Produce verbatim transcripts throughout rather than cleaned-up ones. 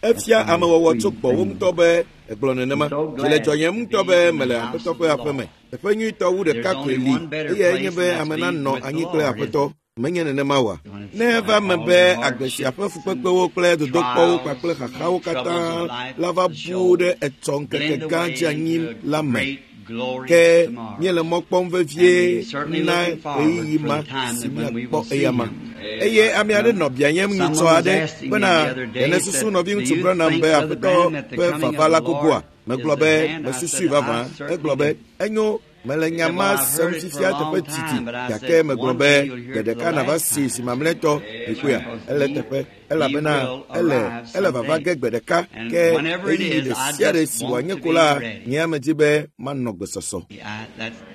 Efia amewɔwɔ tso gbɔwò ŋutɔ be egblɔ nenema. Dzi le dzɔyem ŋutɔ be mele Aƒetɔ ƒe aƒeme. Teƒe nyuitɔ wu ɖeka koe li eyae nye be ame nanɔ anyi kple Aƒetɔ. Menye nenema oa? Ne eva eme be agbe sia ƒe fukpekpewo kple dodokpɔwo kpakple xaxawo katã la va bu ɖe etsɔ ŋkeke gã dzeanyi la me. Ke míele mɔ kpɔm vevie na ɣeyiɣi ma si míakpɔ eyama. Eye ame aɖe nɔ biayem nyitsɔ aɖe bena ɖe nèsusu nɔviŋutsu Branham be Aƒetɔ ƒe vava la gogoa? Megblɔ be mesusui vavã. Egblɔ be enyo mele nya ma sem fifia teƒe didi gake megblɔ be gbe ɖeka nava si zi mamlɛtɔ mikpɔea ele teƒe elabena ele ele vava ge gbe ɖeka ke ɣeyiɣi ɖe sia ɖe si wòanye ko la nye ame dzi be manɔ gbesɔsɔ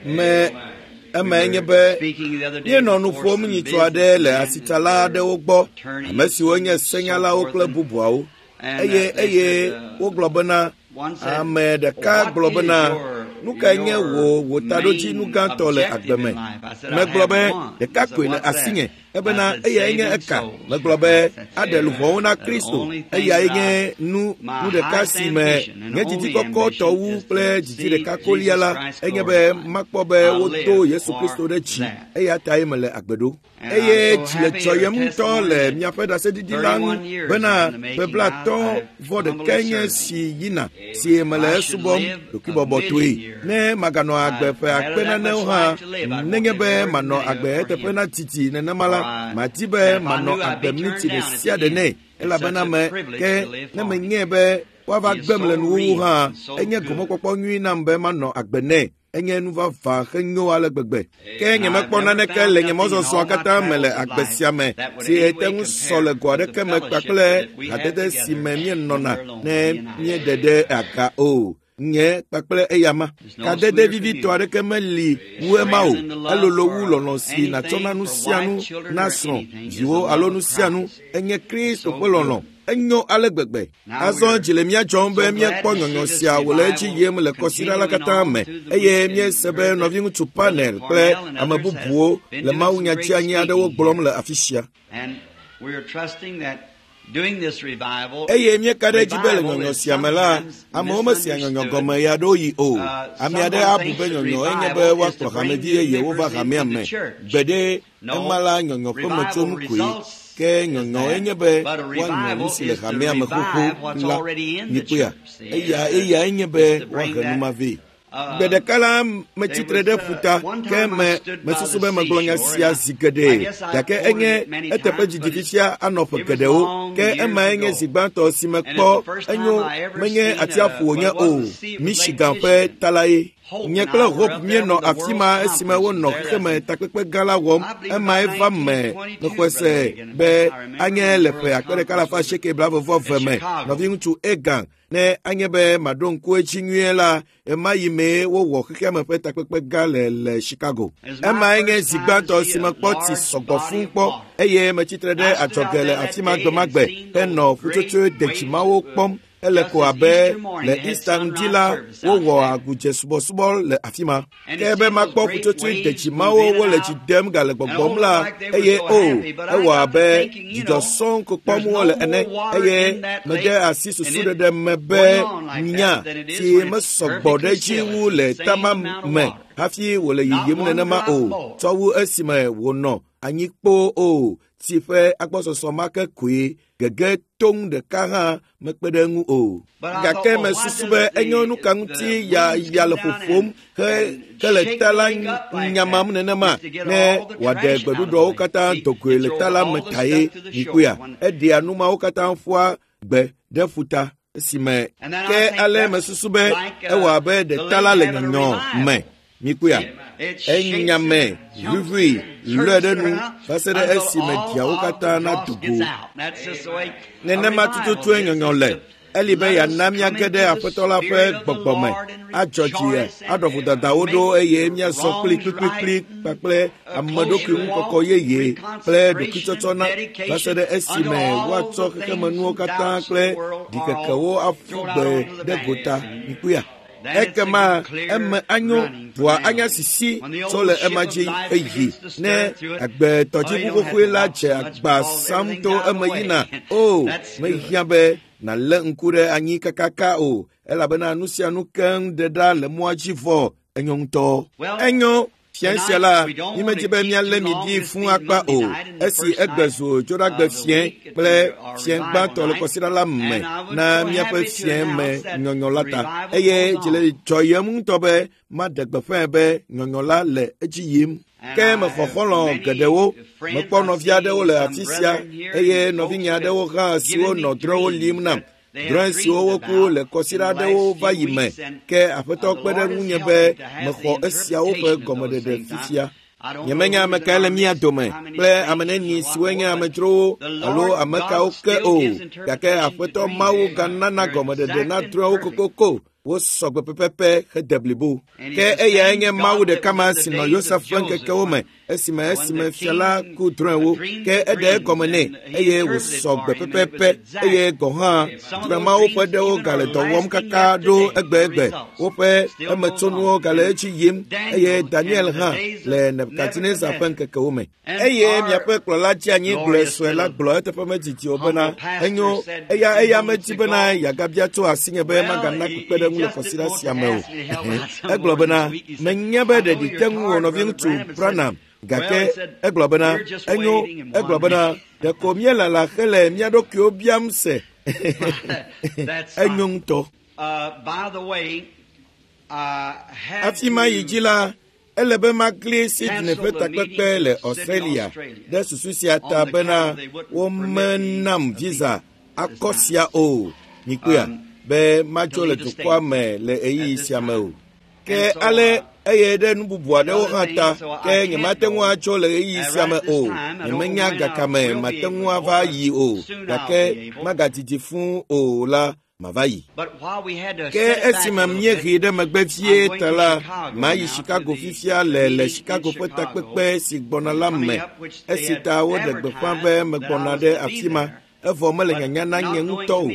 me emae nye be míenɔ nu ƒom nyitsɔ aɖe le asitsala aɖewo gbɔ ame siwo nye senyalawo kple bubuawo eye eye wogblɔ bena ame ɖeka gblɔ bena nu kae nye wò wò taɖodzinu gãtɔ le agbe me megblɔ be ɖeka koe le asinye ebena eyae nye eka megblɔ be aɖe luʋɔwo na Kristo eyae nye nu nu ɖeka si me nye didi kɔkɔtɔ wu kple didi ɖeka kolia la enye be makpɔ be wodo Yesu Kristo ɖe dzi eya tae mele agbe ɖo eye dzi le dzɔyem ŋutɔ le miaƒe ɖaseɖiɖi la ŋu bena ƒe blaatɔ̃ vɔ ɖekae nye si yina si mele esubɔm ɖokuibɔbɔtɔe ne maganɔ agbe ƒe akpe nanewo hã nenye be manɔ agbe eteƒe na didi nenema la madi be manɔ agbe miniti ɖe sia ɖe nɛ elabena me ke ne menyae be woava gbem le nuwuwu hã enye gomekpɔkpɔ nyui nam be manɔ agbe nɛ enye nu vavã henyo ale gbegbe ke nyemekpɔ naneke le nye mɔzɔzɔa katã me le agbe sia me si ete ŋu sɔ le go aɖeke me kpakple hadede si me míenɔna ne míeɖe ɖe aga o nye kpakple eyama kadede vivitɔ aɖeke meli wu ema o elolo wu lɔlɔ̃ si nàtsɔ na nu sia nu na srɔ̃ viwo alo nu sia nu enye Kristo ƒe lɔlɔ̃ enyo ale gbegbe azɔ dzi le mía dzɔm be míekpɔ nyɔnyɔ sia wòle edzi yim le kɔsiɖa la katã me eye míese be nɔviŋutsu Panel kple ame bubuwo le mawunya dzeanyi aɖewo gblɔm le afi sia eye míeka ɖe edzi be le nyɔnyɔ sia me la amewo mesea nyɔnyɔ gɔme ya ɖewo yi o ame aɖe abu be nyɔnyɔ enye be woakplɔ hamevi yeyewo va hamea me gbeɖe ema la nyɔnyɔ ƒe metsonu koe ke nyɔnyɔ enye be woanyɔ nu si le hamea me xoxo la mikpɔea eya eyae nye be woahe nu ma vɛ gbe ɖeka la metsitre ɖe ƒuta ke me mesusu be megblɔ nya sia zi geɖe gake enye eteƒe didi fifia anɔ ƒe geɖewo ke emae nye zi gbãtɔ si mekpɔ enyo menye atsiaƒu wònye o Michigan ƒe ta la ye nye kple Hope míenɔ afi ma esime wonɔ xexeme takpekpe gã la wɔm emae va me mexɔe se be anye le ƒe akpe ɖeka alafa asieke blaeve vɔ eve me nɔviŋutsu Egan ne anye be maɖo ŋku edzi nyuie la ema yi mee wowɔ xexeame ƒe takpekpe gã le le Chicago. Emae nye zi gbãtɔ si mekpɔ tsi sɔgbɔ fũu kpɔ eye metsitre ɖe adzɔge le afi ma gbemagbe henɔ ƒutsotsoe dedzimawo kpɔm ele ko abe le Easter ŋdi la wowɔ agudze subɔsubɔ le afi ma. Ke be makpɔ ƒutsotsoe dedzimawo wole dzi dem gale gbɔgbɔm la eye o ewɔ abe dzidzɔ sɔŋ ko kpɔm wole ene eye mede asi susuɖeɖe me be nya si mesɔgbɔ ɖe edzi wu le tama me hafi wòle yiyim nenema o tsɔ wu esime wònɔ anyi kpoo o tsi ƒe agbɔsɔsɔ ma ke koe gege toŋ ɖeka hã mekpe ɖe eŋu o gake mesusu be enyo nu ka ŋuti ya ya le ƒoƒom he ke le ta la nyamam nenema ne wòaɖe gbeɖuɖɔwo katã dogoe le ta la me tae mikpɔea eɖea nu mawo katã ƒua gbe ɖe ƒuta esime ke ale mesusu be ewɔ abe ɖe ta la le nyɔnyɔ me mikpɔea enyame ʋuʋui lɔe ɖe nu va se ɖe esime ɖiawo katã nado go nenema tututue nyɔnyɔ le eli be yeana míage ɖe Aƒetɔ la ƒe gbɔgbɔ me adzɔ dzi aɖɔ vodadawo ɖo eye míazɔ kpli kplikplikpli kpakple ame ɖokui ŋukɔkɔ yeye kple ɖokuitsɔtsɔ na va se ɖe esime woatsɔ xexemenuwo katã kple ɖikekewo aƒu gbe ɖe gota mikpɔea. Ekema eme anyo ʋua anya sisi tso le ema dzi eyi ne agbetɔdziʋu xoxoe la dze agba sam to eme yina. O, mehiã be nàlé ŋku ɖe anyi kakaka o, elabena nu sia nu keŋ ɖe ɖa le mɔa dzi vɔ. Enyo ŋutɔ. Enyo. Fia sia la, mímedi be míalé mi ɖi fũu akpa o. Esi egbe zu dzoɖagbe fiẽ kple fiẽ gbãtɔ le kɔsiɖa la me na míaƒe fiẽ me nyɔnyɔ la ta. Eye dzi le dzɔyem ŋutɔ be maɖe gbeƒãe be nyɔnyɔ la le edzi yim. Ke mexɔ xɔlɔ̃ geɖewo, mekpɔ nɔvi aɖewo le afi sia eye nɔvinye aɖewo hã siwo nɔ drɔ̃ewo lim nam. Drɔ̃e siwo woku le kɔsiɖa aɖewo va yi me, ke Aƒetɔ kpe ɖe ŋunye be mexɔ esiawo ƒe gɔmeɖeɖe fifia. Nyemenya ame kae le mía dome kple ame neni siwoe nye amedzrowo alo ame kawo ke o, gake Aƒetɔ Mawu ganana gɔmeɖeɖe na drɔ̃ewo kokoko. Wosɔ gbe pɛpɛpɛ hede blibo. Ke eyae nye Mawu ɖeka ma si nɔ Yosef ƒe ŋkekewo me esime esime fia la ku drɔ̃ewo. Ke eɖe egɔme nɛ eye wòsɔ gbe pɛpɛpɛ eye gɔ̃ hã drɔ̃e mawo ƒe ɖewo gale dɔ wɔm kaka ɖo egbegbe. Woƒe emetsonuwo gale edzi yim eye Daniel hã le Nebukadnezar ƒe ŋkekewo me. Eye miaƒe kplɔla dzeanyi gblɔe sue la gblɔ eteƒe medidi o bena enyo eya eya medi bena yeagabia tso asinye be magana kpekpeɖeŋu le kɔsiɖa sia me o. Egblɔ bena menya be ɖeɖi te ŋu wò nɔviŋutsu Branham, gake egblɔ bena enyo. Egblɔ bena ɖeko míelala hele mía ɖokuiwo biam se. Enyo ŋutɔ. Hafi mayi dzi la, ele be magli Sydney ƒe takpekpe le Australia ɖe susu sia ta bena womenam visa akɔ sia o. Mikpɔea be madzo le dukɔa me le ɣeyiɣi sia me o. Ke ale eye ɖe nu bubu aɖewo hã ta, ke nyemate ŋu atso le ɣeyiɣi sia me o. Nyemenya gakame mate ŋu ava yi o, gake magadidi fũu o la, mava yi. Ke esime míehe ɖe megbe vie ta la, mayi Chicago fifia le le Chicago ƒe takpekpe si gbɔna la me. Esi ta woɖe gbeƒã be megbɔna ɖe afi ma, evɔ mele nyanya na nye ŋutɔ o.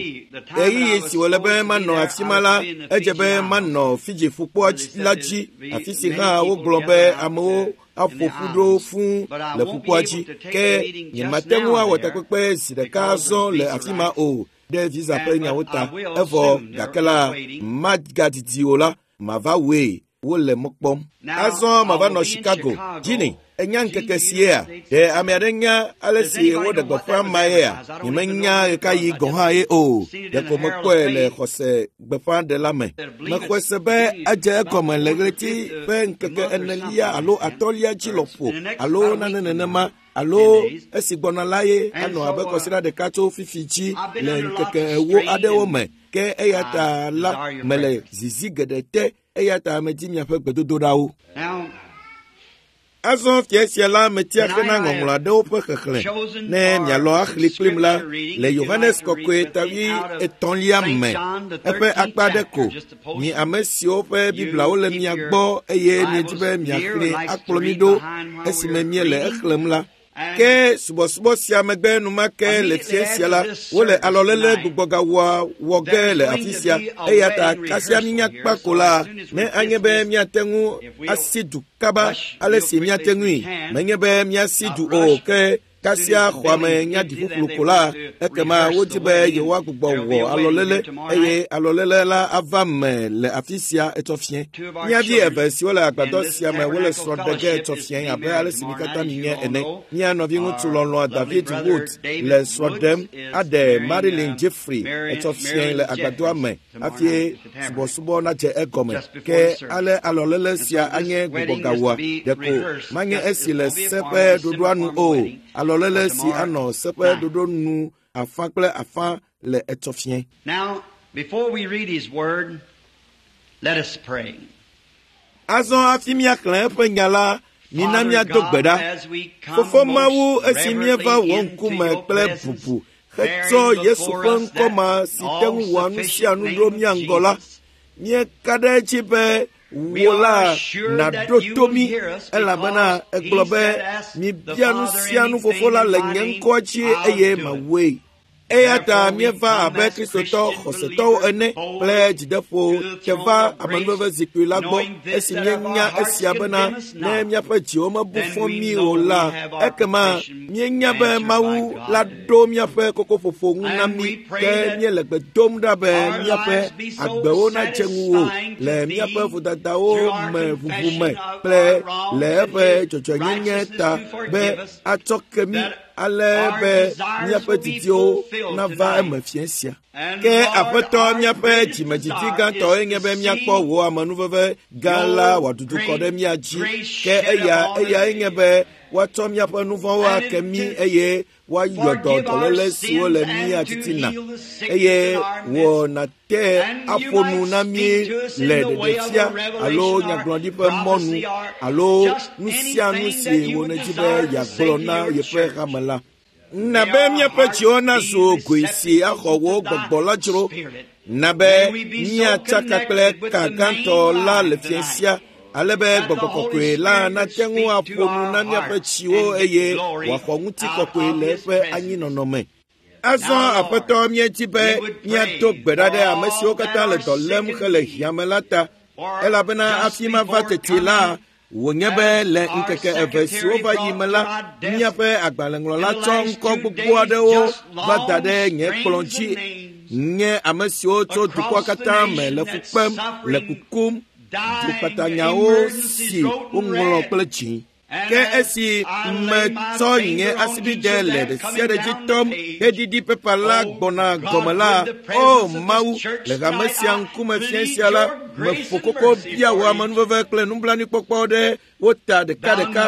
Ɣeyiɣi si wòle be manɔ afi ma la, edze be manɔ Fiji ƒukpoa la dzi, afi si hã wogblɔ be amewo aƒo ƒu ɖo fũu le ƒukpoa dzi. Ke nyemate ŋu awɔ takpekpe zi ɖeka azɔ le afi ma o ɖe visa ƒe nyawo ta. Evɔ gake la, magadidi o la, mava wɔe. Wole mɔ kpɔm. Azɔ mava nɔ Chicago. Ginny, enya ŋkeke siea? Ɖe ame aɖe nya ale si woɖe gbeƒã ma yea? Nyemenya ɣekaɣi gɔ̃ hã ye o. Ɖeko mekpɔe le xɔse gbeƒãɖela me. Mexɔe se be edze egɔme le ɣleti ƒe ŋkeke enelia alo atɔ̃lia dzi lɔƒo alo nane nenema alo esi gbɔna la ye anɔ abe kɔsiɖa ɖeka tso fifi dzi le ŋkeke ewo aɖewo me. Ke eya ta la mele zizi geɖe te. Eya ta medi miaƒe gbedodoɖawo. Azɔ fia sia la metia ke na ŋɔŋlɔ aɖewo ƒe xexlẽ ne mialɔ axli kplim la le Yohanes Kɔkɔe tavi etɔ̃lia me eƒe akpa ɖe ko. Mi ame siwo ƒe Bibliawo le mia gbɔ eye miedi be miaxlẽ akplɔ mi ɖo esime miele exlẽm la. Ke subɔsubɔ sia megbe enumake le fia sia la, wole alɔlele gbugbɔgawɔa wɔ ge le afi sia. Eya ta kasia mínya kpa ko la, ne anye be míate ŋu asi du kaba ale si míate ŋui. Menye be míasi du o, ke kasia xɔa me nya ɖi ƒuƒlu ko la, ekema wodi be yewoagbugbɔ wɔ alɔlele eye alɔlele la ava me le afi sia etsɔ fiẽ. Mía vi eve siwo le agbadɔ sia me wole srɔ̃ ɖe ge etsɔ fiẽ abe ale si mi katã minya ene. Mía nɔviŋutsu lɔlɔ̃a David Wood le srɔ̃ ɖem aɖe Marilyn Jeffrey etsɔ fiẽ le agbadɔa me hafi subɔsubɔ nadze egɔme. Ke ale alɔlele sia anye gbugbɔgawɔa ɖeko manye esi le se ƒe ɖoɖoa nu o. Alɔlele si anɔ se ƒe ɖoɖo nu afã kple afã le etsɔ fiẽ. Now, before we read his word, let us pray. Azɔ hafi míaxlẽ eƒe nya la, mina míado gbe ɖa. Fofo Mawu, esi míeva wò ŋkume kple bubu hetsɔ Yesu ƒe ŋkɔ ma si te ŋu wɔa nu sia nu ɖo mía ŋgɔ la, míeka ɖe edzi be wò la nàɖo to mí, elabena egblɔ be mibia nu sia nu fofo la le nye ŋkɔa dzi eye mawɔe. Eya ta míeva abe Kristotɔ xɔsetɔwo ene kple dzideƒo ke va amenuveve zikpui la gbɔ esi míenya esia bena ne míaƒe dziwo mebu fɔ mí o la, ekema míenya be Mawu la ɖo míaƒe kokoƒoƒo ŋu na mí ke míele gbe dom ɖa be míaƒe agbewo nadze ŋuwò le míaƒe vodadawo me ʋuʋu me kple le eƒe dzɔdzɔenyenye ta be atsɔ ke mí ale be míaƒe didiwo nava eme fia sia. Ke Aƒetɔ míaƒe dzimedzidzi gãtɔe nye be míakpɔ wò amenuveve gã la wòadudu kɔ ɖe mía dzi. Ke eya eyae nye be woatsɔ míaƒe nu vɔ̃wo ake mí eye woayɔ dɔ dɔléle siwo le mía titina eye wò nàte aƒo nu na mí le ɖeɖefia alo nyagblɔɖi ƒe mɔnu alo nu sia nu si wò nèdi be yeagblɔ na yeƒe hame la. Na be míaƒe dziwo nazu goe si axɔ wò gbɔgbɔ la dzro. Na be míatsaka kple ka gãtɔ la le fia sia ale be gbɔgbɔ kɔkɔe la nate ŋu aƒo nu na míaƒe tsiwo eye wòaxɔ ŋutikɔkɔe le eƒe anyinɔnɔ me. Azɔ Aƒetɔ míedi be míado gbe ɖa ɖe ame siwo katã le dɔ lém hele hiãme la ta elabena hafi mava teti la wònye be le ŋkeke eve siwo va yi me la míaƒe agbalẽŋlɔla tsɔ ŋkɔ gbogbo aɖewo va da ɖe nye kplɔ̃ dzi nye ame siwo tso dukɔa katã me le fu kpem le kukum dukpatanyawo si woŋlɔ kple dzi. Ke esi metsɔ nye asibide le ɖe sia ɖe dzi tɔm heɖiɖi pepa la gbɔna gɔme la, o Mawu, le hame sia ŋkume fia sia la, meƒo koko bia wò amenuveve kple nublanuikpɔkpɔ ɖe wo ta ɖekaɖeka.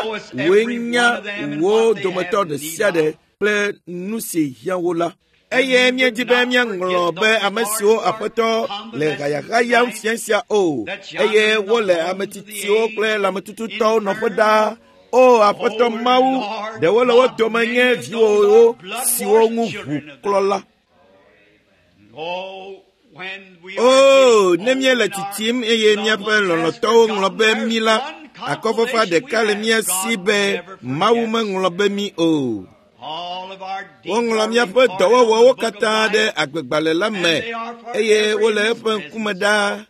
Wòe nya wo dometɔ ɖe sia ɖe kple nu si hiã wo la. Eye míedi be míaŋlɔ be ame siwo Aƒetɔ le hayahayam fia sia o eye wole ame tsitsiwo kple lãmetututɔwo nɔƒe ɖaa. O Aƒetɔ Mawu, ɖewo le wo dome nye viwòwo siwo ŋu ʋu klɔ la. O, ne míele tsitsim eye míaƒe lɔlɔ̃tɔwo ŋlɔ be mí la, akɔfafa ɖeka le mía si be Mawu meŋlɔ be mí o. Woŋlɔ míaƒe dɔwɔwɔwo katã ɖe agbegbalẽ la me eye wole eƒe ŋkume ɖaa.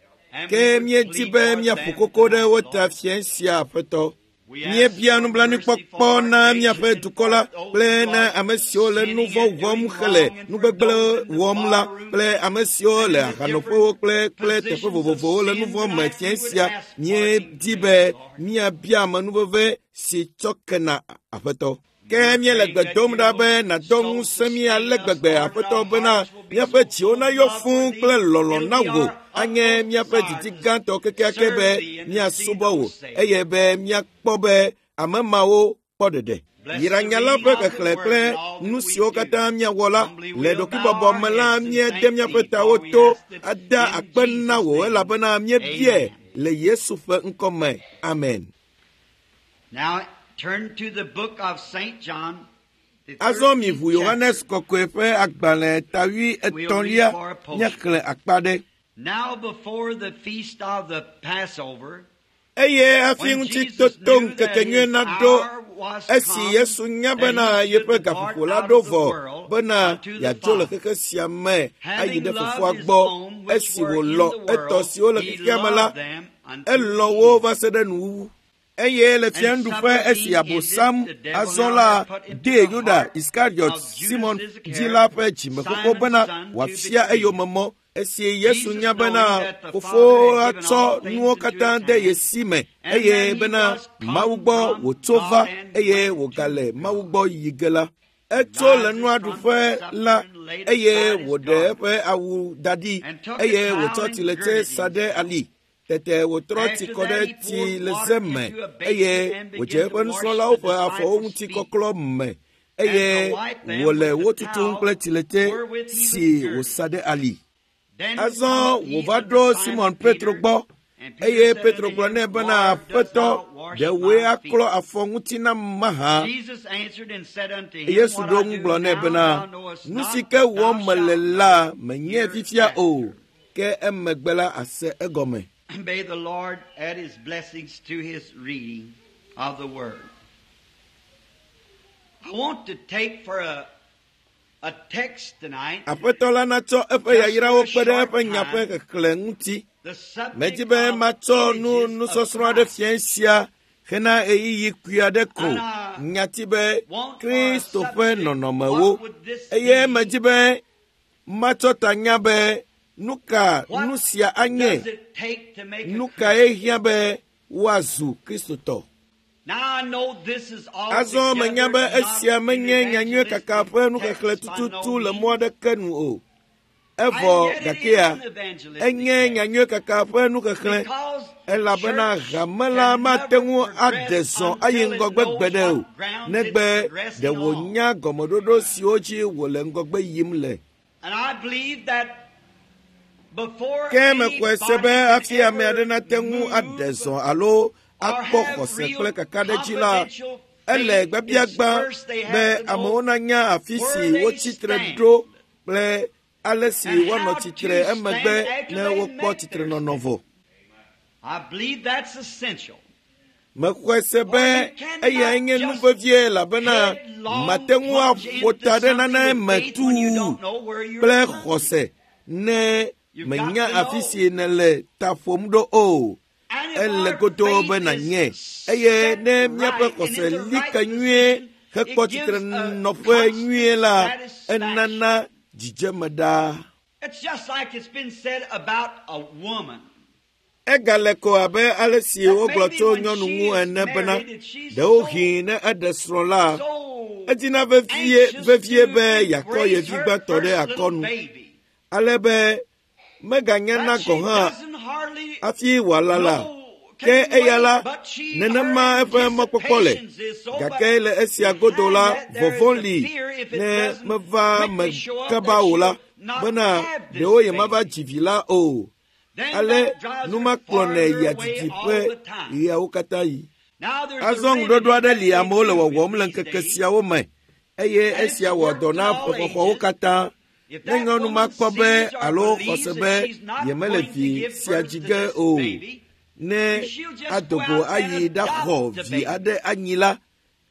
Ke míedi be míaƒo koko ɖe wo ta fia sia Aƒetɔ. Míebia nublanuikpɔkpɔ na míaƒe dukɔ la kple na ame siwo le nu vɔ̃ wɔm hele nugbegblẽ wɔm la kple ame siwo le ahanoƒewo kple kple teƒe vovovowo le nu vɔ̃ me fia sia. Míedi be míabia amenuveve si tsɔ kena Aƒetɔ. Ke míele gbe dom ɖa be nàdɔ ŋusẽ mí ale gbegbe Aƒetɔ bena míaƒe dziwo nayɔ fũu kple lɔlɔ̃ na wò anye míaƒe didi gãtɔ kekeake be míasubɔ wò eye be míakpɔ be ame mawo kpɔ ɖeɖe. Yra nya la ƒe xexlẽ kple nu siwo katã míawɔ la le ɖokuibɔbɔ me la míede míaƒe tawo to ada akpe na wò elabena míebiae le Yesu ƒe ŋkɔ me. Amen. Now turn to the book of Saint John. Azɔ miʋu Yohanes kɔkɔe ƒe agbalẽ ta wui etɔ̃lia míaxlẽ akpa ɖe. Now before the feast of the Passover, Eye hafi ŋutitoto ŋkekenyui naɖo esi Yesu nya bena yeƒe gaƒoƒo la ɖo vɔ bena yeadzo le xexe sia me ayi ɖe fofoa gbɔ esi wòlɔ̃ etɔ siwo le xexea me la, elɔ̃ wo va se ɖe nuwuwu. Eye le fiaɖuƒe esi Abosam azɔ la dee Yuda Iskariot Simon dzi la ƒe dzimekoko bena wòafia eyome mɔ. Esi Yesu nya bena fofoa tsɔ nuwo katã de ye si me eye bena Mawu gbɔ wòtso va eye wògale Mawu gbɔ yi ge la, etso le nua ɖuƒe la eye wòɖe eƒe awu da ɖi eye wòtsɔ tsiletse sa ɖe ali. Tete wòtrɔ tsi kɔ ɖe tsileze me eye wòdze eƒe nusrɔ̃lawo ƒe afɔwo ŋuti kɔklɔ me eye wòle wo tutum kple tsiletse si wòsa ɖe ali. Azɔ wòva ɖo Simon Petro gbɔ eye Petro gblɔ nɛ bena Aƒetɔ, ɖe wòe aklɔ afɔ ŋuti nam mahã? Yesu ɖo ŋu gblɔ nɛ bena, nu si ke wɔm mele la menye fifia o, ke emegbe la ase egɔme. May the Lord add his blessings to his reading of the word. I want to take for a a text tonight. Aƒetɔ la natsɔ eƒe yayrawo kpe ɖe eƒe nya ƒe xexlẽ ŋuti. The subject Medzi be of matsɔ nu images of nusɔsrɔ̃ aɖe Christ. fia sia hena ɣeyiɣi kpui aɖe ko. Nyati be Kristo ƒe nɔnɔmewo. Eye medzi be matsɔ tanya be nu ka nu sia anye, Does it take to make a nu Christian? kae hiã be woazu Kristotɔ. Now I know this is Azɔ menya be altogether not esia an menye nyanyui kaka evangelistic ƒe nuxexlẽ text by no tututu le means. mɔ aɖeke nu o. Evɔ And yet it gakea, is an evangelistic enye text. nyanyui kaka ƒe nuxexlẽ Because elabena church hame la can mate never ŋu ade progress zɔ ayi until it ŋgɔgbe knows gbeɖe o, what ground it's negbe progressing ɖe on. wònya gɔmeɖoɖo siwo dzi wòle ŋgɔgbe yim le. And I believe that before Ke mexɔe se be anybody can hafi ame aɖe ever nate ŋu ade move zɔ alo or akpɔ have xɔse real kple kakaɖedzi la, confidential ele faith, it's gbabiagbã first they be have to amewo know nanya afi where si they wotsi tre stand ɖo kple ale si and woanɔ how tsitre to emegbe stand after ne they wokpɔ make their tsitrenɔnɔ stand. vɔ. I believe that's essential. Mexɔe se For be you cannot eyae nye nu just vevie elabena headlong mate ŋu plunge aƒo into ta ɖe something nane with me faith when you tuu don't know where you're kple plunging. xɔse ne You've got menya to afi know. si nèle ta ƒom ɖo o. And if Ele our godoo be faith nànyae is eye set ne míaƒe right and xɔse in the li right ke nyuie position, hekpɔ it gives a tsitrenɔƒe constant nyuie la, satisfaction. enana dzidzeme ɖaa. It's just like it's been said about a woman. Egale ko abe ale si That wogblɔ maybe tso when nyɔnu she ŋu is ene bena married, that she's so ɖewohĩ ne eɖe srɔ̃ la, so edina vevie anxious vevie to be yeakɔ ye embrace vi her gbãtɔ ɖe first little akɔnu baby. ale be meganyana That she gɔ̃ hã doesn't hardly hafi wòalala. know, Ke can eya wait, la, but she, her nenema eƒe mɔkpɔkpɔ le. anticipations is so, but Gake le esia godo behind la, that there is vɔvɔ̃ the li fear if it ne doesn't meva me quickly show up kaba that o la, she'll not bena have this ɖewo yemava baby. dzi vi la o. Then Ale that drives nu her ma kplɔnɛ farther yia away didiƒe all the time. ɣeawo katã yi. Now there's a Azɔ remedy ŋuɖoɖo aɖe that li they amewo le do in wɔwɔm le these ŋkeke days, siawo me eye and it's esia wɔ worked dɔ in na all ƒexɔxɔwo ages. katã. If Ne that nyɔnu ma woman kpɔ be sees or alo believes xɔse that be she's not yemele going to vi give sia birth dzi to ge this o, baby, ne she'll just go adogo out and ayi ɖaxɔ adopt the vi baby. aɖe anyi la,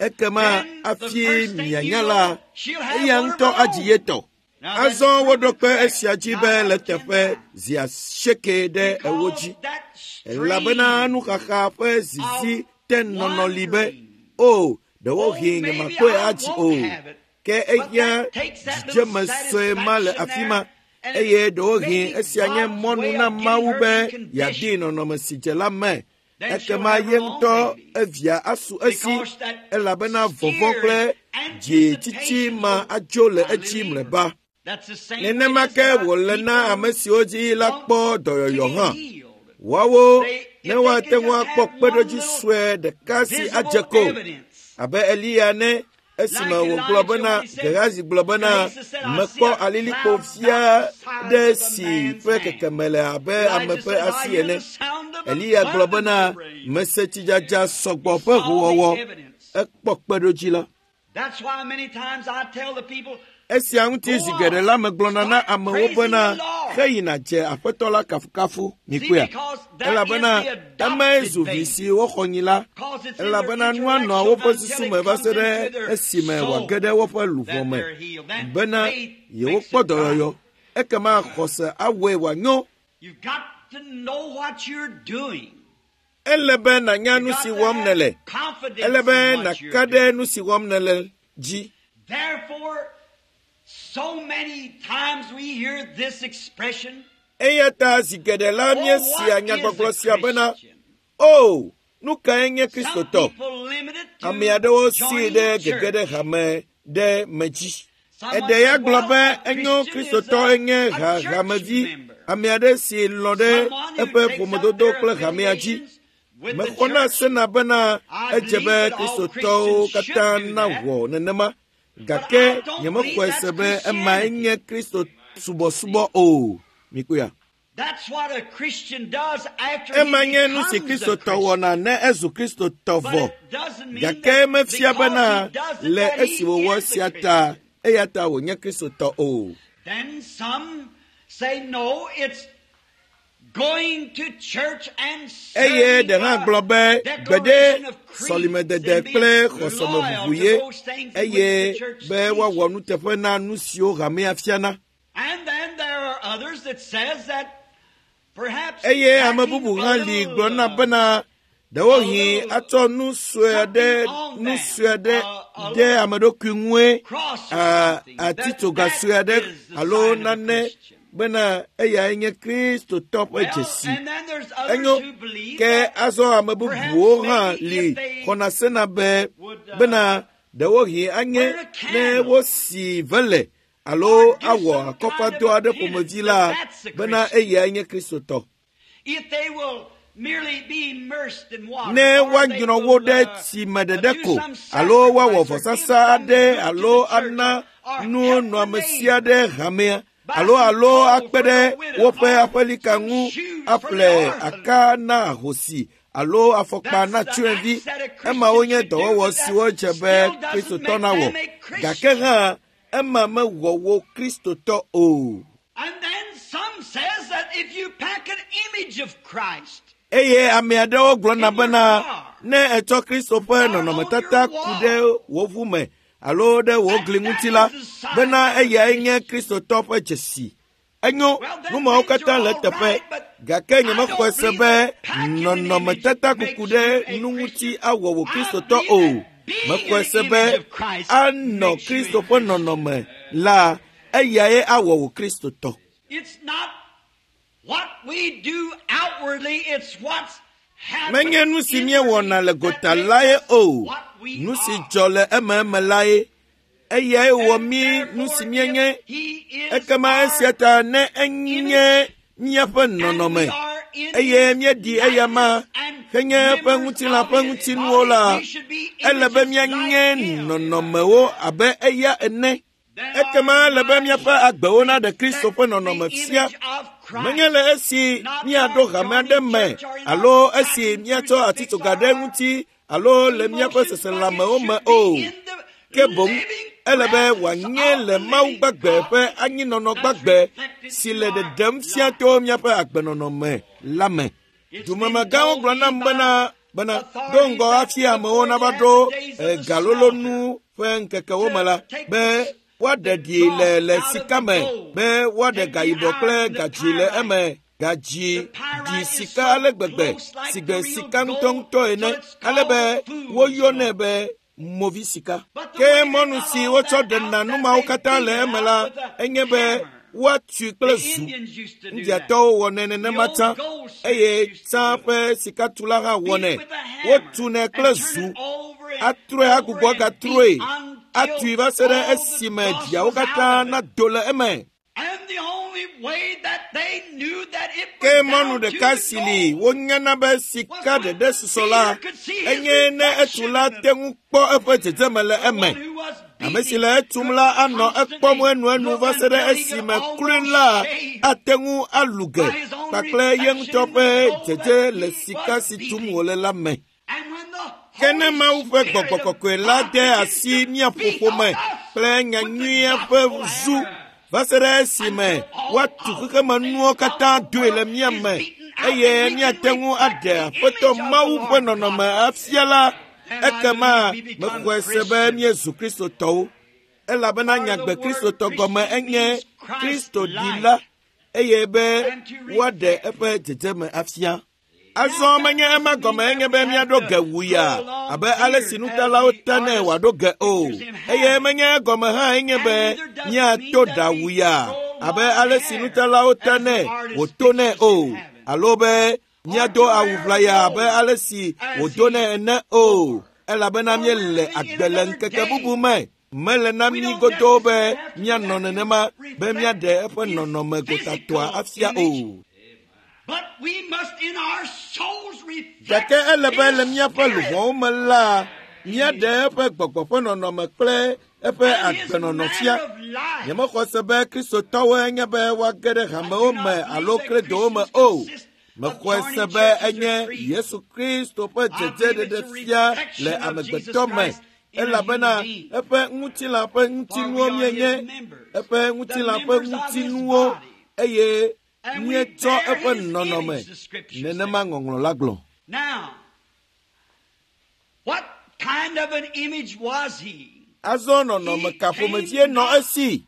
ekema Then the hafi first thing you mianya la, know, she'll have eya one of ŋutɔ her adzi own. ye tɔ. Now that's Azɔ woɖo proven kpe correct esia dzi be nine le out of ten teƒe times. zi asieke ɖe ewo Because dzi. that Elabena stream nuxaxa ƒe zizi of te nɔnɔ li be, wandering, o, oh, ɖewohĩ maybe nyemakpɔe I adzi won't o. have it. Ke But ehiã that takes that little dzidzeme sue ma le satisfaction afi there, ma and it's eye ɖewohĩ maybe esia nye God's mɔnu way na of getting Mawu her be in yeadee condition. nɔnɔme si dze la me. Then she'll Ekema have ye her own ŋutɔ baby. evia asu esi Because that elabena vɔvɔ̃ fear kple and dzitsitsi anticipation ma will adzo le finally edzi leave her. mlɔeba. That's the same way it Nenema is ke about wòle na people ame who siwo dzi la want kpɔ to dɔyɔyɔ be hã. healed. Woawo They, ne if they woate can ŋu just akpɔ have one kpeɖodzi little sue ɖeka si adze visible ko evidence, abe Eliya ne esime like wògblɔ Elijah bena when he said, Gehazi gblɔ bena Gehazi said, I see mekpɔ a alilikpo cloud fia about the size ɖe of a si man's ƒe hand. kekeme le abe ame Elijah ƒe said, I asi hear ene. the sound of Eliya gblɔ abundance bena of rain. mese tsidzadza sɔgbɔ He ƒe saw the howɔwɔ. evidence. Ekpɔ kpeɖodzi la. That's why many times I tell the people, Esia ŋuti go zi geɖe on, la megblɔna na start amewo praising bena the Lord. heyina dze aƒetɔ la kafukafu See, mikpɔea because that is elabena the emae adopted zu vi baby. si woxɔ nyi la Because it's in their elabena nua nɔa intellectual woƒe until susu it me va comes se ɖe into their esime soul wòage ɖe woƒe luʋɔ that me they're healed. Then bena faith makes yewokpɔ it right. dɔyɔyɔ ekema xɔse awɔe wòanyo. You've got to know what you're doing. Ele be nànya You've nu got si to wɔm have nèle. confidence Ele be in what you're nàka ɖe doing. nu si wɔm nèle dzi. Therefore, so many times we hear this expression, Eya ta zi geɖe la oh, míesea what is nyagbɔgblɔ a sia bena Christian? o nu kae nye Some Kristotɔ? people limit it Ame to aɖewo sii joining ɖe a gege ɖe church. hame ɖe me dzi. Someone Eɖe ya said, gblɔ well, be a enyo Christian is Kristotɔ a, enye a ha church hamevi, member. ame aɖe si lɔ̃ ɖe Someone who eƒe takes up ƒomedodo their kple hamea dzi. affiliations with the Mexɔna church. sena bena I edze believe be that all Kristotɔwo Christians should katã do that, nawɔ nenema but gake I don't believe nyemexɔe that's se be emae Christianity. nye Kristo subɔsubɔ o. Mikpɔea? That's what a Christian does after he Ema nye nu si becomes a Kristotɔ Christian. wɔna ne ezu Kristotɔ But vɔ. it doesn't mean Gake that mefia because bena he does it le that esi he wòwɔ is a sia ta Christian. eya ta wònye Kristotɔ o. Then some say, no, it's Going to church and Eye serving ɖe hã a gblɔ be gbeɖe declaration of creeds sɔlimedede and being kple loyal xɔsemeʋuʋu to ye those things in which eye the church be woawɔ teaches. nuteƒe na nu siwo hamea fiana. And then there are others that says that perhaps Eye ame packing bubu a hã li little, gblɔna uh, bena ɖewohĩ atsɔ nu sue aɖe nu sue aɖe ɖe ame ɖokui ŋue cross or a- something, that atitsoga that sue aɖe is the alo sign of a nane Christian. bena eyae nye Kristotɔ ƒe Well, dzesi. and then there's others Enyo who believe ke that azɔ ame bubuwo perhaps hã maybe li if they xɔna sena be would uh, bena ɖewohĩ anye burn a ne candle wosi vele alo or do awɔ some kind of akɔfadɔ a aɖe penance, ƒomevi that la that's a bena Christian. eyae nye Kristotɔ. If they will merely be immersed in water, Ne or they woanyrɔ wo will ɖe uh, tsi me uh, ɖeɖe do ko some alo woawɔ sacrifice or give vɔsasa some aɖe good to alo the church ana or, or nu help the nɔamesi neighbor, aɖe hamea buy alo some alo coal akpe for ɖe the widow woƒe or aƒelika some ŋu shoes for the aƒle orphan. aka na ahosi alo afɔkpa That's na the tsyɔ̃evi. acts that a Emawo Christian nye should do, dɔwɔwɔ but that siwo dze be still doesn't Kristotɔ make nawɔ. them a Gake Christian. hã ema mewɔ wo Kristotɔ o. And then some says that if you pack an image of Christ Eye ame aɖewo gblɔna in your bena car ne etsɔ Kristo ƒe or on your nɔnɔmetata ku wall, ɖe wò ʋu me alo ɖe wò that gli that ŋuti la is the sign bena of a eyae nye Christian. Kristotɔ ƒe dzesi. Enyo, Well, nu then mawo things katã are le all eteƒe right, but gake I nyemexɔe don't se believe be that packing an image nɔnɔmetata kuku makes ɖe you a nu ŋuti Christian. awɔ wò I Kristotɔ believe o. that being Mexɔe in se the be image of Christ anɔ makes you a Kristo ƒe Christian. nɔnɔme la eyae awɔ wò Kristotɔ. It's not what we do outwardly, it's what's Menye happened nu si inwardly míewɔna le that gota makes lae us o. what we Nu si are. dzɔ le ememe lae. Eyae wɔ And mí nu si therefore, if míenye. He is Ekema our esia ta ne enye image míaƒe and we nɔnɔme are in eye His míeɖi eyama likeness and henye eƒe members ŋutilã of ƒe His ŋutinuwo body, la, we should be ele be images like míanye Him. nɔnɔmewo abe eya ene. Then Ekema our ele be lives míaƒe should agbewo naɖe Kristo reflect ƒe the nɔnɔme fia. image of Menye Christ, le esi not míaɖo our hame aɖe joining me church or in alo our esi packing míatsɔ crucifix atitsoga or ɖe our ŋuti alo le míaƒe emotions, but it seselãmewo me should be o. in the Ke boŋ living ele be presence wòanye of le the Mawu living gbagbe God ƒe anyinɔnɔ that's gbagbe reflected si through le our ɖeɖem fia life. to míaƒe agbenɔnɔ me la me. It's been Dumemegãwo told gblɔ me nam by bena bena do authorities ŋgɔ that hafi amewo before nava they had ɖo the days eh, of the galolo slaughter nu ƒe ŋkekewo me la to take be the, woaɖe the ɖi le dross le out of sika the me gold, be woaɖe take the gayibɔ kple iron and the gadzi le pyrite. eme. Gadzi The ɖi pyrite is sika so ale gbegbe close like si the gbe real sika gold ŋutɔŋutɔ till ene it's ale be called fool's woyɔnɛ gold. be movi sika. But the Ke way they mɔnu got si all wotsɔ that ɖena out, nu that mawo they katã beat le it eme out la with a enye be hammer. woatui kple The zu. Indians used to do that. Indiatɔwo wɔnɛ The nenema old tsã goldsmiths eye used to tsã do it. ƒe sikatula hã Beat wɔnɛ. it with a hammer Wotunɛ and kple turn zu it over and atrɔe over agbugbɔ and beat gatrɔe until atui va se ɖe all the esime dross dziawo was out katã of it. nado le eme. And the only way that they knew that it Ke was mɔnu down to ɖeka the si li gold wonyana be was sika when ɖeɖe susɔ la Peter could see his enye ne reflection etula in the te ŋu kpɔ eƒe dzedzeme le The eme. one who was Ame si beating le etum could la anɔ ekpɔm constantly enuenu look va se ɖe until he could esime klui almost la shave ate ŋu alu ge by his own kpakple ye reflection ŋutɔ in ƒe the gold dzedze that le he sika was si tum beating. wòle la me. And when the Ke ne Holy Mawu ƒe Spirit gbɔgbɔ of kɔkɔe la God de begins asi to mía beat ƒoƒo on me us kple with the nyanyuia ƒe gospel zu hammer va se ɖe esime until all woatu of the xexemenuwo things of katã the doe le world mía is me beaten out eye and we can míate ŋu reflect aɖe the Aƒetɔ image of the Mawu ƒe Lord nɔnɔme God. afia la, Then I ekema believe we become mexɔe se be Christians. míezu Kristotɔwo. Elabena For the nyagbe word Kristotɔ gɔme Christian enye means Christ Kristo like ɖila eye be and to woaɖe reflect. eƒe dzedzeme afia. Now Azɔ that menye ema doesn't mean gɔme that enye we be have míaɖo to ge wuya grow long abe ale si beard as nutalawo the tanɛ artist wòaɖo ge o. pictures him Eye having. menye egɔme hã enye And be neither does it mean míato that ɖa we wuya grow abe long ale si hair nutalawo as the tanɛ artist wòtonɛ pictures him o. having. Alo be Or míado to awu wear ʋlaya abe robe ale si as wòdonɛ he ene o. wore. Elabena Or we're míele living in agbe le another ŋkeke bubu day. me. Mele na We mí don't godoo be necessarily have to do míanɔ that to nenema be reflect míaɖe eƒe his nɔnɔme gotatɔa physical afia image. o. But we must in our souls reflect Gake ele be le his míaƒe spirit luʋɔwo me la, míaɖe eƒe gbɔgbɔ ƒe nɔnɔme kple eƒe and his agbenɔnɔ fia. manner of life. Nyemexɔ se be Kristotɔwoe nye be woage ɖe I hamewo do me not alo believe that kredowo me Christians o. consist of Mexɔe se joining be churches or enye creeds. Yesu Kristo ƒe I dzedze believe it's a ɖeɖe fia le reflection of Jesus amegbetɔ me Christ in a human elabena being. eƒe ŋutilã ƒe For we ŋutinuwo are his míenye members, eƒe the ŋutilã ƒe members of his ŋutinuwo body. eye Míetsɔ eƒe nɔnɔme nenema ŋɔŋlɔ la gblɔ. Azɔ nɔnɔme ka ƒomevie nɔ esi?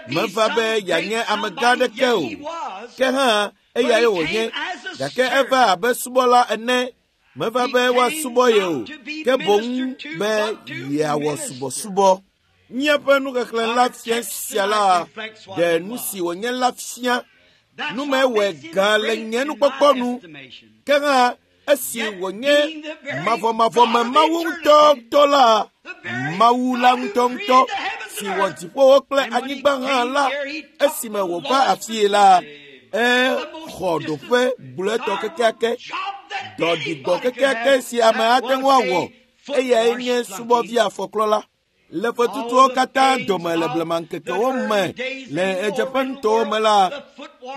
Meva be yeanye amegã aɖeke o. Ke hã eyae wònye, gake eva abe subɔla ene. Meva be woasubɔ ye o, ke boŋ be yeawɔ subɔsubɔ. Míaƒe nuxexlẽ la fia sia la ɖe nu si wònye la fia. Nu mewɔe gã le nye nukpɔkpɔ nu. Ke hã esi wònye mavɔmavɔme Mawu ŋutɔŋutɔ la, Mawu la ŋutɔŋutɔ si wɔ dziƒowo kple anyigba hã la, esime wòva afii la, exɔ ɖoƒe gblɔetɔ kekeake, dɔ ɖigbɔ kekeake si ame ate ŋu awɔ, eyae nye subɔvi afɔklɔla. Le fetutuwo katã dome le blemaŋkekewo me le ɣedzeƒenutowo me la,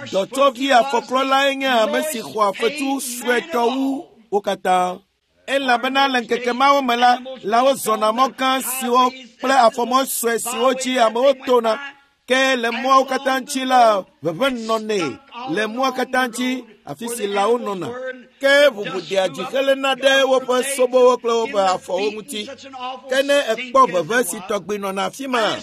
dɔtsɔvi afɔklɔlae nye ame si xɔa fetu suetɔ wu wo katã. Elabena le ŋkeke mawo me la, lãwo zɔna mɔ gã siwo kple afɔmɔ sue siwo dzi amewo tona. Ke le mɔawo katã ŋuti la, ʋeʋẽ nɔnɛ le mɔa katã ŋuti afi si lãwo nɔna. Ke ʋuʋudea dzi heléna ɖe woƒe sobowo kple woƒe afɔwo ŋuti. Ke ne ekpɔ ʋeʋẽ si tɔgbi nɔna afi ma,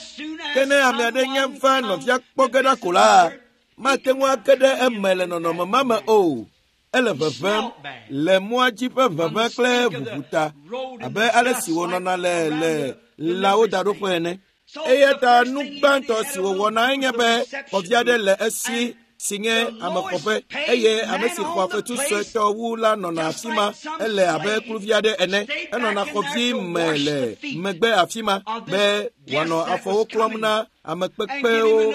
ke ne ame aɖe nye va nɔvia kpɔ ge ɖa ko la, mate ŋu age ɖe eme le nɔnɔme ma me o. Ele ʋeʋẽm le mɔa dzi ƒe ʋeʋẽ kple ʋuʋu ta abe ale si wònɔna le le lãwo daɖoƒe ene. Eya ta nu gbãtɔ si wòwɔna enye be xɔvi aɖe le esi si nye amexɔƒe eye ame si xɔa fetu suetɔ wu la nɔna afi ma. Ele abe kluvi aɖe ene. Enɔna xɔvi me le megbe afi ma be wòanɔ afɔwo klɔm na ame kpekpewo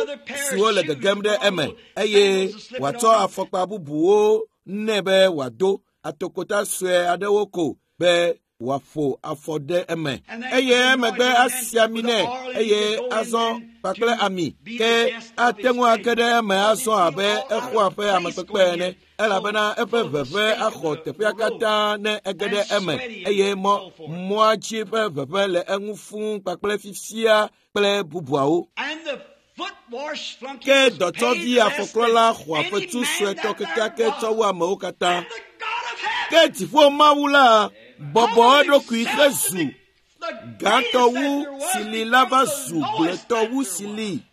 siwo le gegem ɖe eme eye wòatsɔ afɔkpa bubuwo nɛ be wòado atokota sue aɖewo ko be wòaƒo afɔ ɖe eme. Eye emegbe asi ami nɛ eye azɔ kpakple ami ke ate ŋu age ɖe eme azɔ abe exɔa ƒe amekpekpe ene elabena eƒe ʋeʋẽ axɔ teƒea katã ne ege ɖe eme eye mɔ mɔa dzi ƒe ʋeʋẽ le eŋu fũu kpakple fifia kple bubuawo. Ke dɔtsɔvi afɔklɔla xɔa fetu suetɔ kekeake tsɔ wu amewo katã. Ke dziƒo Mawu la bɔbɔ eɖokui hezu gãtɔ wu si li la va zu gblɔetɔ wu si li.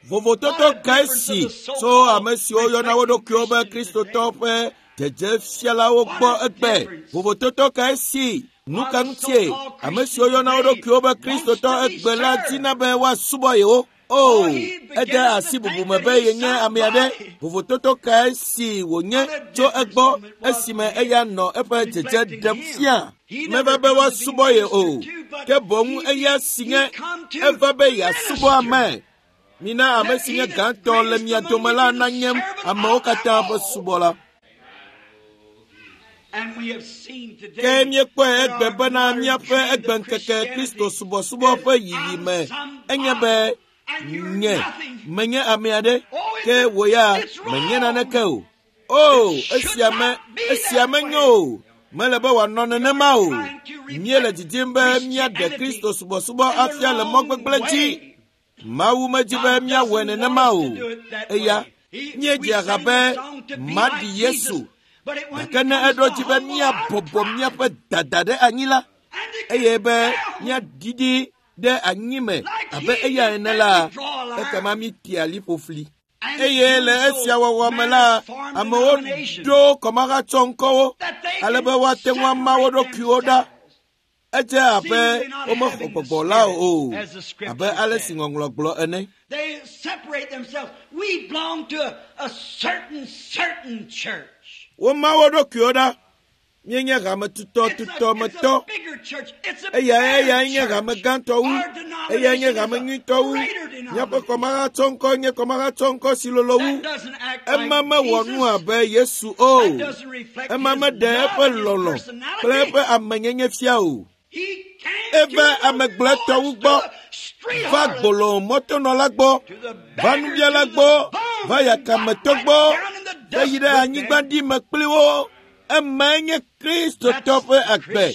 Vovototo kae si tso ame siwo yɔna wo ɖokuiwo be Kristotɔ ƒe dzedzefialawo gbɔ egbe? Vovototo kae si? Nu ka ŋutie ame siwo yɔna wo ɖokuiwo be Kristotɔ egbe la dina be woasubɔ yewo? O, ede asi bubu me be yenye ame aɖe. Vovototo kae si wònye tso egbɔ esime eya nɔ eƒe dzedze ɖem fia? Meva be woasubɔ ye o, ke boŋ eya si nye eva be yeasubɔ ame. Mina ame si nye gãtɔ le mia dome la nanye amewo katã ƒe subɔla. Ke míekpɔe egbe bena míaƒe egbeŋkeke Kristo subɔsubɔ ƒe yiyi me enye be nye menye ame aɖe ke wò ya menye naneke o. O, esia me esia menyo o. Mele be wòanɔ nenema o. Míele didim be míaɖe Kristo subɔsubɔ afia le mɔ gbegblẽ dzi. Mawu medzi be míawɔe nenema o. Eya míedze aha be maɖi Yesu. Gake ne eɖo dzi be míabɔbɔ míaƒe dada ɖe anyi la, eye be míaɖiɖi ɖe anyi me abe eya ene la, ekema mítea liƒo fli. Eye le esia wɔwɔ me la, amewo ɖo kɔmahatsɔ ŋkɔwo ale be woate ŋu ama wo ɖokuiwo ɖa. Edze abe womexɔ gbɔgbɔ la o, abe ale si ŋɔŋlɔ gblɔ ene. They separate themselves. We belong to a, a certain, certain church. Woma wo ɖokuiwo ɖa. Míenye hametutɔtutɔmetɔ. Eyae eyae nye hame gãtɔ wu. Eyae nye hame nyuitɔ wu. Míaƒe kɔmahatsɔŋkɔ nye kɔmahatsɔŋkɔ si lolo wu. Ema mewɔ nu abe Yesu o. Ema meɖe eƒe lɔlɔ̃ kple eƒe amenyenye fia o. Eva ame gblɔetɔwo gbɔ, va gbolo mɔtonɔla gbɔ, va nubiala gbɔ, va yakametɔ gbɔ, heyi ɖe anyigba ɖi me kpli wo. Emae nye Kristotɔ ƒe agbe.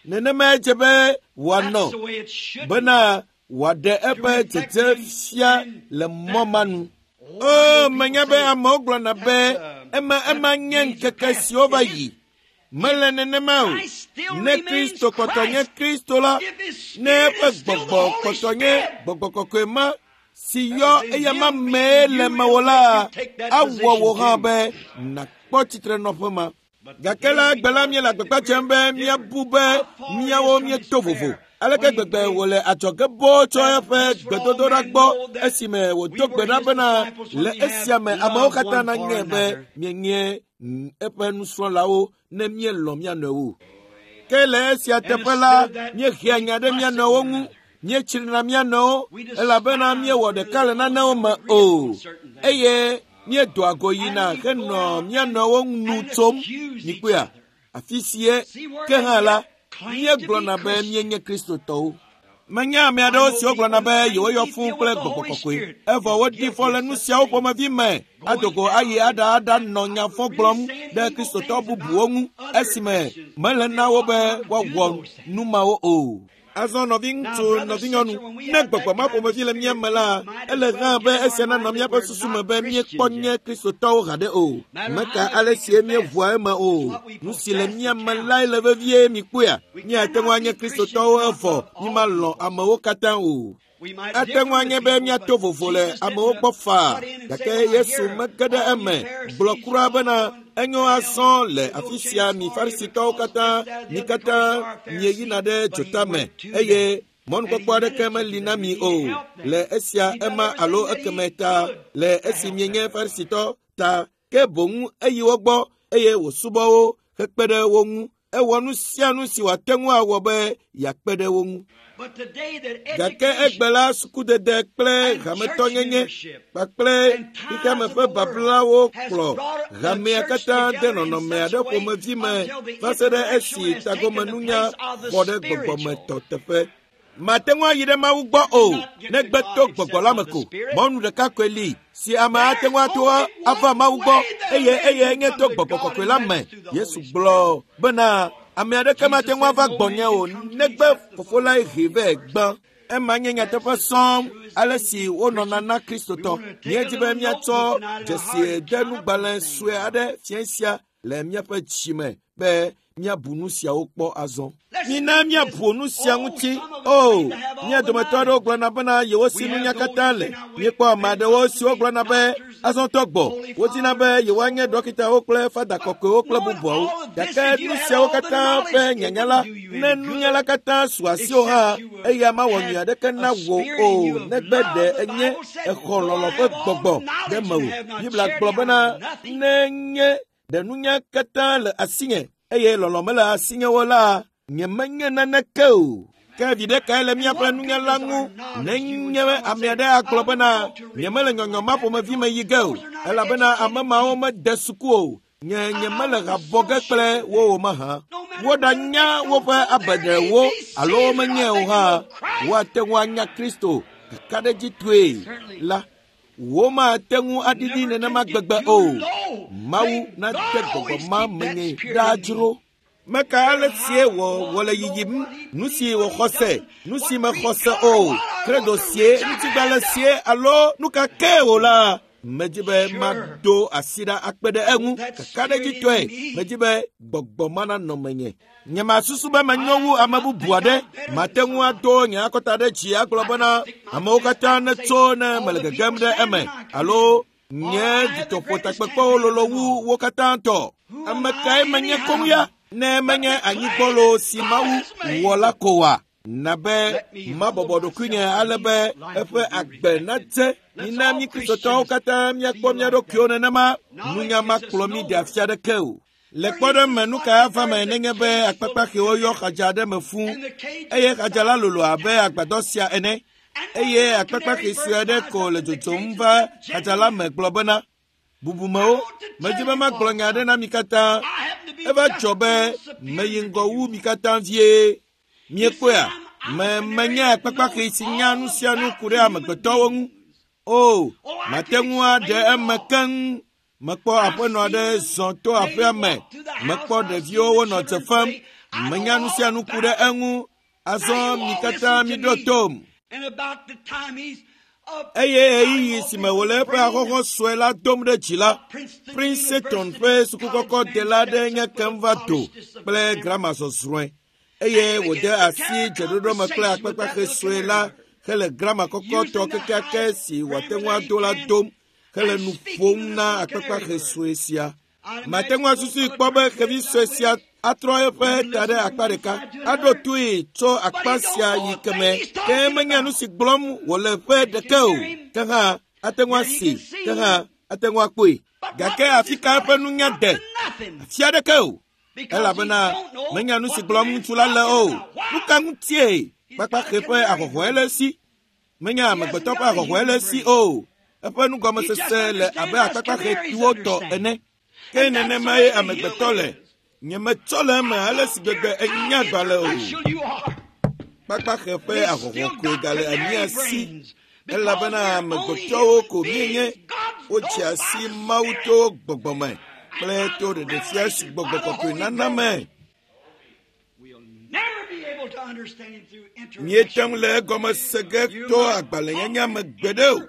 Nenemae dze be wòanɔ bena wòaɖe eƒe dzedze fia le mɔ ma nu. O, menya be amewo gblɔna be ema ema nye ŋkeke siwo va yi. Mele nenema o. Ne Kristo kpɔtɔ nye Kristo la, ne eƒe gbɔgbɔ kpɔtɔ nye gbɔgbɔ kɔkɔe ma si yɔ eyama mee le mewò la, awɔ wò hã be nàkpɔ tsitrenɔƒe ma. Gake la egbe la míele agbagba dzem be míabu be míawo míeto vovo. Aleke gbegbe wòle adzɔge boo tso eƒe gbedodoɖa gbɔ esime wòdo gbe ɖa bena le esia me amewo katã nanye be mienye eƒe nusrɔ̃lawo ne míelɔ̃ mía nɔewo. Ke le esia teƒe la, míehea nya ɖe mía nɔewo ŋu, míetsrina mía nɔewo elabena míewɔ ɖeka le nanewo me o eye míedoa go yina henɔ mía nɔewo nu tsom. Mikpɔea, afi sie ke hã la, míegblɔna be míenye Kristotɔwo. Menye ame aɖewo siwo gblɔna be yewoyɔ fũu kple gbɔgbɔ kɔkɔe, evɔ wodi fɔ le nu siawo ƒomevi me adogo ayi aɖa aɖa nɔ nya fɔ gblɔm ɖe Kristotɔ bubuwo ŋu esime mele na wo be woawɔ nu mawo o. Azɔ nɔviŋutsu, nɔvinyɔnu, ne gbɔgbɔ ma ƒomevi le mía me la, ele hã be esia nanɔ míaƒe susu me be míekpɔ nye Kristotɔwo haɖe o. Meka ale sie míeʋua eme o. Nu si le mía me lae le vevie mikpɔea. Míate ŋu anye Kristotɔwo evɔ mímalɔ̃ amewo katã o. Ate ŋu anye be míato vovo le amewo gbɔ faa, gake Yesu mege ɖe eme gblɔ kura bena enyo azɔ le afi sia mi Farisitɔwo katã, mi katã mieyina ɖe dzota me eye mɔnukpɔkpɔ aɖeke meli na mi o le esia ema alo ekeme ta le esi mienye Farisitɔ ta ke boŋ eyi wo gbɔ eye wòsubɔ wo hekpe ɖe wo ŋu. Ewɔ nu sia nu si wòate ŋu awɔ be yeakpe ɖe wo ŋu. Gake egbe la sukudede kple hametɔnyenye kpakple xexeame ƒe bablawo kplɔ hamea katã de nɔnɔme aɖe ƒomevi me va se ɖe esi tagomenunya xɔ ɖe gbɔgbɔmetɔ teƒe. Mate ŋu ayi ɖe Mawu gbɔ o negbe to gbɔgbɔ la me ko. Mɔnu ɖeka koe li si ame ate ŋu ato ava Mawu gbɔ eye eye nye to gbɔgbɔ kɔkɔe la me. Yesu gblɔ bena ame aɖeke mate ŋu ava gbɔnye o negbe fofo lae hee vɛ gbã. Ema nye nyateƒe sɔŋ ale si wonɔna na Kristotɔ. Míedi be míatsɔ dzesidenugbalẽ sue aɖe fia sia le míaƒe dzime be míabu nu siawo kpɔ azɔ. Mina míabu nu sia ŋuti. O, mía dometɔ aɖewo gblɔna bena yewo si nunya katã le. Míekpɔ ame aɖewo siwo gblɔna be azɔtɔ gbɔ. Wodina be yewoanye dɔkitawo kple fada kɔkɔewo kple bubuawo. Gake nu siawo katã ƒe nyanya la, ne nunya la katã su asiwò hã, eya mawɔ nyui aɖeke na wò o negbe ɖe enye exɔ lɔlɔ̃ ƒe gbɔgbɔ ɖe mewò. Biblia gblɔ bena ne nye ɖe nunya katã le asinye eye lɔlɔ̃ mele asinye o la, nyemenye naneke o. Ke viɖe kae le míaƒe nunya la ŋu nenye ame aɖe agblɔ bena nyemele nyɔnyɔ ma ƒomevi me yi ge o, elabena ame mawo mede suku o. Nye nyemele ha bɔ ge kple wo o mahã. Woɖanya woƒe abeɖewo alo womenye o hã, woate ŋu anya Kristo kakaɖedzitɔe la, womate ŋu aɖiɖi nenema gbegbe o. Mawu nade gbɔgbɔ ma menye ɖaa dzro. Meka ale sie wò wòle yiyim, nu si wòxɔ se, nu si mexɔ se o, kredo sie, ŋutigbalẽ sie alo nu ka ke o la, medzi be mado asi ɖa akpe ɖe eŋu kakaɖedzitɔe. Medzi be gbɔgbɔ ma nanɔ menye. Nyemasusu be menyo wu ame bubu aɖe. Mate ŋu ado nye akɔta ɖe dzi agblɔ bena amewo katã netso ne mele gegem ɖe eme alo nye dutoƒotakpekpewo lolo wu wo katã tɔ. Ame kae menye koŋ ya? Ne menye anyigbɔlo si Mawu wɔ la ko wa? Na be mabɔbɔ ɖokuinye ale be eƒe agbe nadze. Mina mí Kristotɔwo katã míakpɔ mía ɖokuiwo nenema. Nunya makplɔ mí ɖe afi aɖeke o. Le kpɔɖeŋu me, nu ka ava me nenye be akpakpaxewo yɔ xadza aɖe me fũu eye xadza la lolo abe agbadɔ sia ene eye akpakpaxe sue aɖe ko le dzodzom va xadza la me gblɔ bena, bubumewo, medzi be magblɔ nya aɖe na mi katã. Eva dzɔ be meyi ŋgɔ wu mi katã vie. Miekpɔea, me menye akpakpaxe si nya nu sia nu ku ɖe amegbetɔwo ŋu. O, mate ŋu aɖe eme keŋ. Mekpɔ aƒenɔ aɖe zɔ to aƒea me. Mekpɔ ɖeviwo wonɔ dze fem. Menya nu sia nu ku ɖe eŋu. Azɔ mi katã miɖo tom. And about the time he's Eye ɣeyiɣi si me wòle eƒe ahɔhɔ̃ sue la dom ɖe dzi la, Princeton ƒe sukukɔkɔdela aɖe nye kem va do kple grama zɔzrɔ̃e eye wòde asi dzeɖoɖo me kple akpakpaxe sue la hele grama kɔkɔtɔ kekeake si wòate ŋu ado la dom hele nu ƒom na akpakpaxe sue sia. Mate ŋu asusui kpɔ be xevi sue sia atrɔ eƒe ta ɖe akpa ɖeka, aɖo toe tso akpa sia yi keme, ke menya nu si gblɔm wòle ƒe ɖeke o. Ke hã ate ŋu asi, ke hã ate ŋu akpɔe. Gake afi ka eƒe nunya de? Afi aɖeke o. Elabena menya nu si gblɔm ŋutsu la le o. Nu ka ŋutie kpakpaxe ƒe ahɔhɔ̃e le esi? Menya amegbetɔ ƒe ahɔhɔ̃e le esi o. Eƒe nugɔmesese le abe akpakpaxetuwo tɔ ene. Ke nenemae amegbetɔ le. Nyemetsɔ le eme ale si gbegbe enya agbalẽ o. Kpakpaxe ƒe ahɔhɔ̃ koe gale mía si elabena amegbetɔwo ko míenye. Wotsi asi Mawu to gbɔgbɔ me kple to ɖeɖefia si gbɔgbɔ kɔkɔe nana me. We'll never be able to understand him through Míete ŋu le egɔme se ge to agbalẽnyanya me gbeɖe o.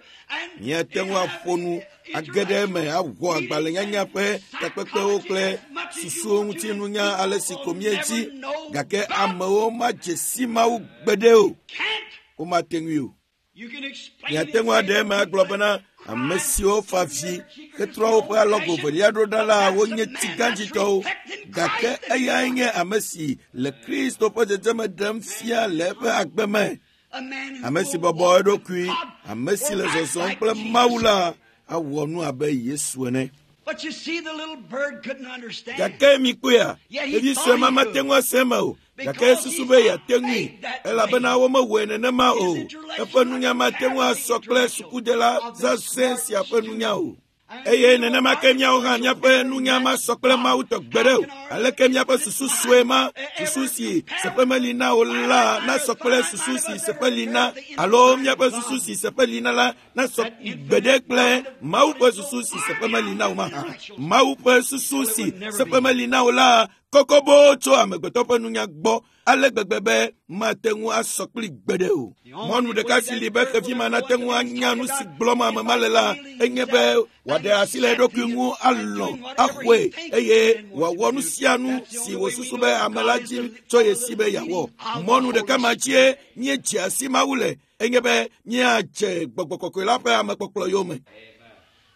Míate ŋu aƒo nu age ɖe eme awɔ agbalẽnyanya ƒe takpekpewo kple susuwo ŋuti nunya ale si ko míedzi gake amewo madze si Mawu gbeɖe o. Can't. Womate ŋui o. You can explain Miate ŋu aɖe eme agblɔ bena ame siwo fa vi hetrɔ woƒe alɔgo velia ɖo ɖa la wonye tsigãdzitɔwo gake eyae nye ame si le Kristo ƒe dzedzeme ɖem fia le eƒe agbe me. a man who Ame si will bɔbɔ walk with eɖokui, God ame si le will act zɔzɔm like kple Jesus. Mawu la awɔ nu abe Yesu ene. But you see, the little bird couldn't understand. Gake mikpɔea, Yet he ɖevi thought sue he ma mate could. ŋu ase eme o. Gake Because esusu he's be not yeate ŋui made that elabena way. womewɔe nenema His o. intellectual Eƒe nunya mate ŋu asɔ kple sukudela zazɛ̃ sia ƒe nunya o. Eye nenema ke míawo hã míaƒe nunya masɔ kple Mawu tɔ gbeɖe o. Aleke míaƒe susu sue ma, susu si seƒe meli na o la nasɔ kple susu si seƒe li na alo míaƒe susu si seƒe li na la nasɔ gbeɖe kple Mawu ƒe susu si seƒe meli na o mahã. Mawu ƒe susu si seƒe meli na o la kɔkɔ boo tso amegbetɔ ƒe nunya gbɔ ale gbegbe be mate ŋu asɔ kpli gbeɖe o. Mɔnu ɖeka si li be xevi ma nate ŋu anya nu si gblɔm ame ma le la enye be wòaɖe asi le eɖokui ŋu alɔ̃ axɔe eye wòawɔ nu sia nu si wòsusu be ame la dzi tso ye si be yeawɔ. Mɔnu ɖeka ma dzie míedze asi Mawu le enye be míadze gbɔgbɔ kɔkɔe la ƒe amekpɔkplɔ yome.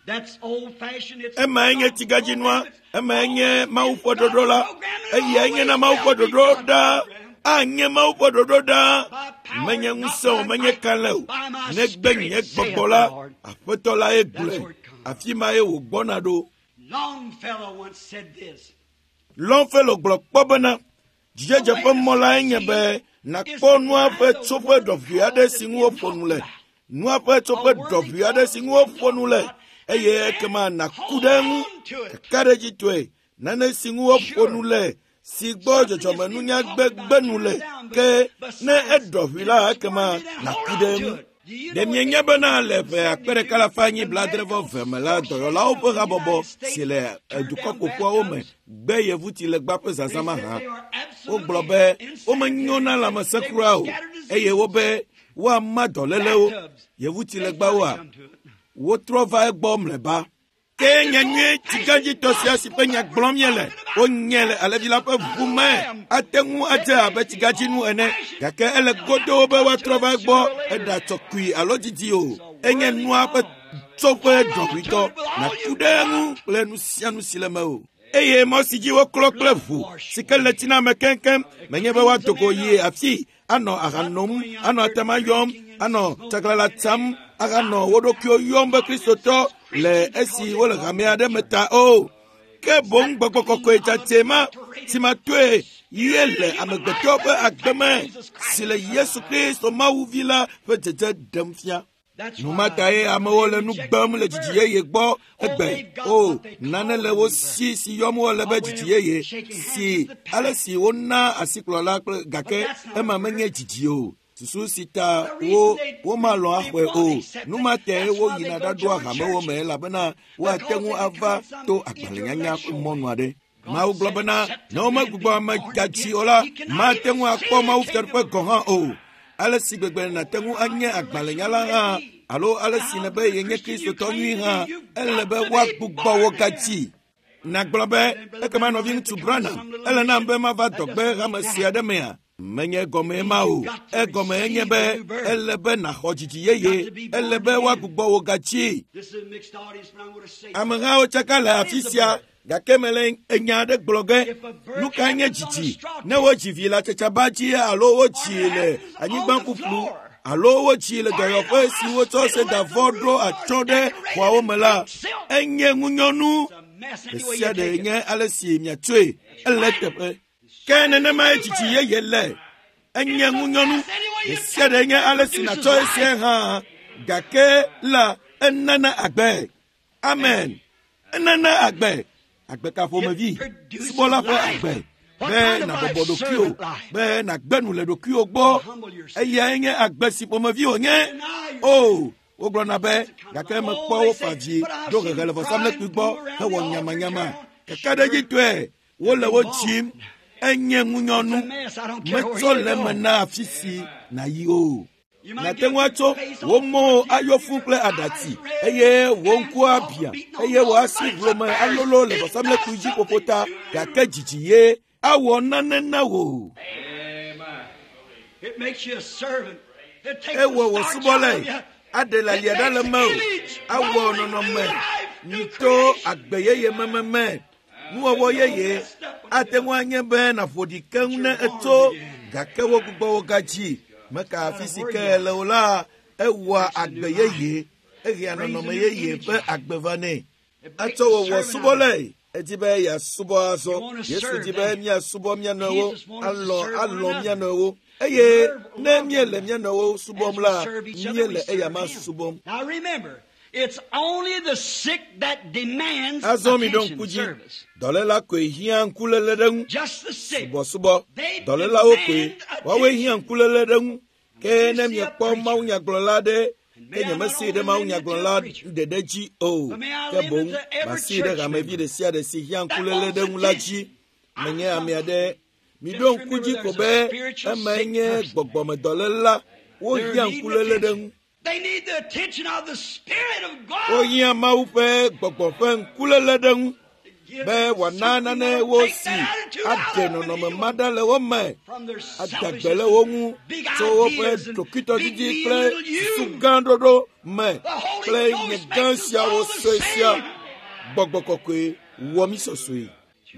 That's old fashioned. It's Emae nye tsigãdzinua, emae nye Mawu ƒe ɖoɖo la, eyae nye na Mawu ƒe ɖoɖo ɖaa. Anye Mawu ƒe ɖoɖo ɖaa. Menye ŋusẽ o, menye kalẽ o. Negbe nye gbɔgbɔ la, Aƒetɔ la ye gblɔe. Afi ma ye wògbɔna ɖo. Longfellow once said this. Longfellow gblɔ kpɔ bena dzidzedze ƒe mɔ lae nye be nàkpɔ nua ƒe tsoƒe ɖɔʋui aɖe si ŋu woƒo nu le. Nua ƒe tsoƒe ɖɔʋui aɖe si ŋu woƒo nu le eye ekema nàku ɖe eŋu kakaɖedzitɔe nane si ŋu woƒo nu le si gbɔ dzɔdzɔmenunya gbegbe nu le ke ne eɖɔʋui la ekema nàku ɖe eŋu. Ɖe mienya bena le ƒe akpe ɖeka alafa enyi blaadre vɔ eve me la dɔyɔlawo ƒe habɔbɔ si le dukɔ ƒoƒuawo me gbe yevutsilegba ƒe zazã mahã. Wogblɔ be womenyo na lãmesẽ kura o eye wobe woama dɔlélewo. Yevutsilegbawoa, wotrɔ va egbɔ mlɔeba. Ke nyanyui tsigãdzitɔ sia si ƒe nya gblɔm míele, wonye le alẽvi la ƒe ʋu me ate ŋu adze abe tsigãdzinu ene gake ele godoo be woatrɔ va egbɔ eɖatsɔ kui alo didi o. Enye nua ƒe tsoƒe ɖɔʋuitɔ nàku ɖe eŋu kple nu sia nu si le mewò. Eye mɔ si dzi woklɔ kple ʋu si ke le tsi na ame keŋkeŋ menye be woado go yi afii anɔ aha nom, anɔ atama yɔm, anɔ tsaglãla tsam, ahanɔ wo ɖokuiwo yɔm be Kristotɔ le esi wole hame aɖe me ta o. Ke boŋ gbɔgbɔ kɔkɔe dzadzɛ ma si ma toe ye le amegbetɔ ƒe agbe me si le Yesu Kristo Mawu vi la ƒe dzedze ɖem fia. Nu ma tae amewo le nu gbem le dzidzi yeye gbɔ egbe. O, nane le wo si si yɔm wole be dzidzi yeye si ale si wona asikplɔla kple gake ema menye dzidzi o. Susu si ta wo womalɔ̃ axɔe o. Nu ma tae woyina ɖaɖoa hamewo me elabena woate ŋu ava to agbalẽnyanya ƒe mɔnu aɖe. Mawu gblɔ bena ne womegbugbɔ ame gadzi o la, mate ŋu akpɔ Mawu fiaɖuƒe gɔ̃ hã o. Ale si gbegbe nàte ŋu anye agbalẽnyala hã alo ale si nèbe yenye kristotɔ nyui hã ele be woagbugbɔ wo gatsi. Nagblɔ be ekema nɔviŋutsu Branham ele nam be mava dɔgbe hame sia ɖe mea? Menye gɔmee ma o. Egɔme enye be ele be nàxɔ dzidzi yeye, ele be woagbugbɔ wo gatsi. Amehawo tsaka le afi sia gake mele enya aɖe gblɔ ge. Nu kae nye dzidzi? Ne wodzi vi le atsatsaba dzi alo wodzi le anyigba ƒuƒlu alo wodzi le dɔyɔƒe si wotsɔ sedavɔ ɖo atsyɔ̃ ɖe xɔawo me la, enye ŋunyɔnu. Ɖe sia ɖe nye ale si miatsoe ele teƒe. Ke nenemae dzidzi yeye le. Enye ŋunyɔnu. Ɖe sia ɖe nye ale si nàtsɔ esia hã. Gake la enana agbe. Amen. Enana agbe. Agbe ka ƒomevi? Subɔla ƒe agbe. Be nàbɔbɔ ɖokuiwò, be nàgbe nu le ɖokuiwò gbɔ. Eyae nye agbe si ƒomevi wònye. O, wogblɔna be gake mekpɔ wofa dzi ɖo hehe le vɔsamlekpui gbɔ hewɔ nyamanyama. Kakaɖedzitɔe wole wo dzim. Enye ŋunyɔnu. Metsɔ le eme na afi si nàyi o. Nàte ŋu atso wò mɔwo ayɔ fũu kple aɖatsi eye wò ŋku abia eye wò asi hlome alolo le vɔsamlekpui dzi ƒoƒo ta gake dzidzi ye awɔ nane na wò. Ewɔ wò subɔlae, aɖe le alia ɖa le mewò, awɔ nɔnɔme nyito agbe yeye mememe. Nuwɔwɔ yeye ate ŋu anye be nàƒo ɖi keŋ ne etso gake wogbugbɔ wo gadzi. Meka afi si ke le o la, ewɔa agbe yeye, ehea nɔnɔme yeye ƒe agbe va nɛ. Etsɔ wòwɔ subɔlae. Edi be yeasubɔ azɔ. Yesu di be míasubɔ mía nɔewo, alɔ̃ alɔ̃ mía nɔewo. Eye ne míele mía nɔewo subɔm la, míele eyama subɔm. Azɔ mi ɖo ŋku dzi, dɔléla koe hiã ŋkuléle ɖe ŋu. Subɔsubɔ, dɔlélawo koe, woawoe hiã ŋkuléle ɖe ŋu. Ke ne miekpɔ mawunyagblɔla ɖe, ke nyemesee ɖe mawunyagblɔla ɖeɖe dzi o. Ke boŋ masee ɖe hamevi ɖe sia ɖe si hiã ŋkuléle ɖe ŋu la dzi. Menye ame aɖe. Miɖo ŋku dzi ko be emae nye gbɔgbɔmedɔléla. Wohiã ŋkuléle ɖe ŋu. Wohiã Mawu ƒe gbɔgbɔ ƒe ŋkuléle ɖe ŋu be wòana nane wo si aɖe nɔnɔme ma ɖa le wo me, ada gbe le wo ŋu tso woƒe ɖokuitɔdidi kple susu gã ɖoɖo me kple nye gã siawo sue sia. Gbɔgbɔ kɔkɔe wɔ mí sɔsɔe.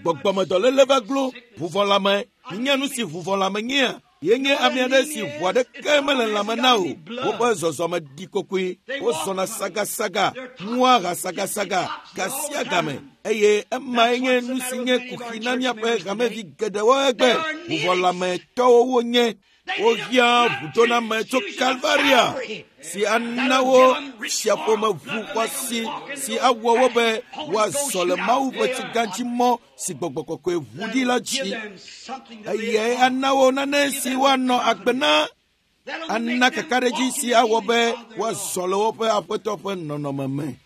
Gbɔgbɔmedɔléle va glo ʋuvɔlãme. Minya nu si ʋuvɔlãme nyea? Yenye ame aɖe si ʋu aɖeke mele lãme na o. Woƒe zɔzɔme ɖi kokoe. Wozɔna sagasaga, mua ha sagasaga ga sia game. Eye emae nye nu si nye kuxi na míaƒe hamevi geɖewo egbe. Ʋuvɔlãmetɔwo wonye. Wohiã ʋudoname tso Kalvaria si ana wo tsiaƒome ʋu xɔasi si awɔ wo be woazɔ le Mawu ƒe tsigãdzimɔ si gbɔgbɔ kɔkɔe ʋu ɖi la dzi. Eyae ana wo nane si woanɔ agbe na, ana kakaɖedzi si awɔ be woazɔ le woƒe aƒetɔ ƒe nɔnɔme me.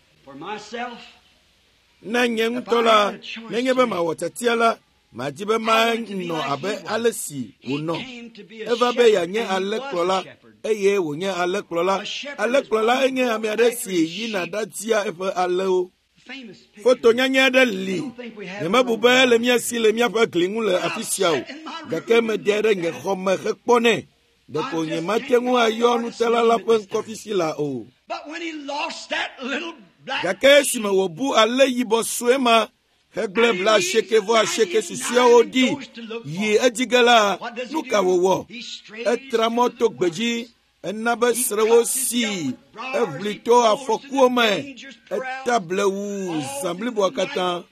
Ne nye ŋutɔ la, nenye be mawɔ tiatia la, madi be manɔ abe ale si wònɔ. Eva be yeanye alẽkplɔla eye wònye alẽkplɔla. Alẽkplɔla enye ame aɖe si yina ɖatia eƒe alẽwo. Foto nyanya aɖe li. Nyemebu be ele mía si le míaƒe gli ŋu le afi sia o. Gake mede ɖe nye xɔ me hekpɔnɛ. Ɖeko nyemate ŋu ayɔ nutala la ƒe ŋkɔ fifi la o. Gake esime wòbu alẽ yibɔ sue ma hegblẽ bla asieke vɔ asieke susɔeawo ɖi yi edzi ge la, nu ka wòwɔ? Etra mɔ to gbedzi, ena be srewo sii, eʋli to afɔkuwo me, eta blewu zã bliboa katã.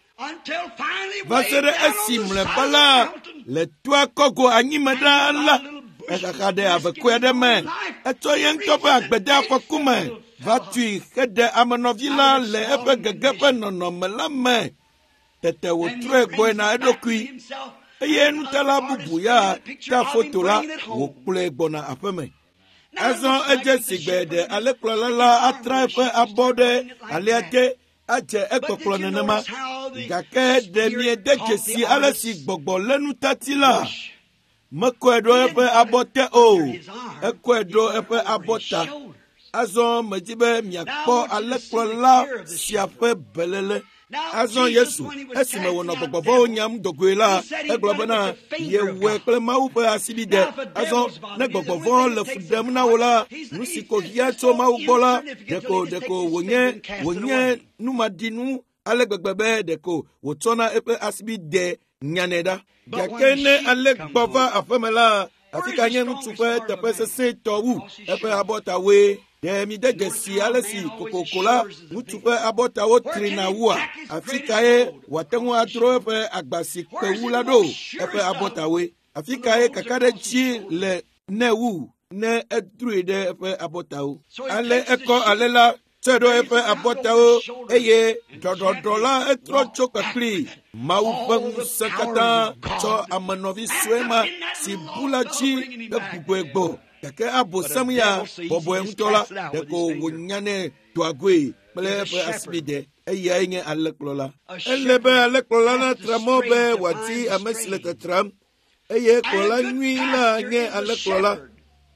Va se ɖe esi mlɔeba la, le toa kɔgo anyime ɖaa la, exaxa ɖe avekɔe aɖe me. Etsɔ ye ŋutɔ ƒe agbe de afɔku me va tui heɖe amenɔvi la le eƒe gege ƒe nɔnɔme la me. Tete wòtrɔe gbɔe na eɖokui eye nutala bubu ya ta foto la wòkplɔe gbɔna aƒeme. Azɔ edze si gbe ɖe alẽkplɔla la atra eƒe abɔ ɖe alẽa te adze ekpɔkplɔ nenema. Gake ɖe miede dzesi ale si gbɔgbɔ lé nutati la? Mekɔe ɖo eƒe abɔ te o, ekɔe ɖo eƒe abɔ ta. Azɔ medzi be miakpɔ alẽkplɔla sia ƒe beléle. Azɔ Yesu, esime wònɔ gbɔgbɔvɔ̃wo nyam dogoe la, egblɔ bena yewɔe kple Mawu ƒe asibide. Azɔ ne gbɔgbɔvɔ̃ le fu ɖem na wò la, nu si ko hiã tso Mawu gbɔ la, ɖeko ɖeko wònye wònye numaɖinu ale gbegbe be ɖeko wòtsɔna eƒe asibide nyanɛ ɖa. Gake ne alẽgbɔ va aƒeme la, afi ka nye ŋutsu ƒe teƒe sesẽtɔ wu eƒe abɔtawoe. Ɖe mi de dzesi ale si kokoko la ŋutsu ƒe abɔtawo trina wua? Afi kae wòate ŋu adro eƒe agba si kpe wu la ɖo? Eƒe abɔtawoe. Afi kae kakaɖedzi le nɛ wu ne edroe ɖe eƒe abɔtawo? Ale ekɔ ale la tsɔe ɖo eƒe abɔtawo eye ɖɔɖɔɖɔ la etrɔ tso kpekpli. Mawu ƒe ŋusẽ katã tsɔ amenɔvi sue ma si bu la dzi hegbugbɔe gbɔ. Gake abosam ya bɔbɔe ŋutɔ la, ɖeko wònyanɛ doa goe kple eƒe asibide. Eyae nye alẽkplɔla. Ele be alẽkplɔla natra mɔ be wòadi ame si le tetram eye kplɔla nyui la nye alẽkplɔla.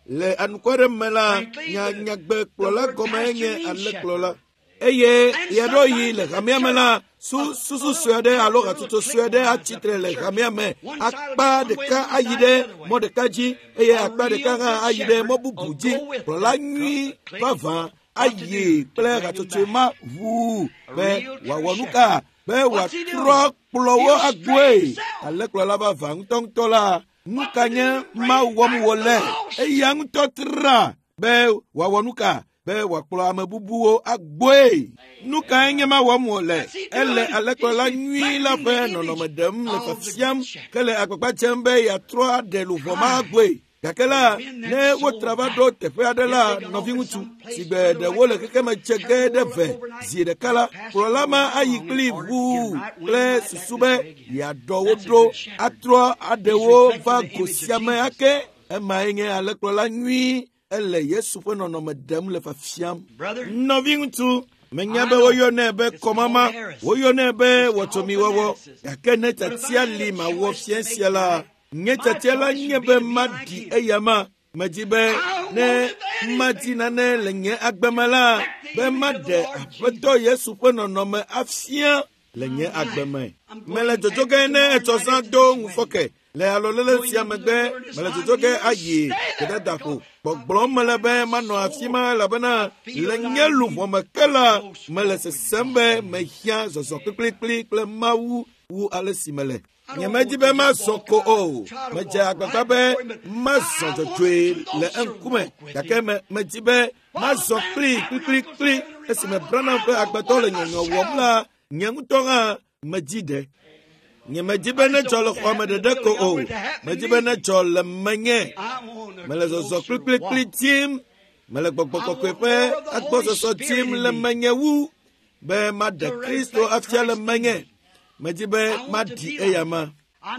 Le anukware me la, nya nyagbe kplɔla gɔme nye alẽkplɔla. Eye ɣeaɖewoɣi le hamea me la, su susu sue aɖe alo hatsotso sue aɖe atsitre le hamea me. Akpa ɖeka ayi ɖe mɔ ɖeka dzi eye akpa ɖeka hã ayi ɖe mɔ bubu dzi. Kplɔla nyui vavã ayi kple hatsotso ma ʋuu be wòawɔ nu ka? Be wòatrɔ kplɔwo agbɔe. Alẽkplɔla vavã ŋutɔŋutɔ la, nu ka nye Mawu wɔm wòle? Eya ŋutɔ tra be wòawɔ nu ka? Be wòakplɔ ame bubuwo agbɔe. Nu kae nye ma wɔm wòle? Ele alẽkplɔla nyui la ƒe nɔnɔme ɖem le fiafiam ke le agbagba dzem be yeatrɔ aɖe luʋɔ ma agbɔe. Gake la, ne wotra va ɖo teƒe aɖe la, nɔviŋutsu si gbe ɖe wole xexeme dze ge ɖe ve zi ɖeka la, kplɔla ma ayi kpli ʋuu kple susu be yeaɖɔ wo ɖo atrɔ aɖe wo va go sia me ake. Emae nye alẽkplɔla nyui. Ele Yesu ƒe nɔnɔme ɖem le fiafiam. Nɔviŋutsu, menya be woyɔnɛ be kɔmama, woyɔnɛ be wɔtsomiwɔwɔ. Gake ne tiatia li mawɔ fia sia la, nye tiatia la nye be maɖi eyama. Medzi be ne madi nane le nye agbe me la, be maɖe Aƒetɔ Yesu ƒe nɔnɔme afia le nye agbe me. Mele dzodzo ge ne etsɔ zã do ŋufɔke. Le alɔlele sia megbe, mele dzodzo ge ayi gbedadaƒo. Gbɔgblɔm mele be manɔ afi ma elabena le nye luʋɔ me ke la, mele sesem be mehiã zɔzɔ kplikplikpli kple Mawu wu ale si mele. Nyemedi be mazɔ ko o. Medze agbagba be mazɔ dzɔdzɔe le eŋkume gake me medzi be mazɔ kpli kplikplikpli. Esime Branham ƒe agbadɔ le nyɔnyɔ wɔm la, nye ŋutɔ hã medzi ɖe. Nyemedi be nedzɔ le xɔa me ɖeɖe ko o. Medzi be nedzɔ le menye. Mele zɔzɔ kplikplikpli dim. Mele gbɔgbɔ kɔkɔe ƒe agbɔsɔsɔ dim le menye wu be maɖe Kristo afia le menye. Medzi be maɖi eyama.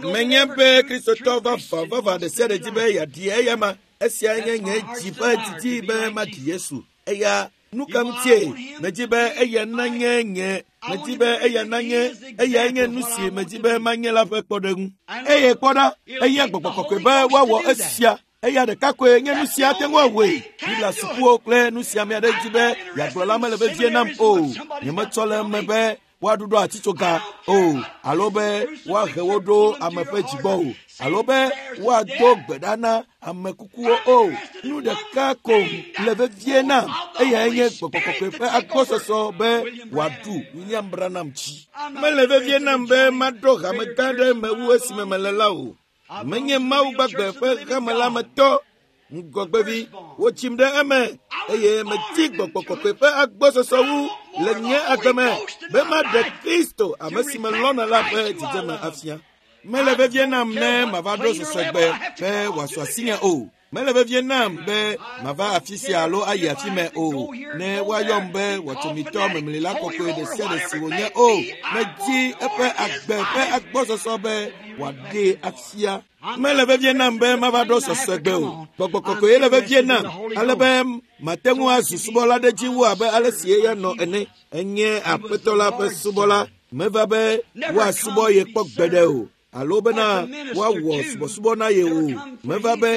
Menye be Kristotɔ vavã vavã ɖe sia ɖe dzi be yeaɖi eyama. Esia nye nye dzi ƒe didi be maɖi Yesu. Eya nu ka ŋutie medzi be eya nanye nye medzi be eya nanye eyae nye nu si medzi be manye la ƒe kpɔɖeŋu. Eye kpɔ ɖa, eya gbɔgbɔ kɔkɔe be woawɔ esia. Eya ɖeka koe nye nu sia ate ŋu awɔe. Biblia sukuwo kple nu sia ame aɖe dzi be yeagblɔ la mele vevie nam o. Nyemetsɔ le eme be woaɖuɖɔ atitsoga o, alo be woahe wo ɖo ame ƒe dzigbɔ o, alo be woado gbe ɖa na ame kukuwo o. Nu ɖeka ko le vevie nam, eyae nye gbɔgbɔ kɔkɔe ƒe agbɔsɔsɔ be wòaɖu William Branham dzi. Mele vevie nam be maɖo hame gã ɖe me wu esime mele la o. Menye Mawu gbagbe ƒe hame la me tɔ. Ŋgɔgbevi, wotsim ɖe eme eye medi gbɔgbɔ kɔkɔe ƒe agbɔsɔsɔ wu le nye agbe me be maɖe Kristo ame si melɔ̃na la ƒe dzidzeme afia. Mele vevie nam ne mava ɖo sɔsɔgbe be wòasu asinye o. Mele vevie nam be mava afi sia alo ayi afi mɛ o. Ne woayɔm be wɔtsomitɔ memlila kɔkɔe ɖe sia ɖe si wònye o. Medi eƒe agbe ƒe agbɔsɔsɔ be wòaɖee afia. Mele vevie nam be mava ɖo sɔsɔgbe o. Gbɔgbɔ kɔkɔe le vevie nam ale be mate ŋu azu subɔla ɖe dzi wu abe ale si eya nɔ ene. Enye Aƒetɔ la ƒe subɔla. Meva be woasubɔ ye kpɔ gbeɖe o. alo bena woawɔ subɔsubɔ na ye o. Meva be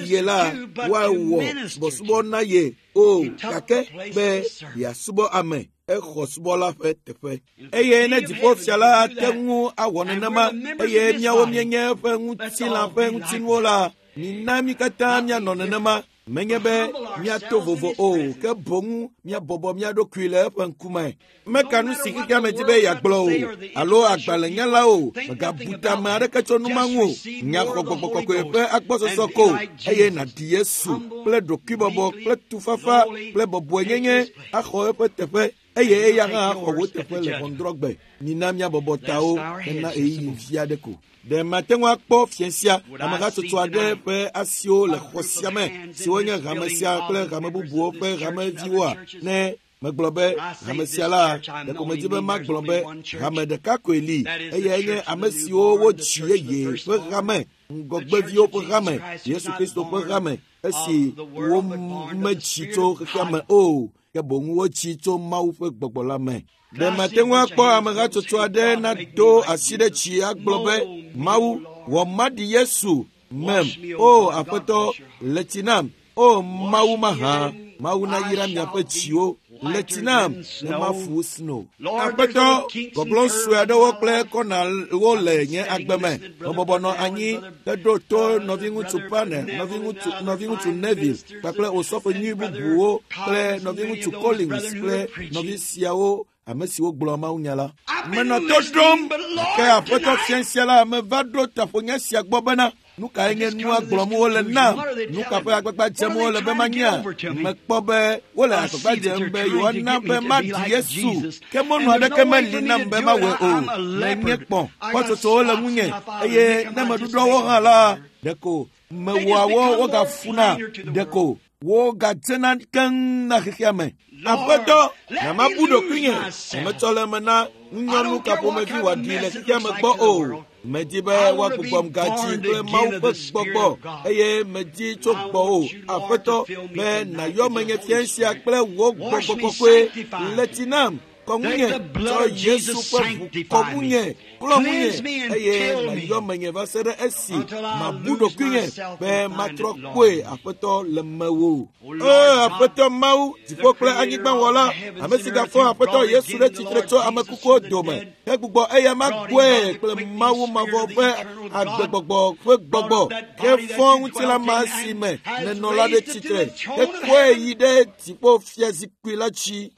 ye la woawɔ subɔsubɔ na ye o, gake be yeasubɔ ame. Exɔ subɔla ƒe teƒe. Eye ne dziƒofia la ate ŋu awɔ nenema, eye míawo míenye eƒe ŋutilã ƒe ŋutinuwo la, mina mí katã míanɔ nenema. Menye be míato vovo o, ke boŋ míabɔbɔ mía ɖokui le eƒe ŋkume. Meka nu si xexea me di be yeagblɔ o, alo agbalẽnyala o, mègabu tame aɖeke tso nu ma ŋu o. Nya xɔ gbɔgbɔ kɔkɔe ƒe agbɔsɔsɔ ko, eye nàɖi Yesu kple ɖokuibɔbɔ kple tufafa kple bɔbɔenyenye axɔ eƒe teƒe. Eye eya hã axɔ wò teƒe le ʋɔnudrɔ̃gbe. Mina míabɔbɔ tawo hena ɣeyiɣi vi aɖe ko. Ɖe mate ŋu akpɔ fia sia amehatsotso aɖe ƒe asiwo le xɔ sia me, siwo nye hame sia kple hame bubuwo ƒe hameviwoa? Ne megblɔ be hame sia la, ɖeko medi be magblɔ be hame ɖeka koe li, eyae nye ame siwo wodzi yeye ƒe hame, ŋgɔgbeviwo ƒe hame, Yesu Kristo ƒe hame, esi womedzi tso xexea me o, ke boŋ wodzi tso Mawu ƒe gbɔgbɔ la me. Ɖe mate ŋu akpɔ amehatsotso aɖe nado asi ɖe dzi agblɔ be, Mawu, wɔ maɖi Yesu mem, o Aƒetɔ, le tsi nam, o Mawu mahã, Mawu nayra miaƒe dziwo, le tsi nam, ne mafu sno. Aƒetɔ, gɔglɔ̃ sue aɖewo kple kɔnawo le nye agbe me. Mebɔbɔ nɔ anyi heɖo to nɔviŋutsu Pane, nɔviŋutsu nɔviŋutsu Neville, kpakple osɔfo nyui bubuwo kple nɔviŋutsu Collins kple nɔvi siawo ame siwo gblɔ mawunya la. Menɔ to ɖom, gake Aƒetɔ fia sia la meva ɖo taƒonya sia gbɔ bena, nu kae nye nua gblɔm wole nam? Nu ka ƒe agbagba dzem wole be manya? Mekpɔ be wole agbagba dzem be yewoana be maɖi Yesu, ke mɔnu aɖeke meli nam be mawɔe o. Menye kpɔ̃, kpɔtsotsowo le ŋunye, eye ne meɖuɖɔ wo hã la, ɖeko mewɔa wo wogafuna, ɖeko wogadzena keŋ na xexea me. Aƒetɔ, na mabu ɖokuinye, metsɔ le eme na ŋunyɔnu ka ƒomevi wòaɖi le xexea me gbɔ o. Medi be woagbugbɔm gadzi kple Mawu ƒe gbɔgbɔ, eye medi tso gbɔwò, Aƒetɔ, be nàyɔ menye fia sia kple wò gbɔgbɔ kɔkɔe. Le tsi nam, kɔ ŋunye, tsɔ Yesu ƒe ʋu kɔ ŋunye, klɔ ŋunye, eye nàyɔ menye va se ɖe esi mabu ɖokuinye be matrɔ kpoe, Aƒetɔ, le mewò. O Aƒetɔ Mawu, dziƒo kple anyigba wɔla, ame si gafɔ Aƒetɔ Yesu ɖe tsitre tso ame kukuwo dome, hegbugbɔ eya magbɔe kple Mawu mavɔ ƒe agbegbɔgbɔ ƒe gbɔgbɔ, hefɔ ŋutilã ma si me nenɔ la ɖe tsitre, hekɔe yi ɖe dziƒo fiazikpui la dzi.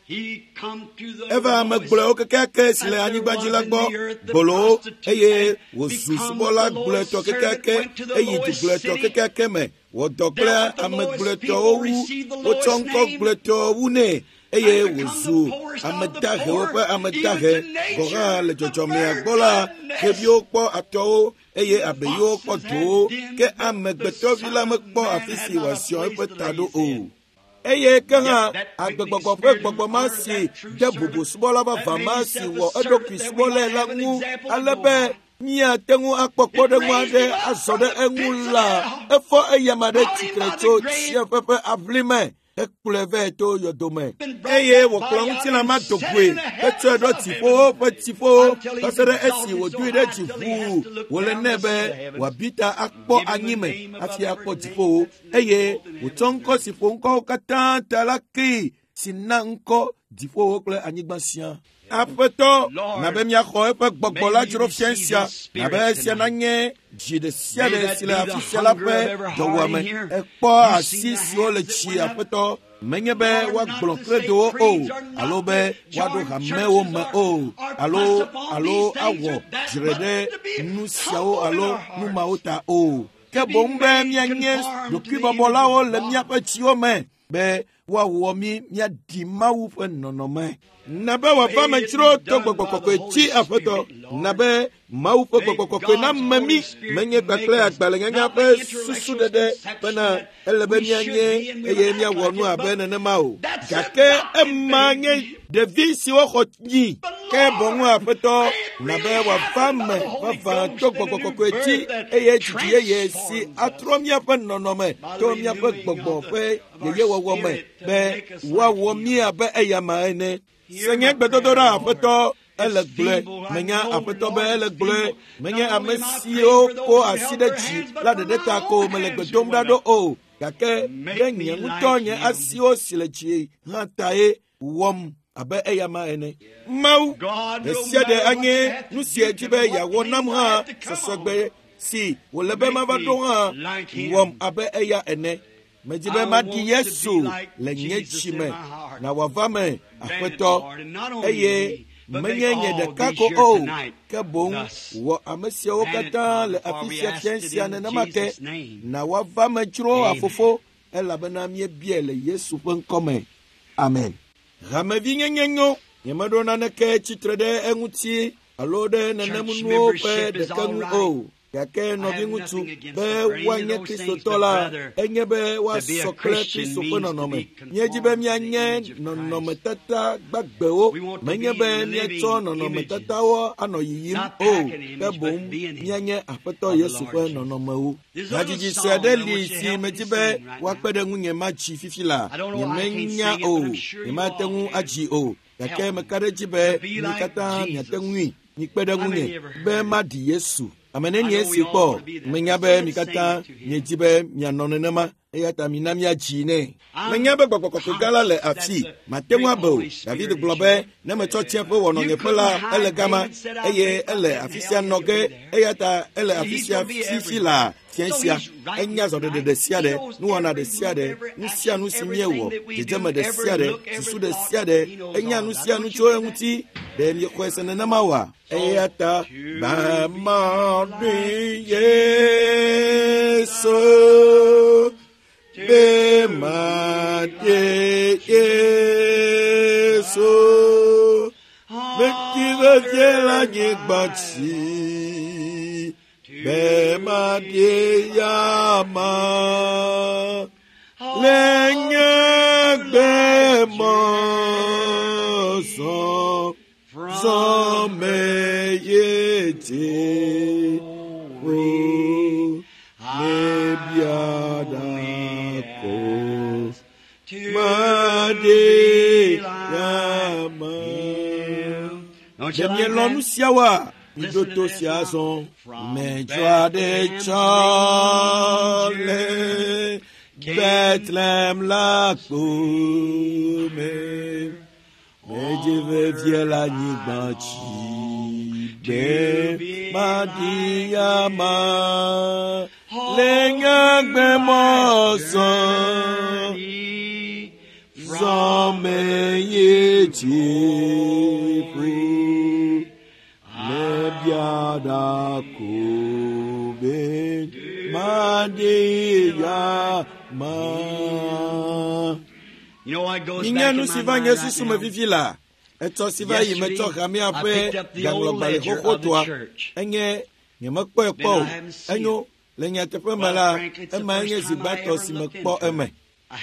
Eva ame gblɔewo kekeake si le anyigba dzi la gbɔ, gbolowo, eye wòzu subɔla gblɔetɔ kekeake, eyi du gblɔetɔ kekeake me, wɔ dɔ kple ame gblɔetɔwo wu, wotsɔ ŋkɔ gblɔetɔ wu nɛ, eye wòzu ame dahewo ƒe ame dahe. Gɔ̃ hã le dzɔdzɔmea gbɔ la, xeviwo kpɔ atɔwo eye abeyiwo kpɔ dowo, ke amegbetɔvi la mekpɔ afi si wòaziɔ eƒe ta ɖo o. Eye ke hã agbegbɔgbɔ ƒe gbɔgbɔ ma si de bubu subɔla vavã ma si wɔ eɖokui subɔlae la ŋu, ale be míate ŋu akpɔ kpɔɖeŋu aɖe azɔ ɖe eŋu la, efɔ eyama ɖe tsitre tso tsiẽƒe ƒe aʋli me, hekplɔe vɛ to yɔdome. Eye wòkplɔ ŋutilã ma do goe, hetsɔe ɖo dziƒowo ƒe dziƒowo, va se ɖe esi wòdoe ɖe dzi ʋuu wòle nɛ be wòabi ta akpɔ anyime hafi akpɔ dziƒowo. Eye wòtsɔ ŋkɔ si ƒo ŋkɔwo katã ta la kee, si na ŋkɔ dziƒowo kple anyigba sia. Aƒetɔ, na be míaxɔ eƒe gbɔgbɔ la dzro fia sia, na be esia nanye dzi ɖe sia ɖe si le afi sia la ƒe dɔwɔame. Ekpɔ asi siwo le dzi, Aƒetɔ, menye be woagblɔ kredowo o, alo be woaɖo hamewo me o, alo alo awɔ dzre ɖe nu siawo alo nu mawo ta o, ke boŋ be míanye ɖokuibɔbɔlawo le míaƒe dziwo me, be woawɔ mí míaɖi Mawu ƒe nɔnɔme. Na be wòava me dzro to gbɔgbɔ kɔkɔe dzi, Aƒetɔ. Na be Mawu ƒe gbɔgbɔ kɔkɔe name mí, menye kpakple agbalẽnyanya ƒe susuɖeɖe bena ele be míanye eye míawɔ nu abe nenema o. Gake ema nye ɖevi siwo xɔ nyi. Ke boŋ, Aƒetɔ, na be wòava me vavã to gbɔgbɔ kɔkɔe dzi, eye dzidzi yeye si atrɔ míaƒe nɔnɔme to míaƒe gbɔgbɔ ƒe yeyewɔwɔ me, be woawɔ mí abe eyama ene. Se nye gbedodoɖa, Aƒetɔ, Ele gblɔe, menya aƒetɔ be ele gblɔe, menye ame siwo ko asi ɖe dzi la ɖeɖe ta ko mele gbe dom ɖa ɖo o, gake ɖe nye ŋutɔ nye asiwo si le dzi hã tae wɔm abe eyama ene. Mawu, ɖe sia ɖe anye nu si edzi be yeawɔ nam hã sɔsɔgbe si wòle be mava ɖo hã wɔm abe eya ene. Medzi be maɖi Yesu le nye dzi me na wòava me aƒetɔ eye menye nye ɖeka ko o ke boŋ wɔ ame siawo katã le afi sia fia sia nenema ke na woava me dzro afofo elabena míebiae le Yesu ƒe ŋkɔme. Amen. Hamevinyenye nyo, nyemeɖo naneke tsitre ɖe eŋuti alo ɖe nenemunuwo ƒe ɖeke ŋu o. Gake nɔviŋutsu be woanye kristotɔ la enye be woasɔ kple Kristo ƒe nɔnɔme. Míedzi be míanye nɔnɔmetata gbagbewo, menye be míatsɔ nɔnɔmetatawo anɔ yiyim o, ke boŋ míanye Aƒetɔ Yesu ƒe nɔnɔmewo. Hadzidzi sue aɖe li si medzi be woakpe ɖe ŋunye madzi fifi la. Nyemenya o, nyemate ŋu adzi o, gake meka ɖe edzi be mi katã miate ŋui. Mikpe ɖe ŋunye be maɖi Yesu. Ame nenie si kpɔ, menya be mi katã miedzi be mianɔ nenema, eya ta mina míadzi nɛ. Menya be gbɔgbɔ kɔkɔe gã la le afi, mate ŋu abe o. David gblɔ be ne metsɔ tsiẽƒe wɔ nɔnyeƒe la, ele gama eye ele afi sia nɔ ge, eya ta ele afi sia fifi la fia sia. Enya zɔɖeɖe ɖe sia ɖe, nuwɔna ɖe sia ɖe, nu sia nu si míewɔ, dzedzeme ɖe sia ɖe, susu ɖe sia ɖe, enya nu sia nu tso eŋuti. Ɖe miexɔe se nenema oa? Eya ta be maɖi Yesu, be maɖi Yesu, meti vevie le anyigba dzi, be maɖi yama le nye gbe mɔzɔ. Zɔme ye dzi o ne biada ko maɖi yama. Ɖe mielɔ̃ nu siawoa? Miɖo to sia azɔ. Medzɔ aɖe tsɔ le Bethlehem la kpome. Medzi vevie le anyigba dzi be maɖi yama le nye gbe mɔzɔ zɔme ye dziƒo ne biada ko be maɖi yama. Minya nu si va nye susu me fifi la, etsɔ si va yi metsɔ hamea ƒe gaŋlɔgbalẽ xoxotoa. Enye nyemekpɔe kpɔ o. Enyo le nyateƒe me la, ema nye zi gbãtɔ si mekpɔ eme.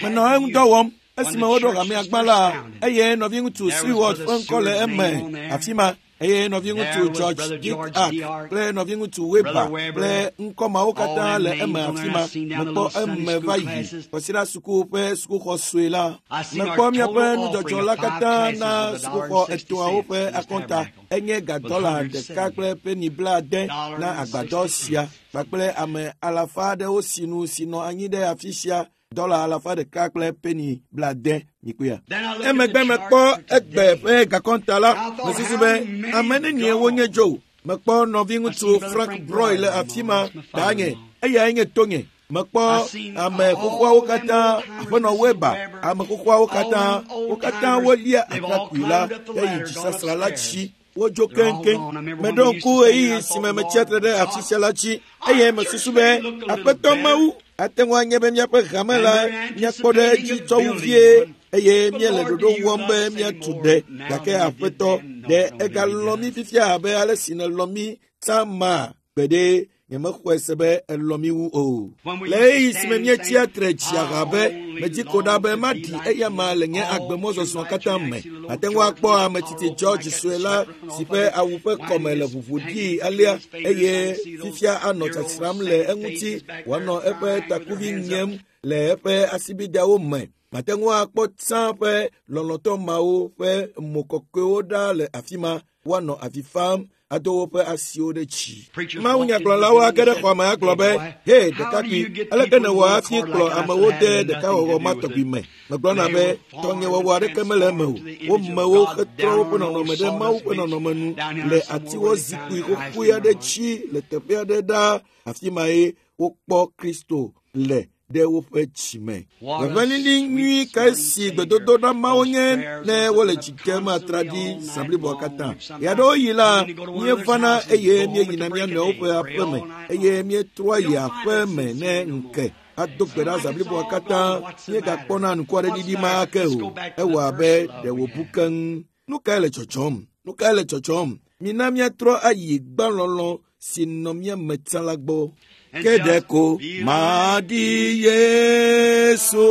Menɔ eŋudɔ wɔm esime woɖo hamea gbã la, eye nɔviŋutsu Seward ƒe ŋkɔ le eme afi ma. Eye nɔviŋutsu George Dick Ark kple nɔviŋutsu Weber kple ŋkɔ mawo katã le eme afi ma. Mekpɔ eme va yi kɔsiɖa suku ƒe sukuxɔ sue la. Mekpɔ míaƒe nudzɔdzɔ la katã na sukuxɔ etɔ̃awo ƒe akɔnta. Enye ga dɔla ɖeka kple peni blaade na agbadɔ sia kpakple ame alafa aɖewo sinu si nɔ anyi ɖe afi sia. Dɔla alafa ɖeka kple peni blaade mikpɔea. Emegbe mekpɔ egbe ƒe gakɔnta la, mesusu be ame nenie wonye dzo. Mekpɔ nɔviŋutsu Frank Broy le afi ma danye, eyae nye tonye. Mekpɔ ame xoxoawo katã, aƒenɔ Weber, ame xoxoawo katã, wo katã wolia atrakpui la heyi dzisasra la dzi. Wodzo keŋkeŋ. Meɖo ŋku ɣeyiɣi si me metsia tre ɖe afi sia la dzi eye mesusu be Aƒetɔ Mawu ate ŋu anye be míaƒe hame la míakpɔ ɖe edzi tsɔ wu vie eye míele ɖoɖo wɔm be míatu ɖe. Gake Aƒetɔ, ɖe egalɔ̃ mí fifia abe ale si nèlɔ̃ mí tsã ma gbeɖe. Nyemexɔe se be elɔ̃ mí wu o. Le ɣeyiɣi si me míetsia tre dzi aha be medzi ko ɖa be maɖi eyama le nye agbemɔzɔzɔ katã me. Ate ŋu akpɔ ame tsitsi George sue la si ƒe awu ƒe kɔme le ʋuʋu ɖii alea eye fifia anɔ tsatsram le eŋuti wòanɔ eƒe takuvi nyem le eƒe asibideawo me. Mate ŋu akpɔ tsã ƒe lɔlɔ̃tɔ mawo ƒe mo kɔkɔewo ɖa le afi ma. Woanɔ avi fam ado woƒe asiwo ɖe dzi. Mawunyagblɔlawo age ɖe xɔa me agblɔ be, "He, ɖekakpui, aleke nèwɔ hafi kplɔ amewo de ɖekawɔwɔ ma tɔgbi me?" Megblɔna be, "Tɔnyewɔwɔ aɖeke mele eme o. Womewo hetrɔ woƒe nɔnɔme ɖe Mawu ƒe nɔnɔme nu le atiwɔ zikpui xoxoe aɖe dzi le teƒe aɖe ɖaa. Afi mae wokpɔ Kristo le ɖe woƒe dzime." Ʋeʋẽlili nyui kae si gbedodoɖa mawo nye ne wole dzi dem atraɖi zã bliboa katã. Ɣeaɖewoɣi la, míevana eye míeyina mía nɔewo ƒe aƒeme eye míetrɔa yi aƒeme ne ŋke ado gbe ɖa zã bliboa katã. Míegakpɔna ŋkuaɖeɖiɖi ma ake o. Ewɔ abe ɖe wòbu keŋ. Nu kae le dzɔdzɔm? Nu kae le dzɔdzɔm? Mina míatrɔ ayi gbãlɔlɔ̃ si nɔ mía me tsã la gbɔ. Ke ɖeko maɖi Yesu,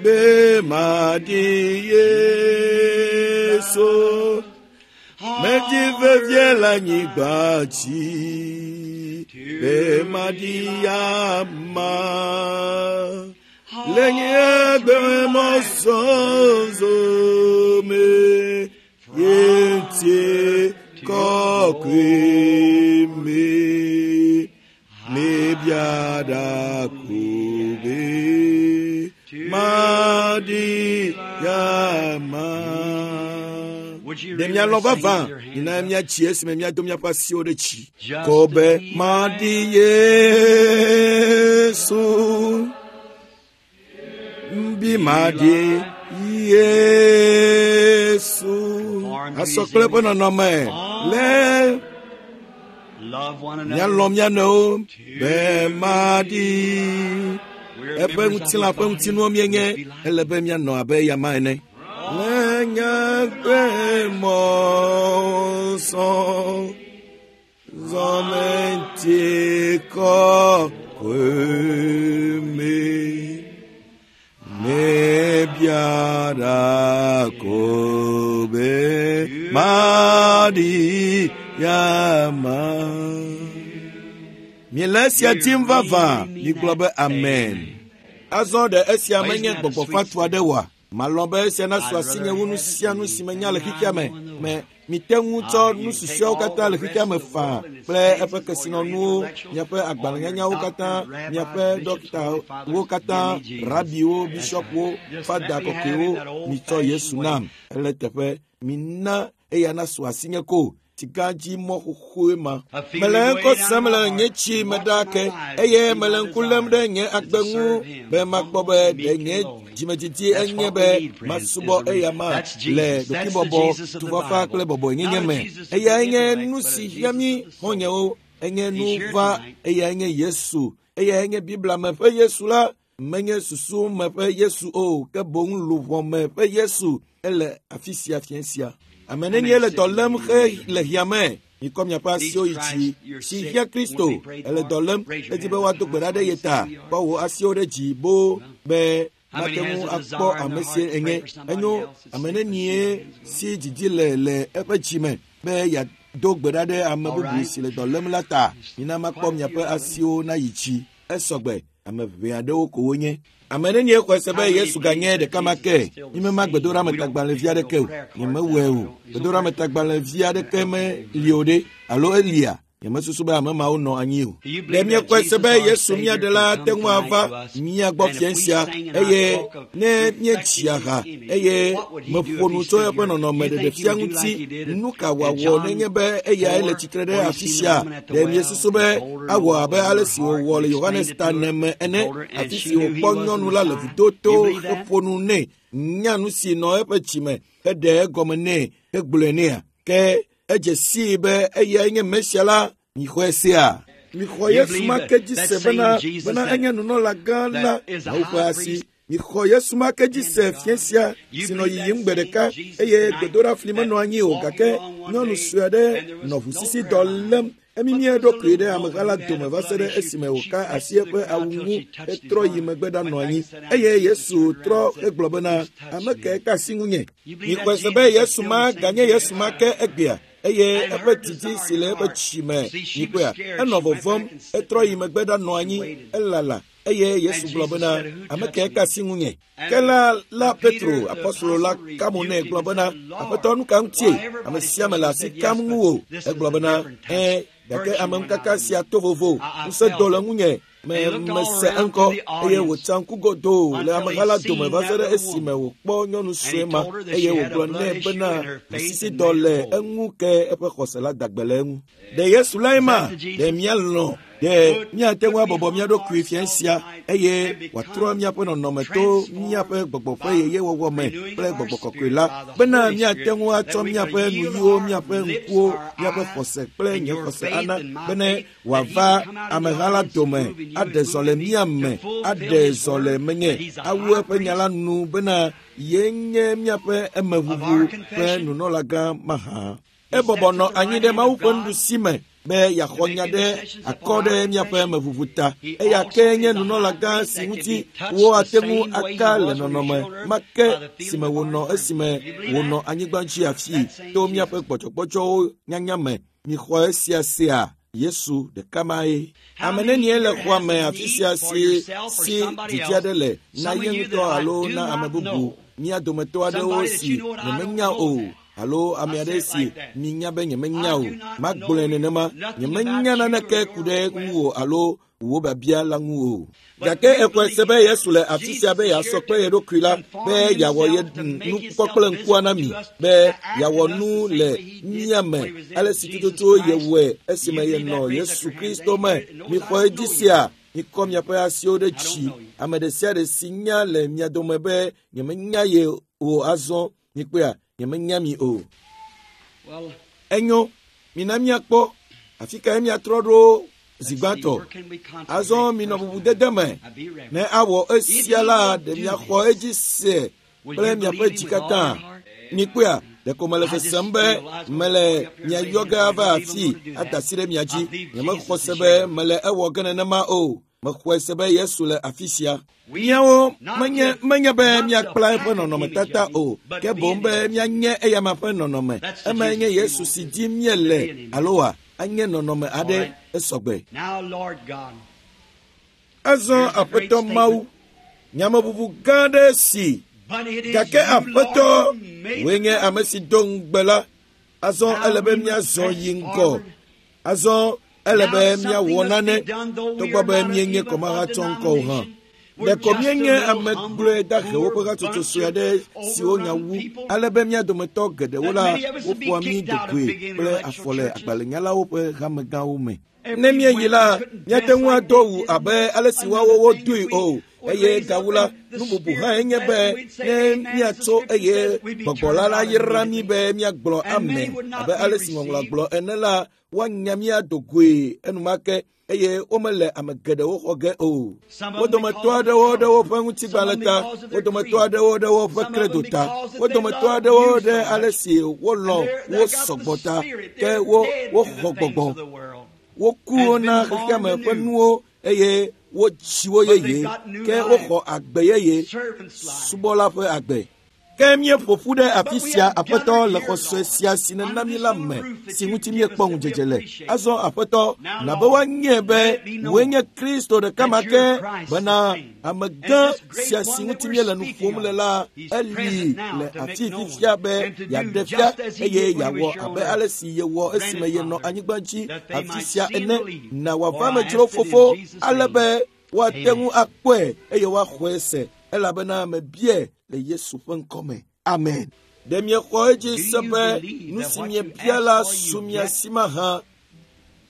be maɖi Yesu, medi vevie le anyigba dzi, be maɖi ama. Le nye agbemɔzɔzɔ me, ye ŋuti kɔkɔe me. Mebiada kobe maɖi ama. Ɖe mialɔ̃ vavã mina míatsi esime míado míaƒe asiwo ɖe dzi. Kobe maɖi Yesu, bi maɖi Yesu. Asɔ kple eƒe nɔnɔme le míalɔ̃ mía nɔewo be maɖi eƒe ŋutilã ƒe ŋutinuwo míenye. Ele be míanɔ abe eyama ene. Le nye agbemɔzɔ zɔme ŋuti kɔkɔe me, mebiada ko be maɖi yama. Miele esia tim vavã, migblɔ be amen. Azɔ ɖe esia menye gbɔgbɔ fatu aɖe oa? Malɔ̃ be esia nasu asinye wu nu sia nu si menya le xexea me. Me mite ŋu tsɔ nu susɔeawo katã le xexea me faa kple eƒe kesinɔnuwo, miaƒe agbalẽnyanyawo katã, miaƒe ɖɔktawo katã, rabiwo, bishɔpwo, fada kɔkɔewo. Mitsɔ Yesu nam. Ele teƒe mina eya nasu asinye ko. Sika dzi mɔ xoxoe ma. Mele ŋkɔ sem le nye tsi me ɖaa ke eye mele ŋku lém ɖe nye agbe ŋu be makpɔ be ɖe nye dzimedidi enye be masubɔ eyama le ɖokuibɔbɔ, tufafa kple bɔbɔenyenye me. Eyae nye nu si hiã mí xɔ̃nyewo. Enye nu va. Eyae nye Yesu. Eyae nye Biblia me ƒe Yesu la. Menye susu me ƒe Yesu o, ke boŋ luʋɔ me ƒe Yesu. Ele afi sia fiẽ sia. Ame nenie le dɔ lém xe le hiã me? Mikɔ miaƒe asiwo yi dzi. Si hiã Kristo ele dɔ lém edi be woado gbe ɖa ɖe ye ta. Kɔ wò asiwo ɖe dzi boo be mate ŋu akpɔ ame si enye. Enyo ame nenie si dzidzi le le eƒe dzi me be yeado gbe ɖa ɖe ame bubu si le dɔ lém la ta. Mina makpɔ miaƒe asiwo nayi dzi. Esɔgbe ame ʋɛ aɖewo ko wonye. Ame nenie xɔe se be Yesu ganye ɖeka ma ke. Mímema gbedoɖametagbalẽvi aɖeke o. Nyemewɔe o. Gbedoɖametagbalẽvi aɖeke meli o ɖe alo elia. Nyemesusu be ame mawo nɔ anyi o. Ɖe míexɔe se be Yesu mía ɖela te ŋu ava mía gbɔ fiẽ sia eye ne míetsi aha eye meƒo nu tso eƒe nɔnɔme ɖeɖefia ŋuti, nu ka wòawɔ nenye be eyae le tsitre ɖe afi sia? Ɖe míesusu be awɔ abe ale si wòwɔ le Yohanes ta ene me ene, afi si wòkpɔ nyɔnu la le vudo to heƒo nu nɛ, nya nu si nɔ eƒe dzime heɖe egɔme nɛ hegblɔe nɛa? Ke edze sii be eyae nye Mesia la. Mixɔe sea? Mixɔ Yesu ma ke dzi se bena bena enye nunɔla gã la Mawu ƒe asi. Mixɔ Yesu ma ke dzi se fiẽ sia si nɔ yiyim gbe ɖeka eye gbedoɖafli menɔ anyi o, gake nyɔnu sue aɖe nɔ ʋusisi dɔ lém. Emimi eɖokui ɖe ameha la dome va se ɖe esime wòka asi eƒe awu ŋu hetrɔ yi megbe ɖanɔ anyi. Eye Yesu trɔ hegblɔ bena, ame kae ka asi ŋunye? Mixɔe se be Yesu ma ganye Yesu ma ke egbea. eye eƒe didi si le eƒe tsi me mikpɔea enɔ vɔvɔm etrɔ yi megbe ɖanɔ anyi elala eye Yesu gblɔ bena ame kae ka asi ŋunye ke la la Petro apɔstolo la ka mo nɛ gblɔ bena aƒetɔ nu ka ŋutie ame sia ame le asi kam ŋuwò egblɔ bena ẽ gake ameŋukaka sia to vovo ŋusẽ do le ŋunye me mese eŋkɔ eye wòtsa ŋku godoo le ameha la dome va se ɖe esime wòkpɔ nyɔnu sue ma eye wògblɔ nɛ bena ʋusisidɔ le eŋu ke eƒe xɔse la da gbe le eŋu. Ɖe Yesu lae ma ɖe míalɔ̃ ɖe míate ŋu abɔbɔ mía ɖokui fia sia eye wòatrɔ míaƒe nɔnɔme to míaƒe gbɔgbɔ ƒe yeyewɔwɔ me kple gbɔgbɔ kɔkɔe la bena míate ŋu atsɔ míaƒe nuyiwo míaƒe ŋkuwo míaƒe xɔse kple nye xɔse ana bene wòava ameha la dome aɖe zɔ le mía me aɖe zɔ le menye awu eƒe nya la nu bena ye nye míaƒe emeʋuʋu ƒe nunɔlagã mahã. Ebɔbɔ nɔ anyi ɖe Mawu ƒe nuɖusi me be yeaxɔ nya ɖe akɔ ɖe míaƒe emeʋuʋu ta. Eya ke nye nunɔlagã si ŋuti woate ŋu aka le nɔnɔme ma ke si me wònɔ esime wònɔ anyigba dzi afii to míaƒe gbɔdzɔgbɔdzɔwo nyanya me. Mixɔ esia sea Yesu ɖeka mae. Ame nenie le xɔa me afi sia si si didi aɖe le na ye ŋutɔ alo na ame bubu mía dometɔ aɖewo si nyemenya o alo ame aɖe si minya be nyemenya o magblɔe nenema nyemenya naneke ku ɖe ŋuwò alo wò biabia la ŋu o. Gake exɔe se be Yesu le afi sia be yeasɔ kple ye ɖokui la be yeawɔ ye nukpɔkpɔ kple ŋkua na mi be yeawɔ nu le mía me ale si tututu yewɔe esime yenɔ Yesu Kristo me. Mixɔ edzi sia mikɔ miaƒe asiwo ɖe dzi. Ame ɖe sia ɖe si nya le mia dome be nyemenya ye o azɔ mikpɔea nyemenya mi o. Enyo mina míakpɔ afi kae míatrɔ ɖo zi gbãtɔ. Azɔ minɔ bubudede me ne awɔ esia la ɖe miaxɔ edzi se kple miaƒe dzi katã. Mikpɔea ɖeko mele sesem be mele mia yɔ ge ava afii ada asi ɖe mia dzi. Nyemexɔ se be mele ewɔ ge nenema o. Mexɔe se be Yesu le afi sia. Míawo menye menye be míakpla eƒe nɔnɔmetata o, ke boŋ be míanye eyama ƒe nɔnɔme. Emae nye Yesu si dim míele alo wa anye nɔnɔme aɖe esɔgbe. Azɔ Aƒetɔ Mawu, nyameʋuʋu gã aɖe si gake Aƒetɔ wòe nye ame si do ŋugbe la. Azɔ ele be míazɔ yi ŋgɔ. Azɔ ele be míawɔ nane togbɔ be míenye kɔmahatsɔ ŋkɔ o hã. Ɖeko míenye ame gblɔe dahewo ƒe hatsotso sue aɖe siwo nya wu ale be mía dometɔ geɖewo la woƒoa mí dogoe kple afɔ le agbalẽnyalawo ƒe hamegãwo me. Ne míeyi la, míate ŋu ado wu abe ale si woawo wodoe o. Eye gawu la, nu bubu hã enye be ne míatso eye gbɔgbɔ la la yra mí be míagblɔ ame abe ale si ŋɔŋlɔa gblɔ ene la, woanya mía dogoe enumake eye womele ame geɖewo xɔ ge o. Wo dometɔ aɖewo ɖe woƒe ŋutigbalẽ ta, wo dometɔ aɖewo ɖe woƒe kredo ta, wo dometɔ aɖewo ɖe ale si wolɔ̃ wo sɔgbɔ ta, ke wo woxɔ gbɔgbɔ. Woku wo na xexeame ƒe nuwo eye wotsi wo yeye, ke woxɔ agbe yeye, subɔla ƒe agbe. Ke míeƒo ƒu ɖe afi sia Aƒetɔ le xɔse sia si nena mí la me si ŋuti míekpɔ ŋudzedze le. Azɔ Aƒetɔ, na be woanye be wòe nye Kristo ɖeka ma ke bena amegã sia si ŋuti míele nu ƒom le la eli le afi fifia be yeaɖe fia eye yeawɔ abe ale si yewɔ esime yenɔ anyigba dzi afi sia ene. Na wòava amedzro fofo ale be woate ŋu akpɔe eye woaxɔe se elabena mebiae le Yesu ƒe ŋkɔme. Amen. Ɖe miexɔ edzi se be nu si miebia la su mia si mahã?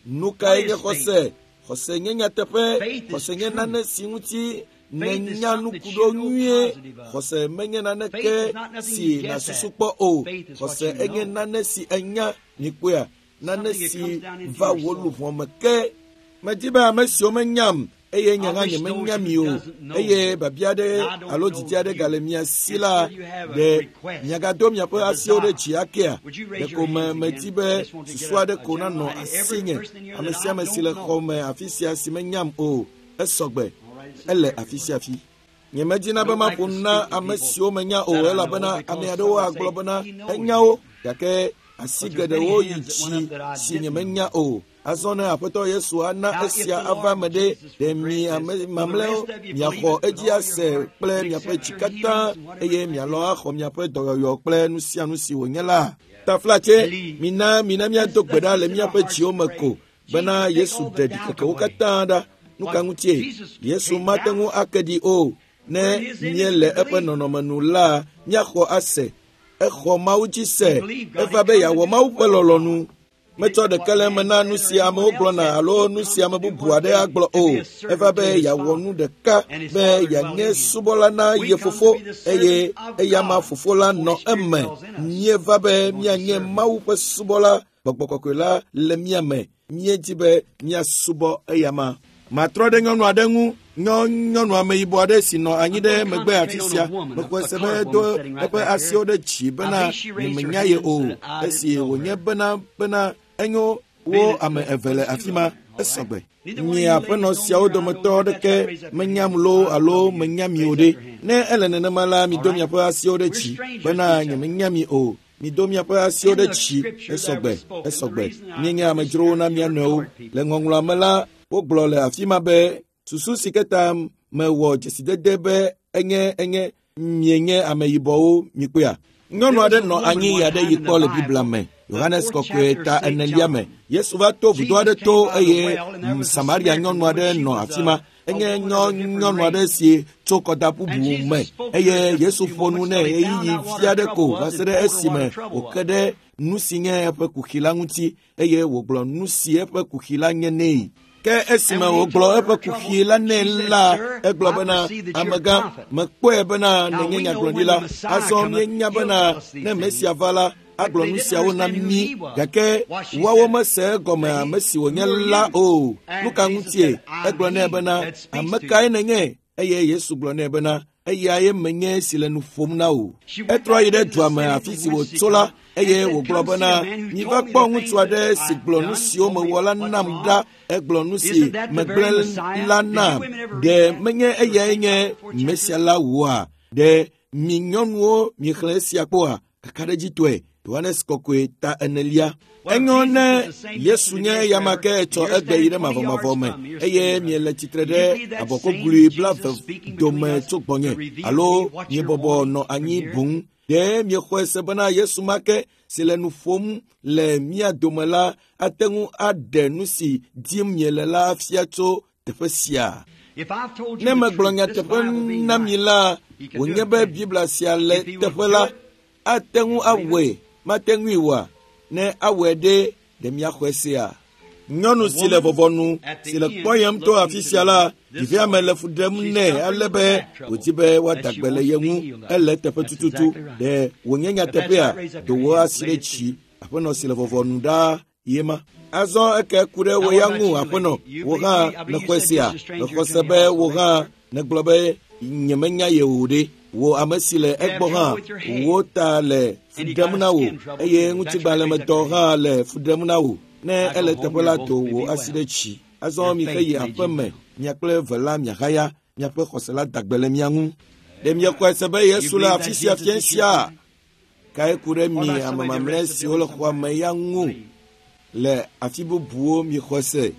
Nu kae nye xɔse? Xɔse nye nyateƒe. Xɔse nye nane si ŋuti nènya nu ku ɖo nyuie. Xɔse menye naneke si nàsusu kpɔ o. Xɔse enye nane si enya mikpɔea, nane si va wò luʋɔ me ke. Medi be ame siwo menyam eye nye hã nyemenya mi o eye biabia aɖe alo didi aɖe gale mia si la ɖe miagado miaƒe asiwo ɖe dzi akea? Ɖeko me medi be susu aɖe ko nanɔ asinye. Ame sia ame si le xɔ me afi sia si menyam o esɔgbe ele afi sia afi. Nyemedina be maƒo nu na ame siwo menya o elabena ame aɖewo agblɔ bena enya wo gake Asi geɖewo yi dzi si nyemenya o. Azɔ ne Aƒetɔ Yesu ana esia ava eme ɖe, ɖe mi ame mamlɛwo miaxɔ edzi ase kple miaƒe dzi katã eye mialɔ̃ axɔ miaƒe dɔyɔyɔ kple nu sia nu si wònye la. Taflatse, mina mina míado gbe ɖa le míaƒe dziwo me ko bena Yesu ɖe ɖikekewo katã ɖa. Nu ka ŋutie? Yesu mate ŋu ake ɖi o. Ne míele eƒe nɔnɔme nu la, míaxɔ ase. Exɔ Mawu dzi se. Eva be yeawɔ Mawu ƒe lɔlɔ̃nu. Metsɔ ɖeke le eme na nu si amewo gblɔna alo nu si ame bubu aɖe agblɔ o. Eva be yeawɔ nu ɖeka be yeanye subɔla na ye fofo eye eyama fofo la nɔ eme. Míeva be míanye Mawu ƒe subɔla. Gbɔgbɔ kɔkɔe la le mía me. Míedi be míasubɔ eyama. Matrɔ ɖe nyɔnu aɖe ŋu. Nyɔ nyɔnu ameyibɔ aɖe si nɔ anyi ɖe megbe afi sia. Mexɔe se be edo eƒe asiwo ɖe dzi bena nyemenya ye o. Esi wònye bena bena enyo wo ame eve le afi ma esɔgbe. Nye aƒenɔ siawo dometɔ ɖeke menyam loo alo menya mi o ɖe. Ne ele nenema la, mido miaƒe asiwo ɖe dzi bena nyemenya mi o. Mido miaƒe asiwo ɖe dzi esɔgbe esɔgbe. Míenye amedzrowo na mía nɔewo. Le ŋɔŋlɔa me la, wogblɔ le afi ma be susu si ke ta mewɔ dzesidede be enye enye mienye ameyibɔwo mikpɔea. Nyɔnu aɖe nɔ anyi ɣe aɖe yi kpɔ le Biblia me. Yohanes kɔkɔe ta enelia me. Yesu va to vudo aɖe to eye Samaria nyɔnu aɖe nɔ afi ma. Enye nyɔ nyɔnu aɖe si tso kɔda bubu me eye Yesu ƒo nu nɛ ɣeyiɣi vi aɖe ko va se ɖe esime wòke ɖe nu si nye eƒe kuxi la ŋuti eye wògblɔ nu si eƒe kuxi la nye nɛ. Ke esime wògblɔ eƒe kuxi la nɛ la, egblɔ bena, amegã, mekpɔe bena nènye nyagblɔɖila. Azɔ míenya bena ne Mesia va la, agblɔ nu siawo na mí. Gake woawo mese egɔme ame si wònye la o. Nu ka ŋutie? Egblɔ nɛ bena, ame kae nènye? Eye Yesu gblɔ nɛ bena, eyae menye si le nu ƒom na wò. Etrɔ yi ɖe dua me afi si wòtso la eye wògblɔ bena, miva kpɔ ŋutsu aɖe si gblɔ nu siwo mewɔ la nam ɖa. Egblɔ nu si megblẽ la nam. Ɖe menye eyae nye Mesia la oa? Ɖe mi nyɔnuwo miexlẽ esia kpɔa? Kakaɖedzitɔe. Yohanes kɔkɔe ta enelia. Enyo ne Yesu nye eyama ke etsɔ egbe yi ɖe mavɔmavɔ me eye miele tsitre ɖe abɔkɔglui blaeve dome tso gbɔnye alo miebɔbɔ nɔ anyi boŋ. Ɖe miexɔe se bena Yesu ma ke si le nu ƒom le mía dome la ate ŋu aɖe nu si dim miele la fia tso teƒe sia? Ne megblɔ nyateƒe na mi la, wònye be Biblia sia le teƒe la, ate ŋu awɔe, mate ŋui oa? Ne awɔe ɖe, ɖe miaxɔe sea? Nyɔnu si le vɔvɔnu si le kpɔyem to afi sia la, ɖevia me le fu ɖem nɛ ale be wòdi be woada gbe le ye ŋu. Ele teƒe tututu. Ɖe wònye nyateƒea? Do wò asi ɖe dzi. Aƒenɔ si le vɔvɔnu ɖaa ye ma. Azɔ eke ku ɖe wò ya ŋu, aƒenɔ. Wò hã nèxɔe sea? Mexɔ se be wò hã nègblɔ be nyemenya ye o ɖe. Wò ame si le egbɔ hã, wò ta le fu ɖem na wò eye ŋutigbalẽmetɔ hã le fu ɖem na wò. Ne ele teƒe la, do wò asi ɖe dzi. Azɔ mixe yi aƒe me, mia kple eve la miahaya, miaƒe xɔse la da gbe le mia ŋu. Ɖe miexɔe se be Yesu le afi sia fiẽ sia? Kae ku ɖe mi ame mamlɛ siwo le xɔa me ya ŋu le afi bubuwo miexɔe se?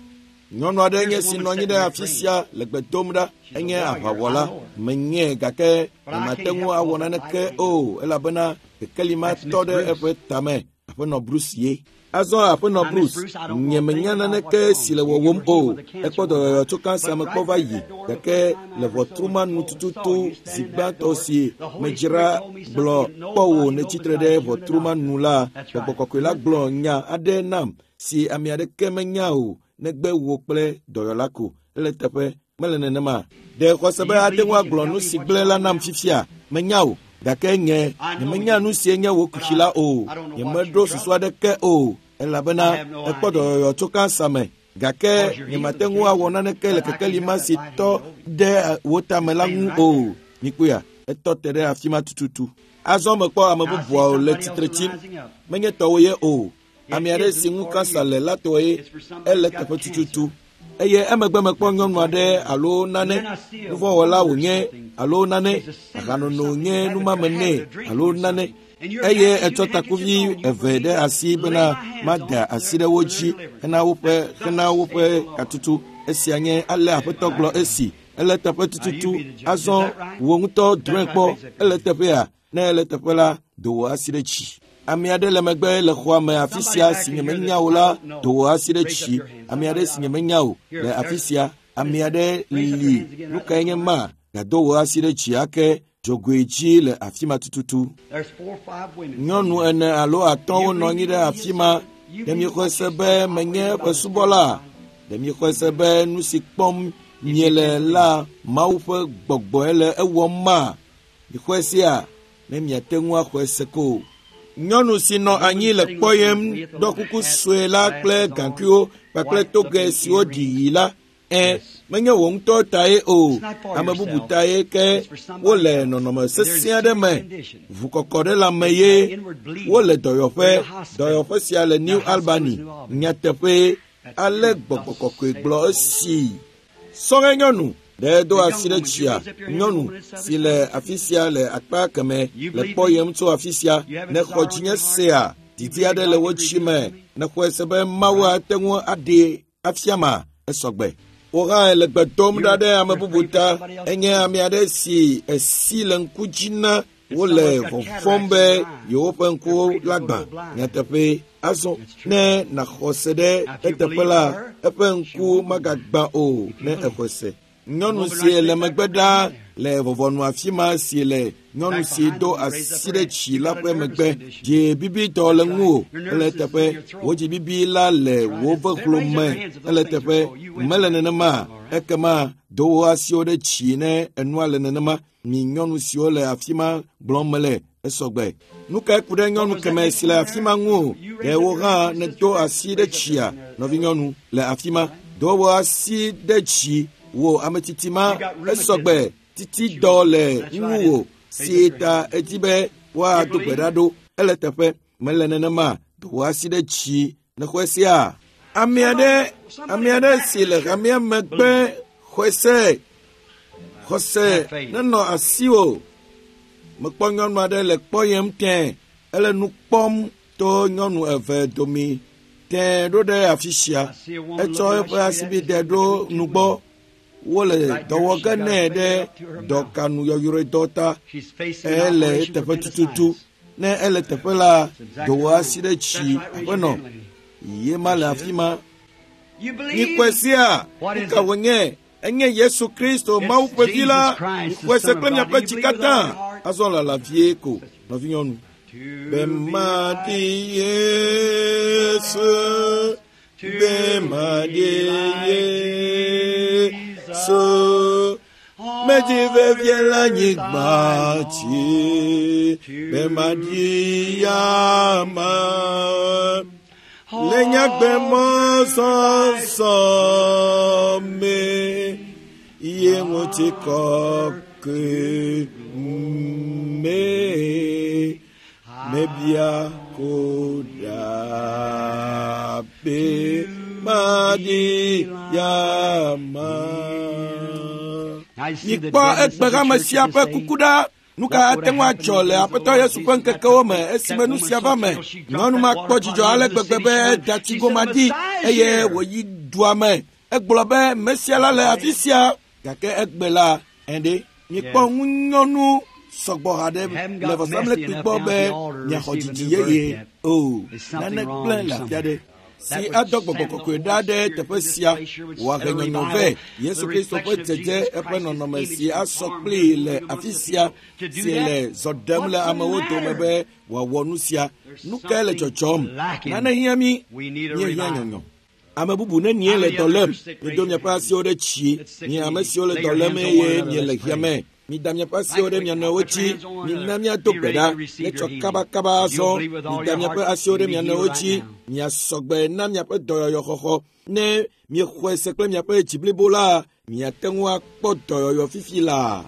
Nyɔnu aɖe nye si nɔ anyi ɖe afi sia le gbe dom ɖa. Enye aʋawɔla. Menyee gake nyemate ŋu awɔ naneke o elabena kekeli ma tɔ ɖe eƒe tame. Aƒenɔ Bruce ye. Azɔ aƒenɔ Bruce, nyemenya naneke si le wɔwɔm o. Ekpɔ dɔyɔyɔ tso kansa me kpɔ va yi gake le ʋɔtru ma nu tututu zi gbãtɔ si medzra gblɔ kpɔ wò nètsitre ɖe ʋɔtru ma nu la, Gbɔgbɔ kɔkɔe la gblɔ nya aɖe nam si ame aɖeke menya o negbe wò kple dɔyɔla ko. Ele teƒe mele nenema. Ɖe xɔse be ate ŋu agblɔ nu si gblẽ la nam fifia? Menya o. Gake nye nyemenya nu si nye wò kuxi la o. Nyemeɖo susu aɖeke o elabena ekpɔ dɔyɔyɔ tso kansa me. Gake nyemate ŋu awɔ naneke le kekeli ma si tɔ ɖe wò tame la ŋu o. Mikpɔea, etɔ te ɖe afi ma tututu. Azɔ mekpɔ ame bubuawo le tsitre tsim. Menye tɔwò ye o. Ame aɖe si ŋu kansa le la tɔe. Ele teƒe tututu. Eye emegbe mekpɔ nyɔnu aɖe alo nane, nuvɔ̃wɔla wònye alo nane, ahanono nye numame nɛ alo nane. Eye etsɔ takuvi eve ɖe asi bena mada asi ɖe wo dzi hena woƒe hena woƒe katutu. Esia nye ale Aƒetɔ gblɔ esi. Ele teƒe tututu. Azɔ wò ŋutɔ drɔ̃e kpɔ. Ele teƒea? Ne ele teƒe la, do wò asi ɖe dzi. Ame aɖe le megbe le xɔa me afi sia si nyemenya o la, do wò asi ɖe dzi. Ame aɖe si nyemenya o le afi sia. Ame aɖe li. Nu kae nye ma? Gado wò asi ɖe dzi ake. Dzogoe dzi le afi ma tututu. Nyɔnu ene alo atɔ̃wo nɔ anyi ɖe afi ma. Ɖe miexɔe se be menye eƒe subɔla? Ɖe miexɔe se be nu si kpɔm miele la Mawu ƒe gbɔgbɔe le ewɔm ma? Mixɔe sea? Ne miate ŋu axɔe se ko. Nyɔnu si nɔ anyi le kpɔyem ɖɔ kuku sue la kple gaŋkuiwo kpakple toge siwo ɖi ɣi la. Ẽ, menye wò ŋutɔ tae o, ame bubu tae ke wole nɔnɔme sesẽ aɖe me. Ʋukɔkɔ ɖe lãme ye wole dɔyɔƒe. Dɔyɔƒe sia le New Albany. Nyateƒee, ale gbɔgbɔ kɔkɔe gblɔ esi. Sɔhɛ nyɔnu ɖe do asi ɖe tsia. Nyɔnu si le afi sia le akpa keme le kpɔyem tso afi sia. Ne xɔ dzinye sea, didi aɖe le wo dzi me. Ne xɔe se be Mawu ate ŋu aɖee afia ma, esɔgbe. Wò hã le gbe dom ɖa ɖe ame bubu ta. Enye ame aɖe si esi le ŋku dzi na wole vɔvɔ̃m be yewoƒe ŋkuwo la gbã. Nyateƒee, azɔ ne nàxɔ se ɖe eteƒe la, eƒe ŋku magagbã o ne exɔe se. Nyɔnu si le megbe ɖaa le vɔvɔnu afi ma si le nyɔnu si do asi ɖe dzi la ƒe megbe. Dzi bibitɔ le ŋuwò. Ele teƒe. Wò dzi bibi la le wò vehlo me. Ele teƒe. Mele nenema. Ekema do wò asiwo ɖe dzi ne enua le nenema. Mi nyɔnu siwo le afi ma gblɔm mele esɔgbe. Nu kae ku ɖe nyɔnu keme si le afi ma ŋu o? Ɖe wò hã nèdo asi ɖe dzia, nɔvinyɔnu le afi ma. Do wò asi ɖe dzi. Wò ame tsitsi ma esɔgbe. Titi dɔ le ŋuwò si ta edi be woado gbe ɖa ɖo. Ele teƒe. Mele nenema. Do wò asi ɖe dzi. Nèxɔe sea? Ame aɖe, ame aɖe si le hamea megbe xɔe se. Xɔse nenɔ asiwò. Mekpɔ nyɔnu aɖe le kpɔyem tẽ. Ele nu kpɔm to nyɔnu eve domi tẽ ɖo ɖe afi sia. Etsɔ eƒe asibide ɖo nugbɔ. Wole dɔ wɔ ge nɛ ɖe dɔkanu yɔyrɔedɔ ta. Ele eteƒe tututu. Ne ele teƒe la, do wò asi ɖe dzi. Aƒenɔ, ye ma le afi ma. Mikpɔe sia, nu ka wònye? Enye Yesu Kristo, Mawu ƒe vi la. Mixɔe se kple miaƒe dzi katã. Azɔ lala vie ko, nɔvinyɔnu. Be maɖi Yesu, be maɖi Yesu. Medzi vevie le anyigba dzi, be maɖi yama. Le nyagbe mɔzɔzɔ me, ye ŋutikɔkɔe me, mebia ko ɖa be maɖi yama. Mikpɔ egbehame sia ƒe kuku ɖa. Nu ka ate ŋu adzɔ le Aƒetɔ Yesu ƒe ŋkekewo me esime nu sia va me? Nyɔnu ma kpɔ dzidzɔ ale gbegbe be eda tsigoma ɖi eye wòyi dua me. Egblɔ be Mesia la le afi sia. Gake egbe la, ɛɖe, mikpɔ ŋunyɔnu sɔgbɔ haɖe le vɔsamlekpui gbɔ be miaxɔ dzidzi yeye o. Nane gblẽ le afi aɖe si adɔ gbɔgbɔ kɔkɔe ɖa ɖe teƒe sia wòahe nyɔnyɔ vɛ. Yesu Kristo ƒe dzedze eƒe nɔnɔme si asɔ kplii le afi sia si le zɔ ɖem le amewo dome be wòawɔ nu sia. Nu kae le dzɔdzɔm? Nane hiã mí. Míehiã nyɔnyɔ. Ame bubu nenie le dɔ lém? Mido miaƒe asiwo ɖe dzi. Mi ame siwo le dɔ lém eye miele hiã me. Mida miaƒe asiwo ɖe mia nɔewo dzi. Mina míado gbe ɖa. Netsɔ kabakaba azɔ. Mida miaƒe asiwo ɖe mia nɔewo dzi. Miasɔgbe na miaƒe dɔyɔyɔxɔxɔ. Ne miexɔe se kple miaƒe dzi blibo la, miate ŋu akpɔ dɔyɔyɔ fifi laa.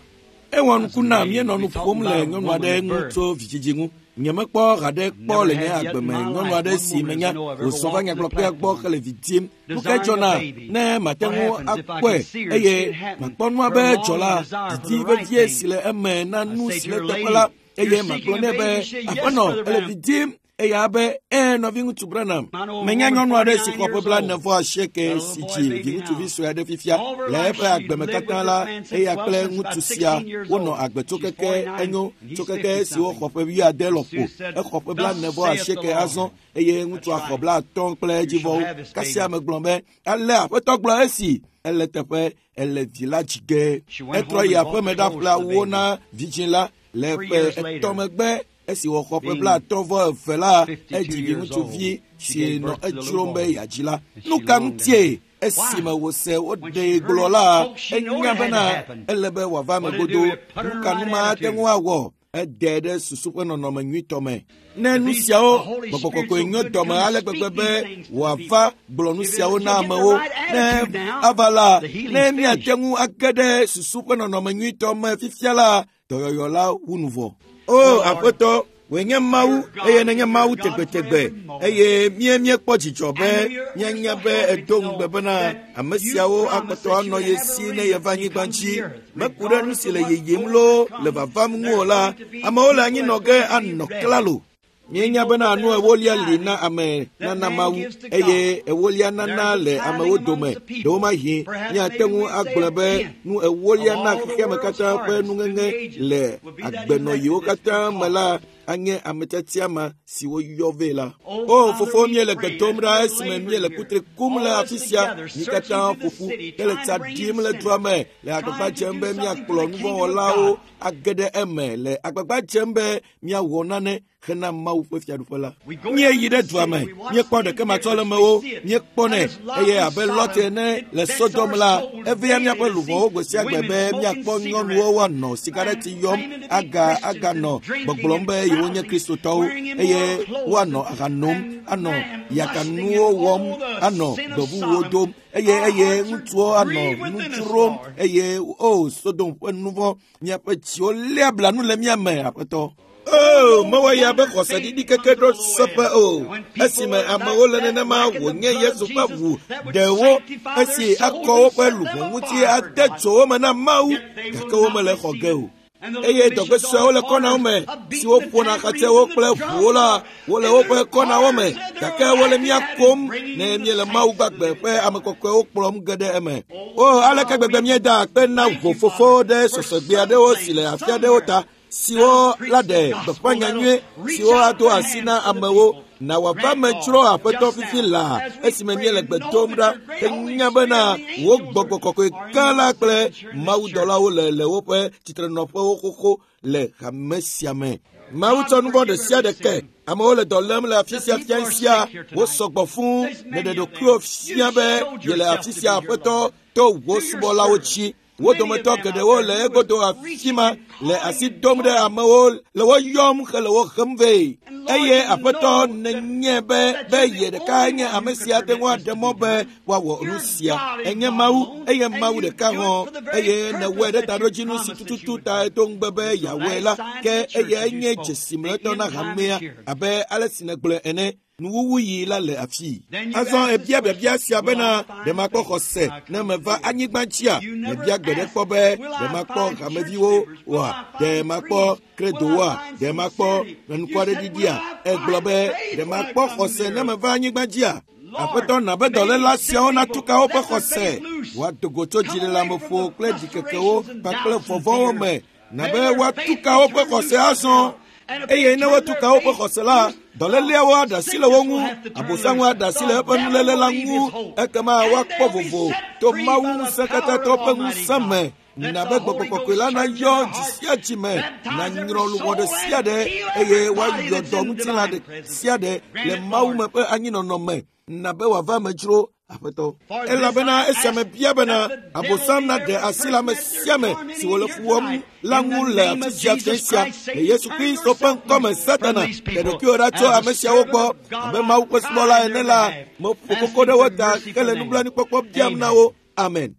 Ewɔ nuku na míenɔ nu ƒom le nyɔnu aɖe ŋu tso vidzidzi ŋu. Nyemekpɔ haɖe kpɔ le nye agbe me nyɔnu aɖe si menya wòzɔ va nyagblɔƒea gbɔ hele vi dim. Nu kae dzɔna ne mate ŋu akpɔe eye makpɔ nua be dzɔ la, didi vevie si le eme na nu si le teƒe la eye magblɔ nɛ be aƒenɔ ele vi dim eya be ee nɔviŋutsu Branham menya nyɔnu aɖe si xɔ ƒe blaene vɔ asieke si dzi viŋutsuvi sue aɖe fifia le eƒe agbeme katã la eya kple ŋutsu sia wonɔ agbe tso keke enyo tso keke si woxɔ ƒe wuiade lɔƒo exɔ ƒe blaene vɔ asieke azɔ eye ŋutsua xɔ blaatɔ̃ kple edzivɔwo kasia megblɔ be ale aƒetɔ gblɔ esi ele teƒe ele vi la dzi ge etrɔ yi aƒeme ɖaƒle awuwo na vidzĩ la le ƒe etɔ̃ megbe esi wòxɔ ƒe blaatɔ̃ vɔ eve la edzi viŋutsuvi si nɔ edzrom be yeadzi la nu ka ŋutie esime wòse woɖee gblɔ la enya bena ele be wòava eme godo nu ka nu ma ate ŋu awɔ ede ɖe susu ƒe nɔnɔme nyuitɔ me ne nu siawo gbɔgbɔ kɔkɔe nyo dɔme ale gbegbe be wòava gblɔ nu siawo na amewo ne ava la ne míate ŋu age ɖe susu ƒe nɔnɔme nyuitɔ me fifia la dɔyɔyɔ la wu nu vɔ o aƒetɔ wòe nye mawu eye nenye mawu tegbetegbe eye mía míekpɔ dzidzɔ be míanya be edo ŋugbe bena ame siawo akpɔtɔ anɔ ye si ne yeva anyigba dzi meku ɖe nu si le yiyim loo le vavam ŋu o la amewo le anyinɔ ge anɔ klalo míenya bena nu ewolia li na ame nana mawu eye ewolia nana le amewo dome ɖewomahi míate ŋu agblɔ be nu ewolia na xexeame katã ƒe nuŋeŋe le agbenɔyiwo katã me la anye ame tiatia ma si woyɔ vɛ la. O fofo míele gbe dom ɖa esime míele kutri kum le afi sia mí katã ƒoƒu hele tsa ɖim le dua me le agbagba dzem be míakplɔ nuvɔ̃wɔlawo age ɖe eme le agbagba dzem be míawɔ nane hena mawu ƒe fiaɖuƒe la. Míeyi ɖe dua me, míekpɔ ɖekematsɔlemewo, míekpɔnɛ eye abe Lot ene le Sodom la, evea míaƒe luʋɔwo gbe sia gbe be míakpɔ nyɔnuwo woanɔ sigareti yɔm aga aganɔ gbɔgblɔm be yewonye kristotɔwo eye woanɔ aha nom, anɔ yakanuwo wɔm, anɔ gbevuwo dom eye eye ŋutsuwo anɔ nu dzrom eye o Sodom ƒe nuvɔ̃ míaƒe dziwo léa blanu le mía me aƒetɔ. O mewɔ ya be xɔseɖiɖi keke ɖo seƒe o esime amewo le nenema wònye Yesu ƒe ʋu ɖewo esi akɔ woƒe luʋɔ ŋuti ade dzo wo me na Mawu gake womele xɔ ge o. Eye dɔgbe suewo le kɔnawo me siwo ƒona xatsɛwo kple ʋuwo la wole woƒe kɔnawo me gake wole mía kom ne míele Mawu gbagbe ƒe ame kɔkɔewo kplɔm ge ɖe eme. O aleke gbegbe míeda akpe na ʋo fofo ɖe sɔsɔgbe aɖewo si le afi aɖewo ta siwo la ɖe gbeƒã nyanyui siwo ado asi na amewo na wòava me dzro aƒetɔ fifi laa esime míele gbe dom ɖa enya bena wò gbɔgbɔ kɔkɔe gã la kple mawudɔlawo le le woƒe tsitrenɔƒewo xoxo le hame sia me. Mawu tsɔ nuvɔ̃ ɖe sia ɖe ke. Amewo le dɔ lém le afi sia fia sia wosɔgbɔ fũu nèɖe ɖokuiwò fia be yele afi sia aƒetɔ to wò subɔlawo dzi. Wo dometɔ geɖewo le egodo afi ma le asi dom ɖe amewo le wo yɔm hele wo hem vɛ. Eye aƒetɔ nenye be be ye ɖeka nye ame si ate ŋu aɖe mɔ be woawɔ nu sia. Enye Mawu eye Mawu ɖeka hɔ̃ eye nèwɔe ɖe taɖodzinu si tututu ta edo ŋugbe be yeawɔe la ke eyae nye dzesi mlɔetɔ na hamea abe ale si nègblɔe ene. Nuwuwuyi la le afii. Azɔ ebia biabia sia bena ɖe makpɔ xɔse ne meva anyigba dzia? Mebia gbe ɖe kpɔ be ɖe makpɔ hameviwo oa? Ɖe makpɔ kredowoa? Ɖe makpɔ nukwaɖeɖiɖia? Egblɔ be ɖe makpɔ xɔse ne meva anyigba dzia? Aƒetɔ na be dɔléla siawo natu ka woƒe xɔse. Woado go tso dziɖeleameƒo kple ɖikekewo kpakple vɔvɔ̃wo me na be woatu ka woƒe xɔse azɔ. Eye ne wotu ka woƒe xɔse la, dɔléleawo aɖe asi le wo ŋu, abosaŋu aɖe asi le eƒe nuléle la ŋu, ekema woakpɔ vovo to Mawu ŋusẽkatãtɔ ƒe ŋusẽ me. Na be gbɔgbɔ kɔkɔe la nayɔ dzi sia dzi me, nanyrɔ luʋɔ ɖe sia ɖe eye woayɔ dɔ ŋutilã ɖe sia ɖe le Mawu me ƒe anyinɔnɔ me. Na be wòava eme dzro aƒetɔ. Elabena esia mebia bena Abosam naɖe asi le ame sia ame si wòle fu wɔm la ŋu le afi sia fia sia le Yesu Kristo ƒe ŋkɔme. Satana ɖe ɖokuiwò ɖa tso ame siawo gbɔ abe Mawu ƒe subɔla ene la meƒo koko ɖe wo ta hele nublanuikpɔkpɔ biam na wo. Amen.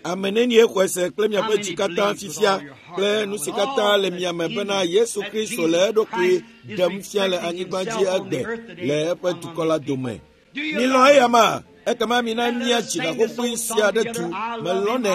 Ame nenie xɔe se kple miaƒe dzi katã fifia kple nu si katã le mia me bena Yesu Kristo le eɖokui ɖem fia le anyigba dzi egbe le eƒe dukɔ la dome. Milɔ̃ eyama ekema mina mía dzi gaƒoƒoe sia ɖe du. Melɔ̃nɛ,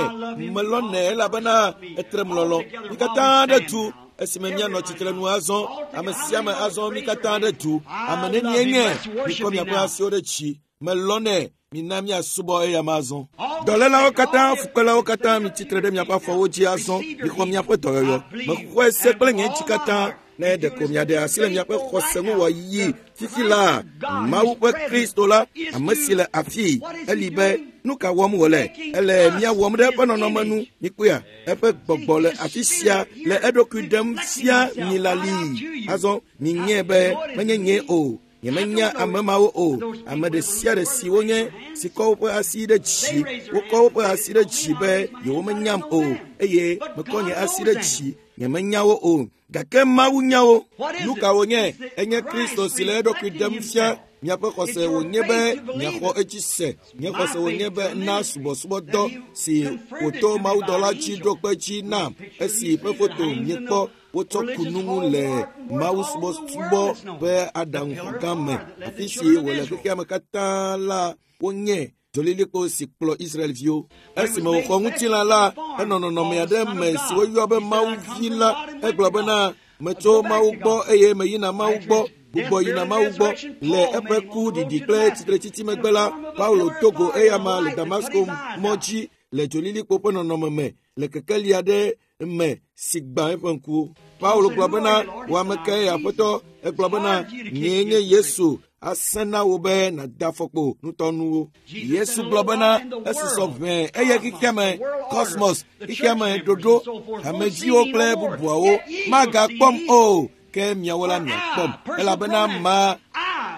melɔ̃nɛ elabena etrem lɔlɔ̃. Mi katã ɖe du Esime míanɔ tsitrenu azɔ, ame sia ame azɔ mí katã ɖe du. Ame nenie nye mikɔ miaƒe asiwo ɖe dzi. Melɔnɛ, mina míasubɔ eya ma azɔ. Dɔlélawo katã, fukpelawo katã, mitsitre ɖe miaƒe afɔwo dzi azɔ. Mixɔ miaƒe dɔyɔyɔ. Mexɔe se kple nye dzi katã. Ne ɖeko miaɖe asi le miaƒe xɔse ŋu wòayi fifi la, Mawu ƒe Kristo la, ame si le afii, eli be nu ka wɔm wòle? Ele mía wɔm ɖe eƒe nɔnɔme nu. Mikpɔea, eƒe gbɔgbɔ le afi sia le eɖokui ɖem fia mi lalii. Azɔ minyae be menye nye o. Nyemenya ame mawo o. Ame ɖe sia ɖe si wonye si kɔ woƒe asi ɖe dzi, wokɔ woƒe asi ɖe dzi be yewomenyam o, eye mekɔ nye asi ɖe dzi, nyemenya wo o. Gake Mawu nya wo. Nu ka wònye? Enye Kristo si le eɖokui ɖem fia. Miaƒe xɔse wònye be miaxɔ edzi se. Nye xɔse wònye be na subɔsubɔdɔ si wòto mawudɔla dzi ɖo kpe dzi nam, esi ƒe foto miekpɔ wotsɔ ku nu ŋu le mawusubɔsubɔ ƒe aɖaŋuxɔgã me, afi si wòle xexea me katã la, wonye dzolilikpo si kplɔ Israelviwo. Esime wòxɔ ŋutilã la, enɔ nɔnɔme aɖe me si woyɔ be Mawu Vi la. Egblɔ bena, metso Mawu gbɔ eye meyina Mawu gbɔ. Gbugbɔ yina Mawu gbɔ. Le eƒe ku ɖiɖi kple tsitretsitsi megbe la, Paulo do go eyama le Damasko mɔ dzi le dzolilikpo ƒe nɔnɔme me le kekeli aɖe me si gbã eƒe ŋkuwo. Paulo gblɔ bena, wò ame kae Aƒetɔ? Egblɔ bena, nyee nye Yesu. Asẽ na wò be nàda afɔkpo nutɔnuwo. Yesu gblɔ bena, esusɔ ʋɛ eye xexeame, kosmos, xexeame ɖoɖo, hameviwo kple bubuawo magakpɔm o, ke miawo la miakpɔm. Elabena ma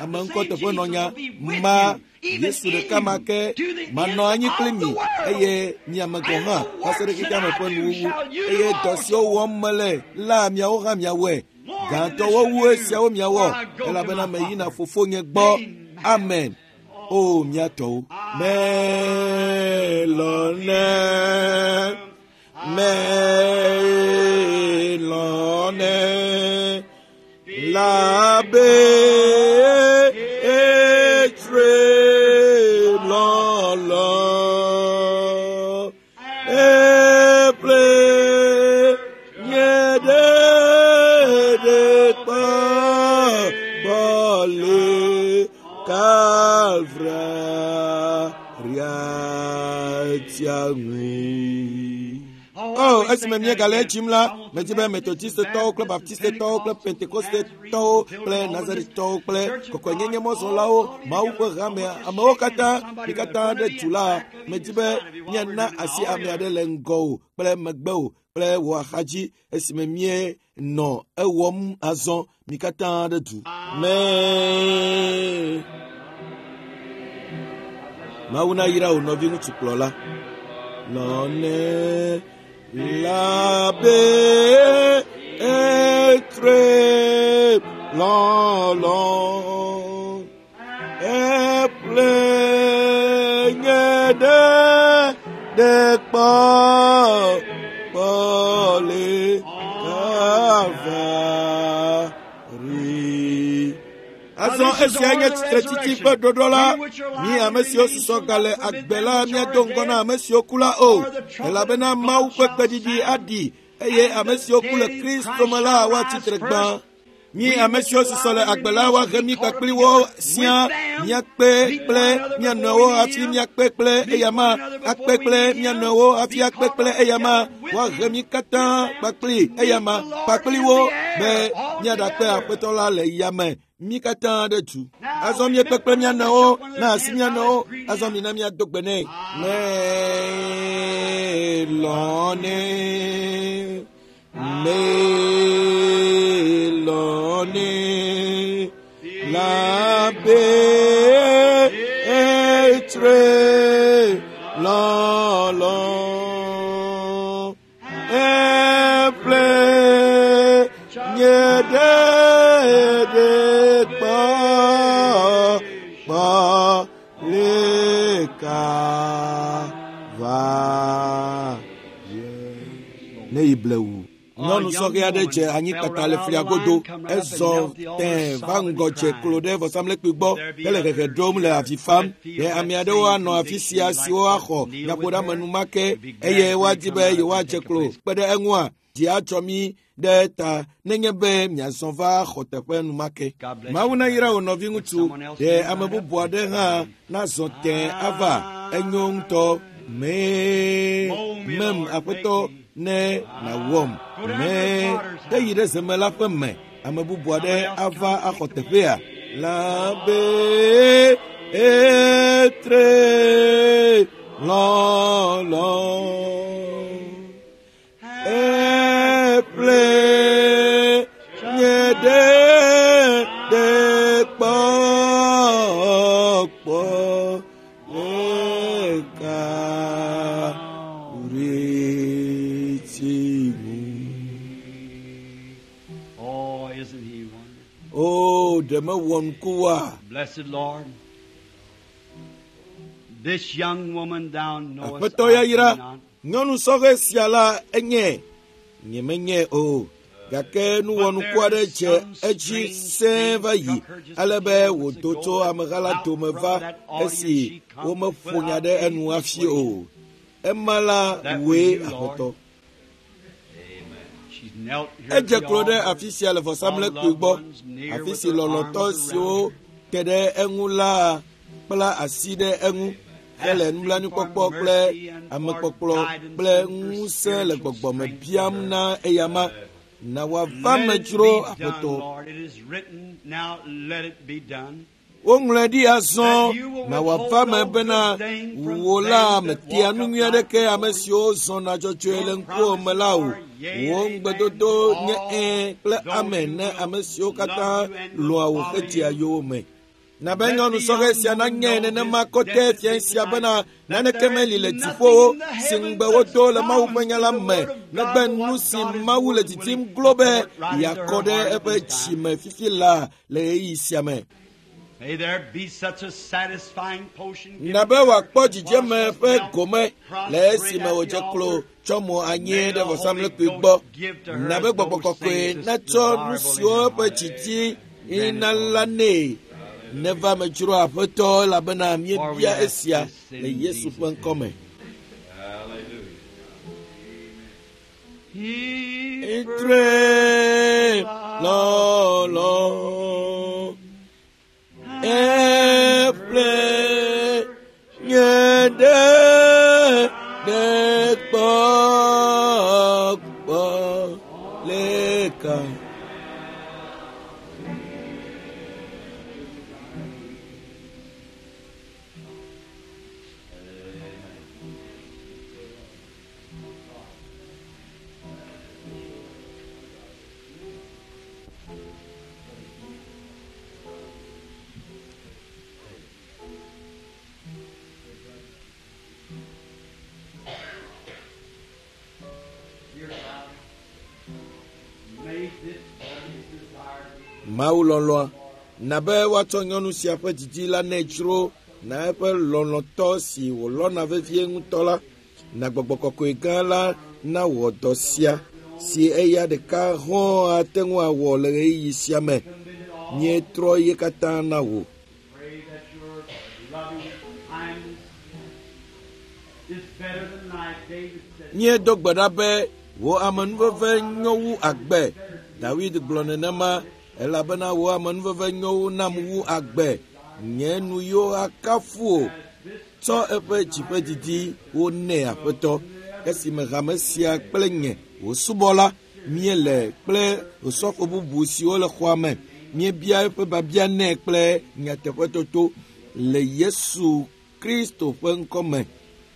ame ŋkɔteƒenɔnya, ma Yesu ɖeka ma ke manɔ anyi kpli mi eye miame gɔ̃ hã va se ɖe xexeame ƒe nuwuwu. Eye dɔ siwo wɔm mele la miawo hã miawɔe. Gãtɔwo wu esiawo miawɔ, elabena meyina fofonye gbɔ. Amen. O mía tɔwo. Melɔnɛ, melɔnɛ, labe etre lɔlɔ, eple nye ɖeɖe kpɔ gbɔ le Kalvaria tia ŋui. Oh, esime míegale edzim la, medzi be Metodistetɔwo kple Baptistetɔwo kple Pentekostetɔwo kple Nazaretɔwo kple kɔkɔenyenye mɔzɔlawo, Mawu ƒe hamea, amewo katã, mi katã ɖe du la, medzi be míana asi ame aɖe le ŋgɔwò kple megbewò kple wò axadzi esime míenɔ ewɔm azɔ, mi katã ɖe du. Me. Mawu nayra wò nɔviŋutsu kplɔla. Lɔnɛ labe etre lɔlɔ eple nye ɖe ɖe kpɔ kpɔ le Kalvari. Azɔ esia nye tsitretsitsi ƒe ɖoɖo la. Mi ame siwo susɔ gale agbe la míado ŋgɔ na ame siwo ku la o, elabena Mawu ƒe kpeɖiɖi aɖi eye ame siwo ku le Kristo me la woatsi tre gbã. Mi ame siwo susɔ le agbe la woahe mí kpakpli wo sia, míakpe kple mía nɔewo hafi míakpe kple eyama, akpe kple mía nɔewo hafi akpe kple eyama, woahe mí katã kpakpli eyama kpakpli wo be míaɖakpe Aƒetɔ la le yame. Mí katã ɖe du. Azɔ míekpe kple mía nɔewo, na asi mía nɔewo, azɔ mina míado gbe nɛ. Melɔnɛ, melɔnɛ, labe etre lɔlɔ, eple nye ɖeɖe kpɔ kpɔ le Kalvaria. Ne yi blewu. Nyɔnu sɔhɛ aɖe dze anyi kpata le flia godo. Ezɔ tẽ va ŋgɔ dze klo ɖe vɔsamlekpui gbɔ hele hehe ɖom le avi fam. Ɖe ame aɖewo anɔ afi sia siwo axɔ nyaƒoɖeamenu ma ke eye woadi be yewoadze klo kpe ɖe eŋua? Dzi adzɔ mí ɖe ta nenye be miazɔ va xɔteƒe enumake. Mawu nayra wò nɔviŋutsu, ɖe ame bubu aɖe hã nazɔ tẽ ava. Enyo ŋutɔ. Mee mem aƒetɔ ne nàwɔm. Mee ke yi ɖe zemela ƒe me. Ame bubu aɖe ava axɔ teƒea. Lãbe etre lɔlɔ. Eple nye ɖe ɖe kpɔkpɔ leka reti ŋu. Oh, isn't he wonderful? O, ɖe mewɔ nuku wa? Blessed Lord, this young woman thou knowest, Aƒetɔ I yayra, do not. nyɔnu sɔhɛ sia la enye, nyemenye o. Gake nuwɔnuku aɖe dze edzi sẽe va yi ale be wòdo tso ameha la dome va esi womeƒo nya ɖe enu hafi o. Ema la wòe Aƒetɔ. She's knelt here at Edze the klo ɖe altar. afi sia le vɔsamlekpui gbɔ, afi si lɔlɔ̃tɔ siwo te ɖe eŋu la kpla asi ɖe eŋu hele nublanuikpɔkpɔ kple amekpɔkplɔ kple ŋusẽ le gbɔgbɔme biam na eyama. Na wòava Let me it dzro be done, Aƒetɔ. Lord. It is written, now let it be done. Woŋlɔe ɖi azɔ na wòava me bena wò la metea nu nyui aɖeke ame siwo zɔna dzɔdzɔe le ŋkuwò me la o. Wò ŋugbedodo nye ɛ̃ kple amen ne ame siwo katã lɔ̃a wò hedzea yowòme. Na be nyɔnu sɔhɛ sia nanye nenema kɔtɛ fia sia bena naneke meli le dziƒowo si ŋugbe wodo le Mawu ƒe nya la me negbe nu si Mawu le didim glo be yeakɔ ɖe eƒe dzime fifi la le ɣeyiɣi sia me. May there be such a satisfying potion given Na be to her wòakpɔ while dzidzeme she ƒe knelt gome le prostrate esime at the wòdze klo altar. tsɔ mo anyi May ɖe the Holy vɔsamlekpui Ghost gbɔ. give to her Na be as gbɔgbɔ those kɔkɔe things that's natsɔ nu desirable in siwo her eƒe heart. dzidzi Grant it, na Lord. la nɛ. Neva me dzro Aƒetɔ elabena For we míebia ask esia this le in Yesu Jesus' ƒe ŋkɔ me. He Etre lɔlɔ. Eƒle nye ɖe ɖe kpɔkpɔ leka. Dear Father, may this boy's desire be Mawu lɔlɔ̃a, na be woatsɔ nyɔnu sia ƒe didi la nɛ dzro na eƒe lɔlɔ̃tɔ si wòlɔ̃na vevie ŋutɔ la. Na gbɔgbɔ kɔkɔe gã la nawɔ dɔ sia si eya ɖeka hɔ̃ ate ŋu awɔ le ɣeyiɣi sia me. Míetrɔ ye katã na wò. Pray that your loving kindness is better than life. David said, Míedo gbe ɖa be wò amenuveve nyo wu agbe. Dawid gblɔ nenema elabena wò amenuveve nyo wu nam wu agbe. Nye nu yiwo akafu wò. Tsɔ eƒe dziƒe didiwo nɛ Aƒetɔ. Esime hame sia kple nye wò subɔla míele kple osɔfo bubu siwo le xɔa me. Míebia eƒe biabia nɛ kple nyateƒetoto le Yesu Kristo ƒe ŋkɔ me.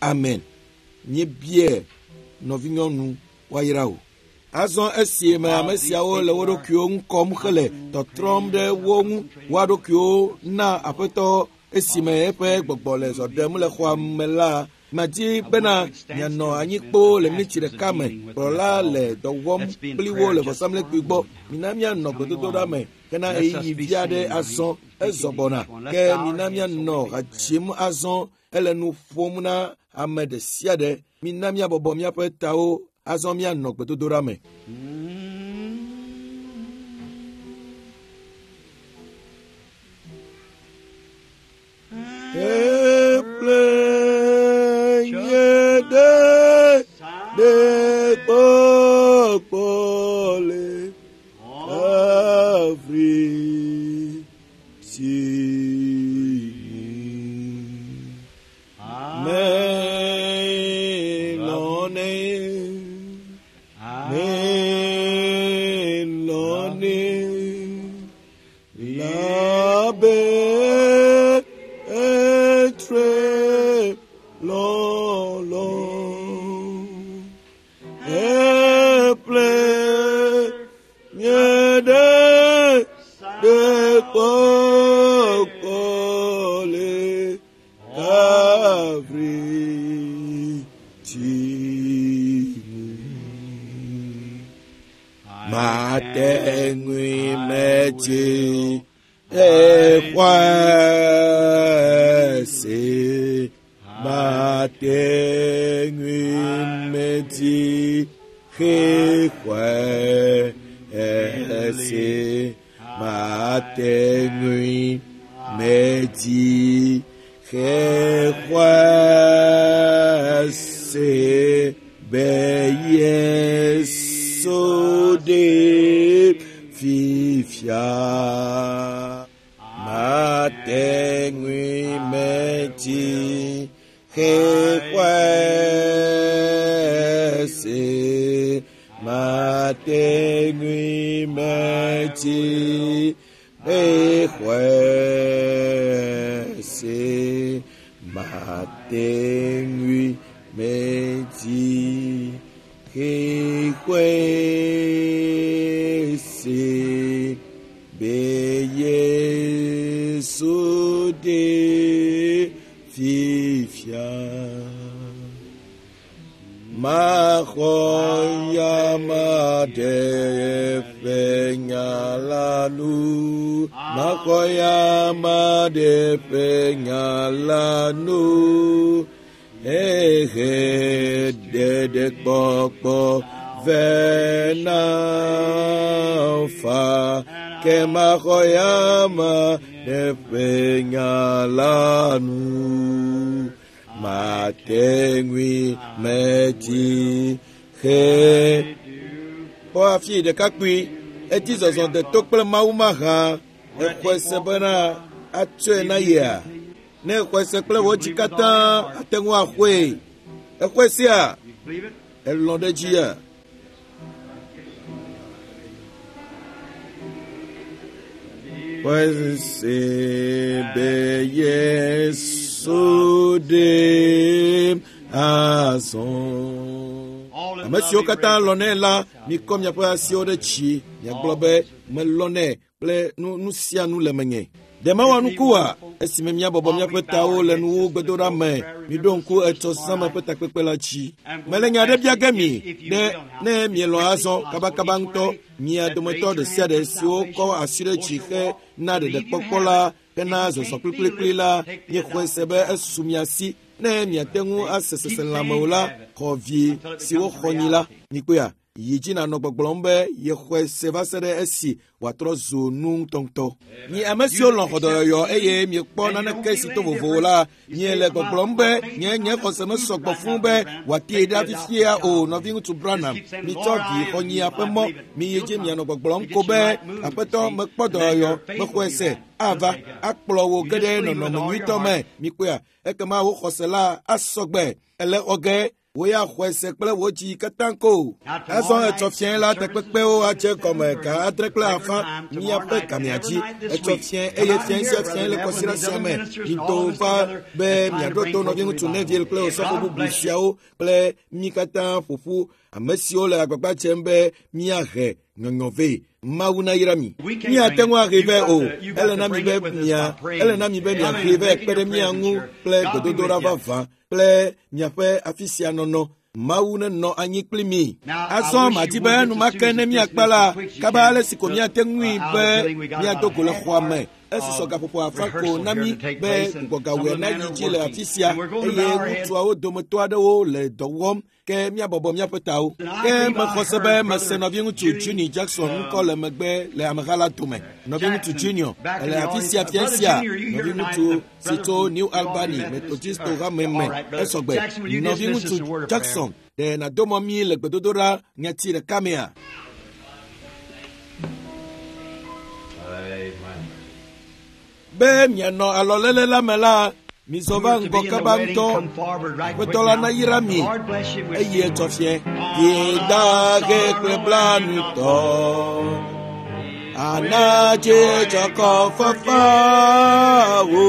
Amen. Míebia nɔvinyɔnu woayra wò. Azɔ esi me ame siawo le wo ɖokuiwo ŋu kɔm hele tɔtrɔm ɖe wo ŋu woa ɖokuiwo na Aƒetɔ esime eƒe gbɔgbɔ le zɔ ɖem le xɔa me la, madi bena mianɔ anyi kpoo le miniti ɖeka me. Kplɔla le dɔ wɔm kpli wo le vɔsamlekpui gbɔ. Mina míanɔ gbedodoɖa me hena ɣeyiɣi vi aɖe azɔ ezɔ gbɔna. Ke mina míanɔ ha dzim azɔ ele nu ƒom na ame ɖe sia ɖe. Mina míabɔbɔ míaƒe tawo azɔ míanɔ gbedodoɖa me. Eƒle nye ɖe ɖe kpɔkpɔ tre lɔlɔ. Eple nye ɖe ɖe kpɔkpɔ le Kalvari tsi ŋu. Mate ŋui metsi exɔe se. Mate ŋui metsi xexɔe se. Mate ŋui metsi xexɔe se be Yesu ɖe fifia. Mate ŋui metsi xexɔe se. Mate ŋui metsi xexɔe se. Mate ŋui metsi xexɔe se be Yesu ɖe fifia. Maxɔ ya ma ɖe ƒe nya la nu. Maxɔ ya ma ɖe ƒe nya la nu. Ehe ɖeɖe kpɔkpɔ vɛ na fa. Ke maxɔ ya ma ɖe ƒe nya la nu. Mate ŋui metsi xe. Kpɔ afi ɖekakpui eti zɔzɔ de to kple Mawu mahã. Exɔe se bena atsɔe na yea. Ne exɔe se kple wò dzi katã ate ŋu axɔe. Exɔe sia? Elɔ̃ ɖe dzia? Xɔe se be Yesu ɖem azɔ. Ame siwo katã lɔ̃nɛ la, mikɔ miaƒe asiwo ɖe dzi. Miagblɔ be melɔ̃nɛ kple nu nu sia nu le menye. Ɖe mewɔ nuku oa? Esime míabɔbɔ míaƒe tawo le nuwo gbedoɖa me, miɖo ŋku etsɔ zãme ƒe takpekpe la dzi. Mele nya aɖe bia ge mi ɖe ne mielɔ̃ azɔ kabakaba ŋutɔ, mia dometɔ ɖe sia ɖe siwo kɔ asi ɖe dzi hena ɖeɖekpɔkpɔ la hena zɔzɔ kplikplikpli la, miexɔe se be esu mia si. Ne miate ŋu ase seselãme o la, xɔ vi siwo xɔ nyi la. Mikpɔea? Yi dzi nànɔ gbɔgblɔm be yexɔe se va se ɖe esi wòatrɔ zu nu ŋutɔŋutɔ. Mi ame siwo lɔ̃ xɔdɔyɔyɔ eye miekpɔ naneke si to vovo o la, miele gbɔgblɔm be nye nye xɔse mesɔ gbɔ fũu be wòatee ɖa fifia o, nɔviŋutsu Branham. Mitsɔ vi xɔnyia ƒe mɔ, miyi dzi mianɔ gbɔgblɔm ko be aƒetɔ mekpɔ dɔyɔyɔ, mexɔe se, ava akplɔ wò ge ɖe nɔnɔme nyuitɔ me. Mikpɔea? Ekema wò xɔse la asɔ gbe. Ele xɔ ge. Wò ya xɔe se kple wò dzi katã ko. Azɔ etsɔ fiẽ la takpekpewo adze gɔme ga adre kple afã míaƒe gamea dzi. Etsɔ fiẽ eye fiẽ sia fiẽ le kɔsiɖa sia me. Mido va be miaɖo to nɔviŋutsu Neville kple osɔfo bubu siawo kple mí katã ƒoƒu ame siwo le agbagba dzem be míahe nyɔnyɔ vɛ. Mawu nayra mi. Míate ŋu ahe vɛ o. Ele na mi be mia ele na mi be miahe vɛ kpe ɖe mía ŋu kple gbedodoɖa vavã kple miaƒe afi sia nɔnɔ. Mawu nenɔ anyi kpli mi. Azɔ madi be enumake ne míakpa la, kaba ale si ko míate ŋui be míado go le xɔa me. Esusɔ gaƒoƒo afã ko na mí be gbugbɔgawɔe nayi dzi le afi sia eye ŋutsuawo dometɔ aɖewo le dɔ wɔm ke míabɔbɔ míaƒe tawo. Ke mexɔ se be mese nɔviŋutsu Junior Jackson ŋkɔ le megbe le ameha la dome. Nɔviŋutsu Junior ele afi sia fia sia. Nɔviŋutsu si tso New Albany Methodist hame me esɔgbe. Nɔviŋutsu Jackson ɖe nàdo mɔ mí le gbedodoɖa nyati ɖeka mea? Be mianɔ alɔléle la me la, mizɔ va ŋgɔ kaba ŋutɔ. Aƒetɔ la nayra mi eye etsɔ fiẽ. Yedahe kple blanutɔ ana dzidzɔkɔ fafawo.